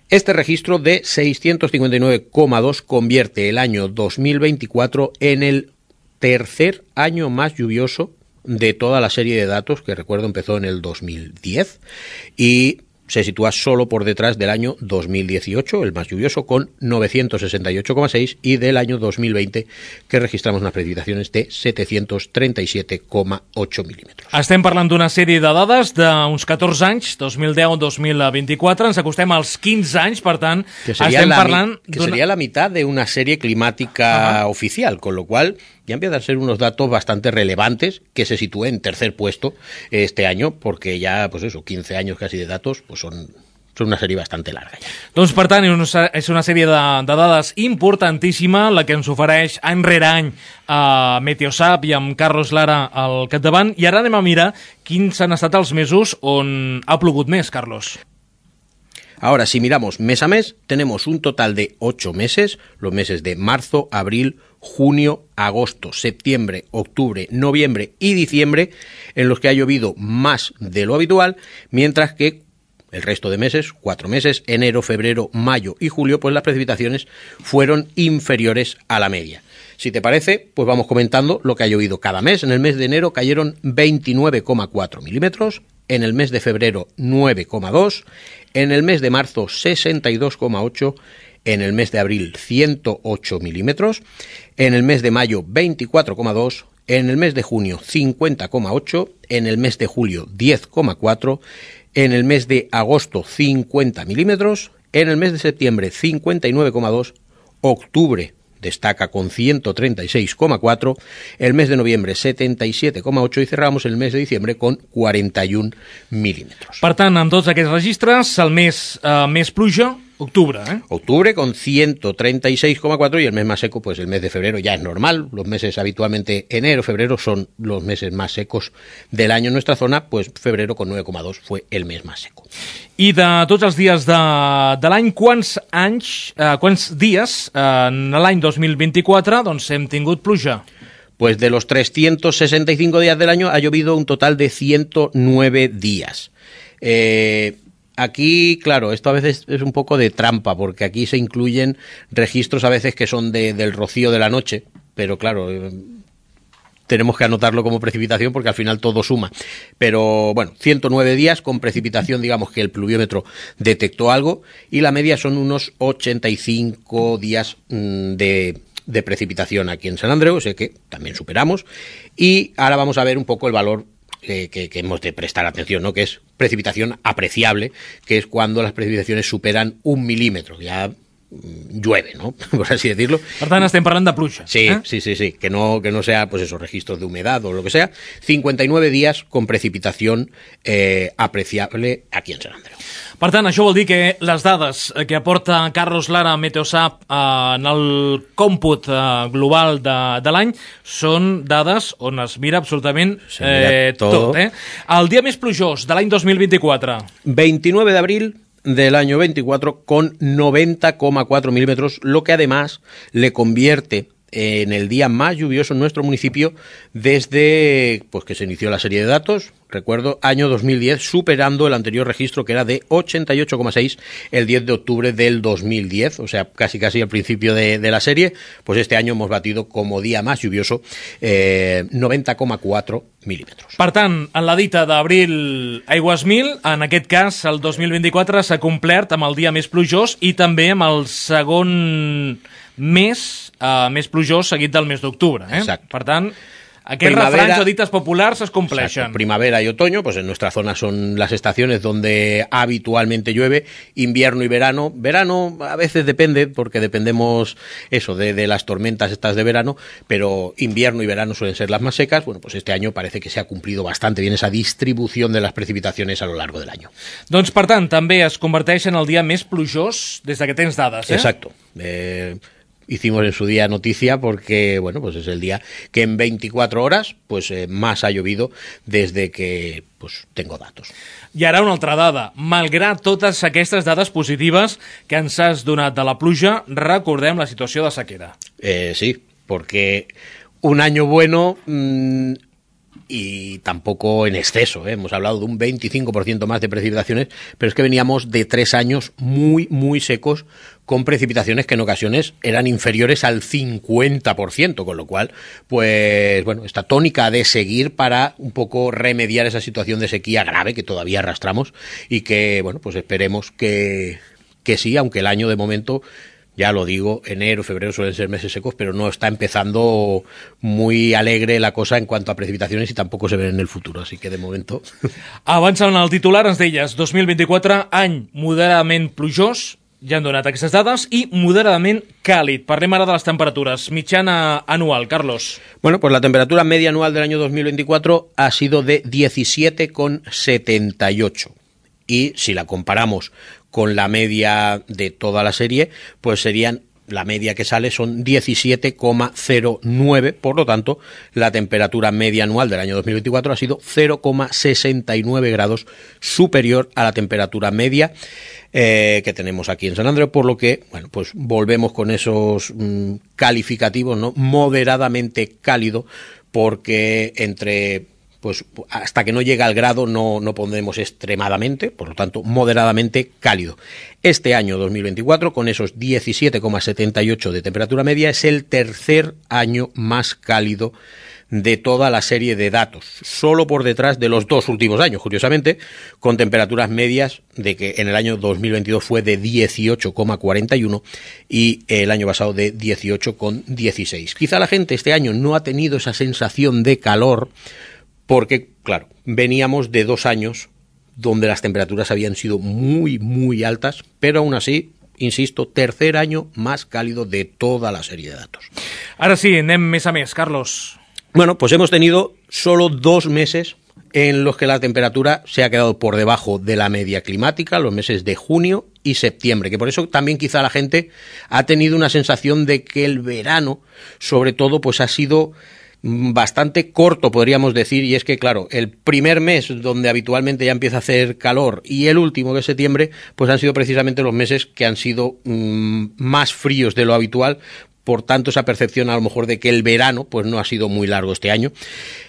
S17: Este registro de seiscientos cincuenta y nueve coma dos convierte el año dos mil veinticuatro en el tercer año más lluvioso de toda la serie de datos, que recuerdo empezó en el dos mil diez y se sitúa solo por detrás del año dos mil dieciocho, el más lluvioso, con novecientos sesenta y ocho coma seis, y del año dos mil veinte, que registramos unas precipitacions de setecientos trenta y siete coma ocho milímetros.
S2: Estem parlant d'una sèrie de dades d'uns catorze anys, dos mil deu a dos mil veinticuatro, ens acostem als quinze anys, per tant,
S17: que sería
S2: estem
S17: la,
S2: parlant...
S17: Que sería la mitad de una serie climática Ajá. oficial, con lo cual ya empiezan a ser unos datos bastante relevantes, que se sitúe en tercer puesto este año, porque ya, pues eso, quince años casi de datos, pues son, son una sèrie bastante larga. Ja.
S2: Doncs, per tant, és una sèrie de, de dades importantíssima, la que ens ofereix any rere any a Meteosat i amb Carlos Lara al capdavant, i ara anem a mirar quins han estat els mesos on ha plogut més, Carlos.
S17: Ahora, si miramos mes a mes, tenemos un total de ocho meses, los meses de marzo, abril, junio, agosto, septiembre, octubre, noviembre y diciembre, en los que ha llovido más de lo habitual, mientras que el resto de meses, cuatro meses, enero, febrero, mayo y julio, pues las precipitaciones fueron inferiores a la media. Si te parece, pues vamos comentando lo que ha llovido cada mes. En el mes de enero cayeron veintinueve coma cuatro milímetros, en el mes de febrero nueve coma dos, en el mes de marzo sesenta y dos coma ocho, en el mes de abril ciento ocho milímetros, en el mes de mayo veinticuatro coma dos, en el mes de junio cincuenta coma ocho, en el mes de julio diez coma cuatro, en el mes de agosto cincuenta milímetros, en el mes de septiembre cincuenta y nueve coma dos, octubre destaca con ciento treinta y seis coma cuatro, el mes de noviembre setenta y siete coma ocho y cerramos el mes de diciembre con cuarenta y un milímetros.
S2: Per tant, en tots aquests registres, el mes eh, més pluja, octubre, ¿eh?
S17: Octubre con ciento treinta y seis coma cuatro y el mes más seco, pues el mes de febrero ya es normal. Los meses habitualmente enero, febrero son los meses más secos del año en nuestra zona, pues febrero con nueve coma dos fue el mes más seco.
S2: I de tots els dies de, de l'any, quants anys, eh, quants dies eh, en l'any dos mil vint-i-quatre doncs hem tingut pluja?
S17: Pues de los trescientos sesenta y cinco días del año ha llovido un total de ciento nueve días. Eh... Aquí, claro, esto a veces es un poco de trampa, porque aquí se incluyen registros a veces que son de, del rocío de la noche, pero claro, eh, tenemos que anotarlo como precipitación porque al final todo suma. Pero bueno, ciento nueve días con precipitación, digamos que el pluviómetro detectó algo, y la media son unos ochenta y cinco días mmm, de... de precipitación aquí en San Andreu, o sea que también superamos, y ahora vamos a ver un poco el valor Que, que, que hemos de prestar atención, ¿no? Que es precipitación apreciable, que es cuando las precipitaciones superan un milímetro, ya mmm, llueve, ¿no? Por así decirlo.
S2: Per tant, estem parlant de pluja.
S17: Sí,
S2: ¿eh?
S17: sí, sí, sí, que no, que no sea, pues esos registros de humedad o lo que sea. cincuenta y nueve días con precipitación eh, apreciable aquí en San Andreu.
S2: Per tant, això vol dir que les dades que aporta Carlos Lara a Meteosat eh, en el còmput eh, global de, de l'any són dades on es mira absolutament eh, tot. Eh? El dia més plujós de l'any dos mil vint-i-quatre.
S17: veintinueve de abril del año veinticuatro con noventa coma cuatro milímetros, lo que además le convierte en el día más lluvioso en nuestro municipio desde pues que se inició la serie de datos, recuerdo, año dos mil diez, superando el anterior registro que era de ochenta y ocho coma seis el diez de octubre del dos mil diez, o sea, casi casi al principio de, de la serie. Pues este año hemos batido como día más lluvioso eh, noventa coma cuatro milímetros.
S2: Per tant, en la dita d'abril aigües mil, en aquest cas el dos mil vint-i-quatre s'ha complert amb el dia més plujós i també amb el segon mes uh, més plujós seguit del mes d'octubre. Eh? Per tant, aquellos refranes o ditas populares se compleixen.
S17: Primavera y otoño, pues en nuestra zona son las estaciones donde habitualmente llueve. Invierno y verano. Verano a veces depende, porque dependemos eso de, de las tormentas estas de verano, pero invierno y verano suelen ser las más secas. Bueno, pues este año parece que se ha cumplido bastante bien esa distribución de las precipitaciones a lo largo del año.
S2: Doncs, per tant, també es converteix en el dia més plujós des de que tens dades, eh?
S17: Exacto. Eh... hicimos en su día noticia porque, bueno, pues es el día que en veinticuatro horas pues eh, más ha llovido desde que pues tengo datos.
S2: I ara una altra dada. Malgrat totes aquestes dades positives que ens has donat de la pluja, recordem la situació de sequera.
S17: Eh, sí, porque un año bueno mmm, y tampoco en exceso, ¿eh? Hemos hablado de un veinticinco por ciento más de precipitaciones, pero es que veníamos de tres años muy, muy secos con precipitaciones que en ocasiones eran inferiores al cincuenta por ciento, con lo cual, pues bueno, esta tónica de seguir para un poco remediar esa situación de sequía grave que todavía arrastramos y que, bueno, pues esperemos que, que sí, aunque el año de momento, ya lo digo, enero, febrero suelen ser meses secos, pero no está empezando muy alegre la cosa en cuanto a precipitaciones y tampoco se ven en el futuro, así que de momento...
S2: Avançant al titular, ens deies dos mil vint-i-quatre, any moderadament plujós, ja han donat aquestes dades, i moderadament càlid. Parlem ara de les temperatures. Mitjana anual, Carlos.
S17: Bueno, pues la temperatura media anual del año dos mil veinticuatro ha sido de diecisiete coma setenta y ocho. Y si la comparamos con la media de toda la serie, pues serían, la media que sale son diecisiete coma cero nueve, por lo tanto, la temperatura media anual del año dos mil veinticuatro ha sido cero coma sesenta y nueve grados superior a la temperatura media eh, que tenemos aquí en San Andreu, por lo que, bueno, pues volvemos con esos mmm, calificativos, ¿no? Moderadamente cálido, porque entre... pues hasta que no llega al grado no, no pondremos extremadamente, por lo tanto moderadamente cálido. Este año dos mil veinticuatro, con esos diecisiete coma setenta y ocho de temperatura media, es el tercer año más cálido de toda la serie de datos, solo por detrás de los dos últimos años, curiosamente, con temperaturas medias de que en el año dos mil veintidós fue de dieciocho coma cuarenta y uno y el año pasado de dieciocho coma dieciséis. Quizá la gente este año no ha tenido esa sensación de calor, porque, claro, veníamos de dos años donde las temperaturas habían sido muy, muy altas, pero aún así, insisto, tercer año más cálido de toda la serie de datos.
S2: Ahora sí, anem més a més, Carlos.
S17: Bueno, pues hemos tenido solo dos meses en los que la temperatura se ha quedado por debajo de la media climática, los meses de junio y septiembre, que por eso también quizá la gente ha tenido una sensación de que el verano, sobre todo, pues ha sido bastante corto, podríamos decir, y es que, claro, el primer mes donde habitualmente ya empieza a hacer calor y el último, que es septiembre, pues han sido precisamente los meses que han sido mmm, más fríos de lo habitual, por tanto esa percepción a lo mejor de que el verano pues no ha sido muy largo este año.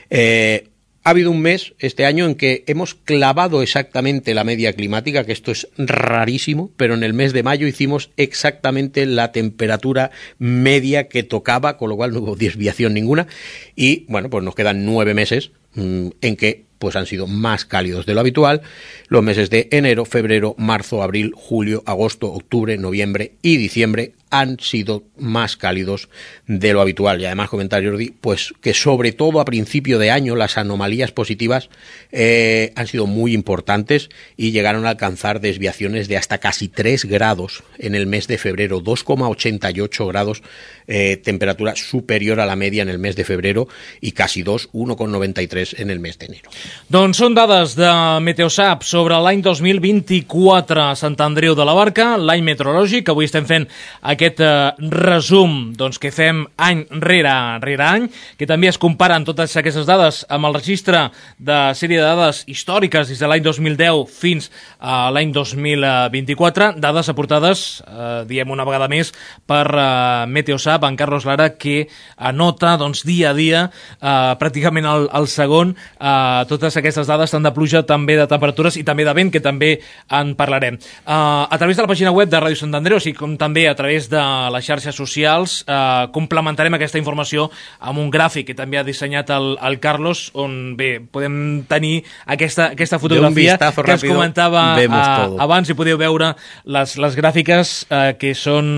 S17: Eh, Ha habido un mes este año en que hemos clavado exactamente la media climática, que esto es rarísimo, pero en el mes de mayo hicimos exactamente la temperatura media que tocaba, con lo cual no hubo desviación ninguna. Y bueno, pues nos quedan nueve meses mmm, en que pues han sido más cálidos de lo habitual. Los meses de enero, febrero, marzo, abril, julio, agosto, octubre, noviembre y diciembre han sido más cálidos de lo habitual. Y además, comentar, Jordi, pues que sobre todo a principio de año las anomalías positivas eh, han sido muy importantes y llegaron a alcanzar desviaciones de hasta casi tres grados en el mes de febrero, dos coma ochenta y ocho grados, eh, temperatura superior a la media en el mes de febrero, y casi dos, uno coma noventa y tres en el mes de enero.
S2: Doncs són dades de Meteosat sobre l'any dos mil vint-i-quatre a Sant Andreu de la Barca, l'any meteorològic. Avui estem fent aquest eh, resum doncs, que fem any rere, rere any, que també es comparen totes aquestes dades amb el registre de sèrie de dades històriques des de l'any dos mil deu fins a l'any dos mil vint-i-quatre, dades aportades, eh, diem una vegada més, per eh, Meteosat, en Carlos Lara, que anota doncs, dia a dia, eh, pràcticament al, al segon, eh, totes aquestes dades, tant de pluja, també de temperatures i també de vent, que també en parlarem. Uh, a través de la pàgina web de Ràdio Sant Andreu, així com també a través de les xarxes socials, uh, complementarem aquesta informació amb un gràfic que també ha dissenyat el, el Carlos, on bé, podem tenir aquesta, aquesta fotografia que es comentava uh, abans, i podeu veure les, les gràfiques uh, que són,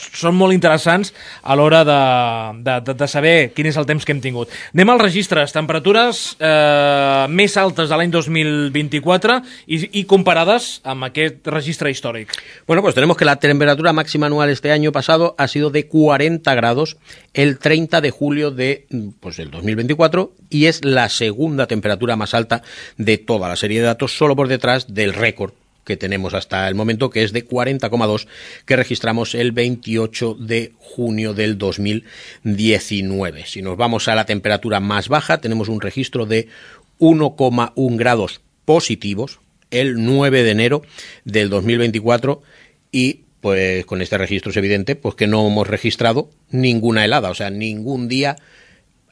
S2: són molt interessants a l'hora de, de, de, de saber quin és el temps que hem tingut. Anem als registres, temperatures eh, més altes de l'any dos mil vint-i-quatre y, y comparadas amb aquest registre històric.
S17: Bueno, pues tenemos que la temperatura máxima anual este año pasado ha sido de cuarenta grados el treinta de julio de pues, el dos mil veinticuatro, y es la segunda temperatura más alta de toda la serie de datos, solo por detrás del récord que tenemos hasta el momento, que es de cuarenta coma dos, que registramos el veintiocho de junio del dos mil diecinueve. Si nos vamos a la temperatura más baja, tenemos un registro de uno coma uno grados positivos el nueve de enero del dos mil veinticuatro, y pues con este registro es evidente pues que no hemos registrado ninguna helada, o sea, ningún día.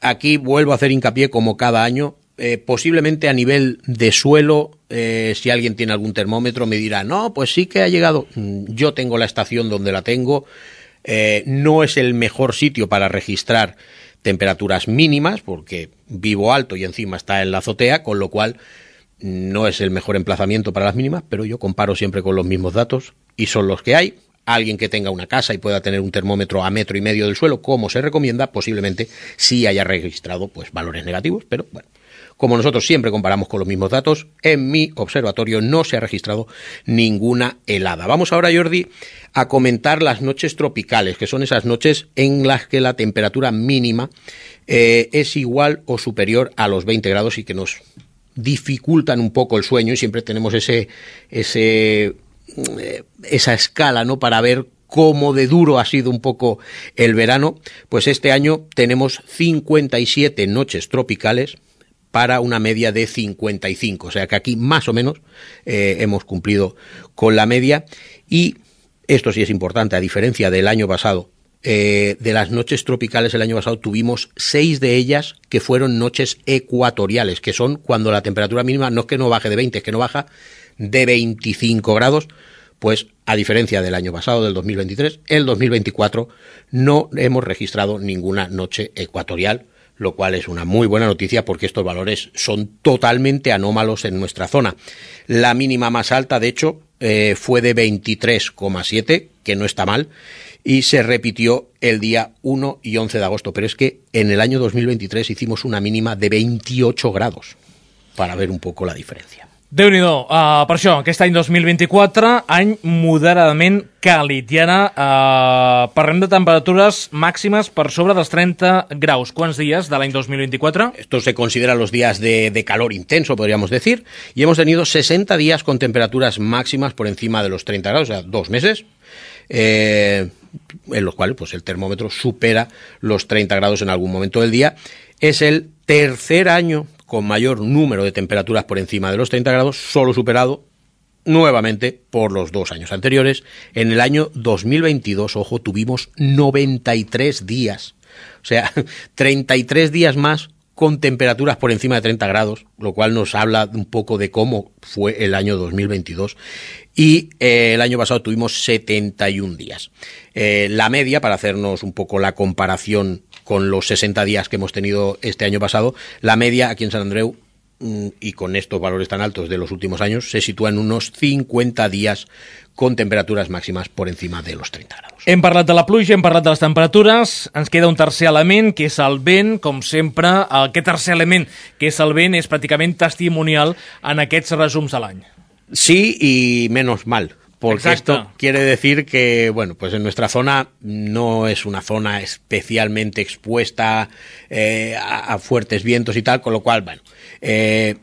S17: Aquí vuelvo a hacer hincapié, como cada año, eh, posiblemente a nivel de suelo, eh, si alguien tiene algún termómetro me dirá, no, pues sí que ha llegado. Yo tengo la estación donde la tengo, eh, no es el mejor sitio para registrar temperaturas mínimas, porque vivo alto y encima está en la azotea, con lo cual no es el mejor emplazamiento para las mínimas, pero yo comparo siempre con los mismos datos y son los que hay. Alguien que tenga una casa y pueda tener un termómetro a metro y medio del suelo, como se recomienda, posiblemente sí haya registrado pues valores negativos, pero bueno, como nosotros siempre comparamos con los mismos datos, en mi observatorio no se ha registrado ninguna helada. Vamos ahora, Jordi, a comentar las noches tropicales, que son esas noches en las que la temperatura mínima eh, es igual o superior a los veinte grados y que nos dificultan un poco el sueño, y siempre tenemos ese ese esa escala, ¿no?, para ver cómo de duro ha sido un poco el verano. Pues este año tenemos cincuenta y siete noches tropicales para una media de cincuenta y cinco, o sea que aquí más o menos eh, hemos cumplido con la media. Y esto sí es importante, a diferencia del año pasado, eh, de las noches tropicales el año pasado tuvimos seis de ellas que fueron noches ecuatoriales, que son cuando la temperatura mínima no es que no baje de veinte, es que no baja de veinticinco grados, pues a diferencia del año pasado, del dos mil veintitrés, el dos mil veinticuatro no hemos registrado ninguna noche ecuatorial, lo cual es una muy buena noticia porque estos valores son totalmente anómalos en nuestra zona. La mínima más alta, de hecho, eh, fue de veintitrés coma siete, que no está mal, y se repitió el día uno y once de agosto, pero es que en el año dos mil veintitrés hicimos una mínima de veintiocho grados, para ver un poco la diferencia.
S2: Déu-n'hi-do, uh, per això, aquest any dos mil vint-i-quatre, any moderadament càlid. I ara uh, parlem de temperatures màximes per sobre dels trenta graus. Quants dies de l'any dos mil veinticuatro?
S17: Esto se considera los días de, de calor intenso, podríamos decir, y hemos tenido sesenta días con temperaturas máximas por encima de los treinta grados, o sea, dos meses, eh, en los cuales pues, el termómetro supera los treinta grados en algún momento del día. Es el tercer año con mayor número de temperaturas por encima de los treinta grados, solo superado nuevamente por los dos años anteriores. En el año dos mil veintidós, ojo, tuvimos noventa y tres días, o sea, treinta y tres días más con temperaturas por encima de treinta grados, lo cual nos habla un poco de cómo fue el año dos mil veintidós. Y eh, el año pasado tuvimos setenta y un días. Eh, la media, para hacernos un poco la comparación con los sesenta días que hemos tenido este año pasado, la media aquí en Sant Andreu, y con estos valores tan altos de los últimos años, se sitúa en unos cincuenta días con temperaturas máximas por encima de los treinta grados.
S2: Hem parlat de la pluja, hem parlat de les temperatures, ens queda un tercer element, que és el vent. Com sempre, aquest tercer element, que és el vent, és pràcticament testimonial en aquests resums de l'any.
S17: Sí, y menos mal. Porque
S2: Exacto.
S17: Esto quiere decir que, bueno, pues en nuestra zona no es una zona especialmente expuesta eh, a, a fuertes vientos y tal, con lo cual, bueno, eh,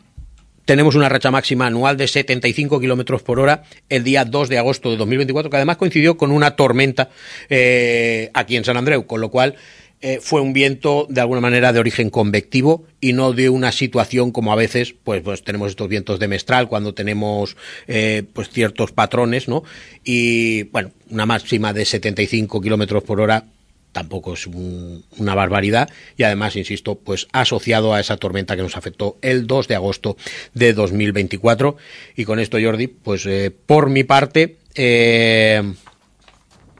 S17: tenemos una racha máxima anual de setenta y cinco kilómetros por hora el día dos de agosto de dos mil veinticuatro, que además coincidió con una tormenta eh, aquí en Sant Andreu, con lo cual eh, fue un viento de alguna manera de origen convectivo y no de una situación como a veces pues, pues tenemos estos vientos de mestral cuando tenemos eh, pues ciertos patrones, ¿no? Y bueno, una máxima de setenta y cinco kilómetros por hora tampoco es un, una barbaridad, y además, insisto, pues asociado a esa tormenta que nos afectó el dos de agosto de dos mil veinticuatro. Y con esto, Jordi, pues eh, por mi parte eh,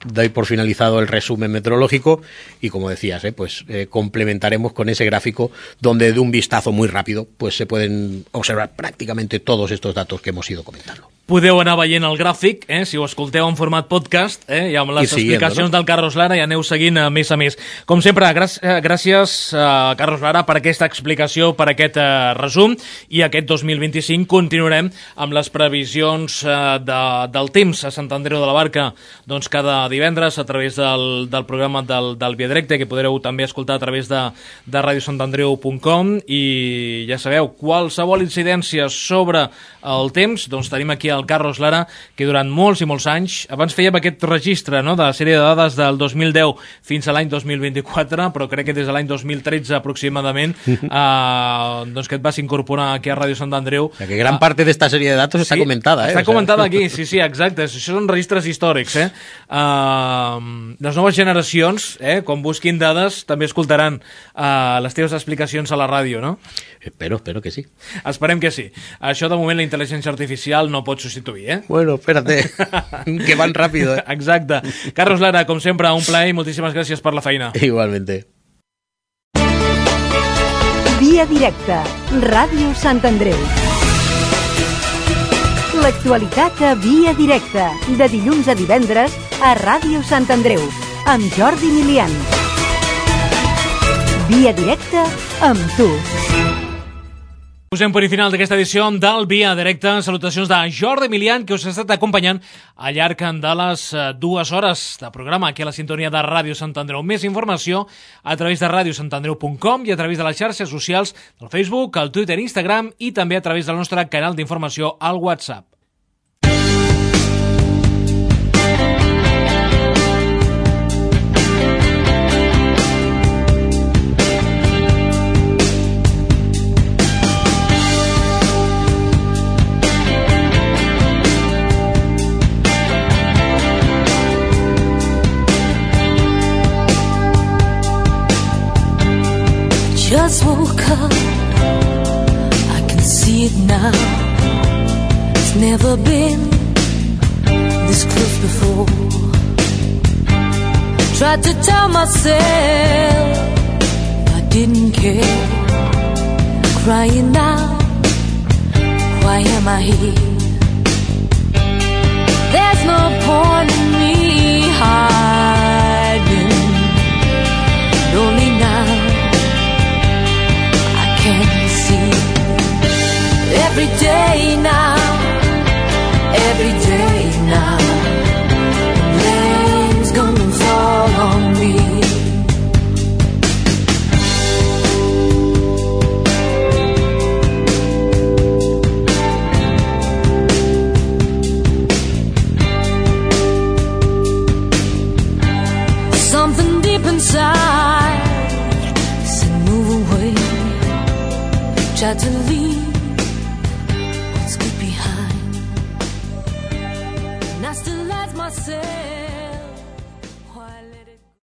S17: doy por finalizado el resumen meteorológico y, como decías, eh, pues eh, complementaremos con ese gráfico donde de un vistazo muy rápido pues se pueden observar prácticamente todos estos datos que hemos ido comentando.
S2: Podeu anar veient el gràfic, eh, si ho escolteu en format podcast, eh, i amb les
S17: siguiendo,
S2: explicacions
S17: no?
S2: del Carlos Lara, i aneu seguint a més a més. Com sempre, gràcies, gràcies a Carlos Lara per aquesta explicació, per aquest eh, resum, i aquest dos mil vint-i-cinc continuarem amb les previsions eh, de, del temps a Sant Andreu de la Barca, doncs cada divendres a través del, del programa del, del Via Directe, que podreu també escoltar a través de, de radio sant andreu punt com, i ja sabeu, qualsevol incidència sobre el temps, doncs tenim aquí el Carlos Lara, que durant molts i molts anys, abans fèiem aquest registre, no?, de la sèrie de dades del dos mil deu fins a l'any dos mil vint-i-quatre, però crec que des de l'any dos mil tretze aproximadament, eh, doncs que et vas incorporar aquí a Ràdio Sant Andreu.
S17: Ya que gran parte de esta serie de datos está
S2: sí,
S17: comentada, eh?
S2: Està
S17: o sea...
S2: comentada aquí, sí, sí, exacte. Això són registres històrics, eh? Uh, les noves generacions, eh, quan busquin dades, també escoltaran uh, les teves explicacions a la ràdio, no?
S17: Espero, espero que sí.
S2: Esperem que sí. Això, de moment, la intel·ligència artificial no pot substituir, eh?
S17: Bueno, espérate, que van rápido, eh?
S2: Exacte. Carlos Lara, com sempre, un plaer i moltíssimes gràcies per la feina.
S17: Igualmente.
S5: Via directa, Ràdio Sant Andreu. L'actualitat a Via directa, de dilluns a divendres a Ràdio Sant Andreu, amb Jordi Milian. Via directa amb tu.
S2: Posem per final d'aquesta edició del Via Directa. Salutacions de Jordi Milian, que us ha estat acompanyant al llarg de les dues hores de programa aquí a la sintonia de Ràdio Sant Andreu. Més informació a través de ràdio sant andreu punt com i a través de les xarxes socials del Facebook, el Twitter, Instagram i també a través del nostre canal d'informació al WhatsApp.
S18: Just woke up, I can see it now. It's never been this close before. Tried to tell myself I didn't care. Crying out, why am I here? There's no point in me hiding. Only now can see every day now, every day now, rain's gonna fall on me. Something deep inside said move away. Tried to leave what's good behind, and I still let myself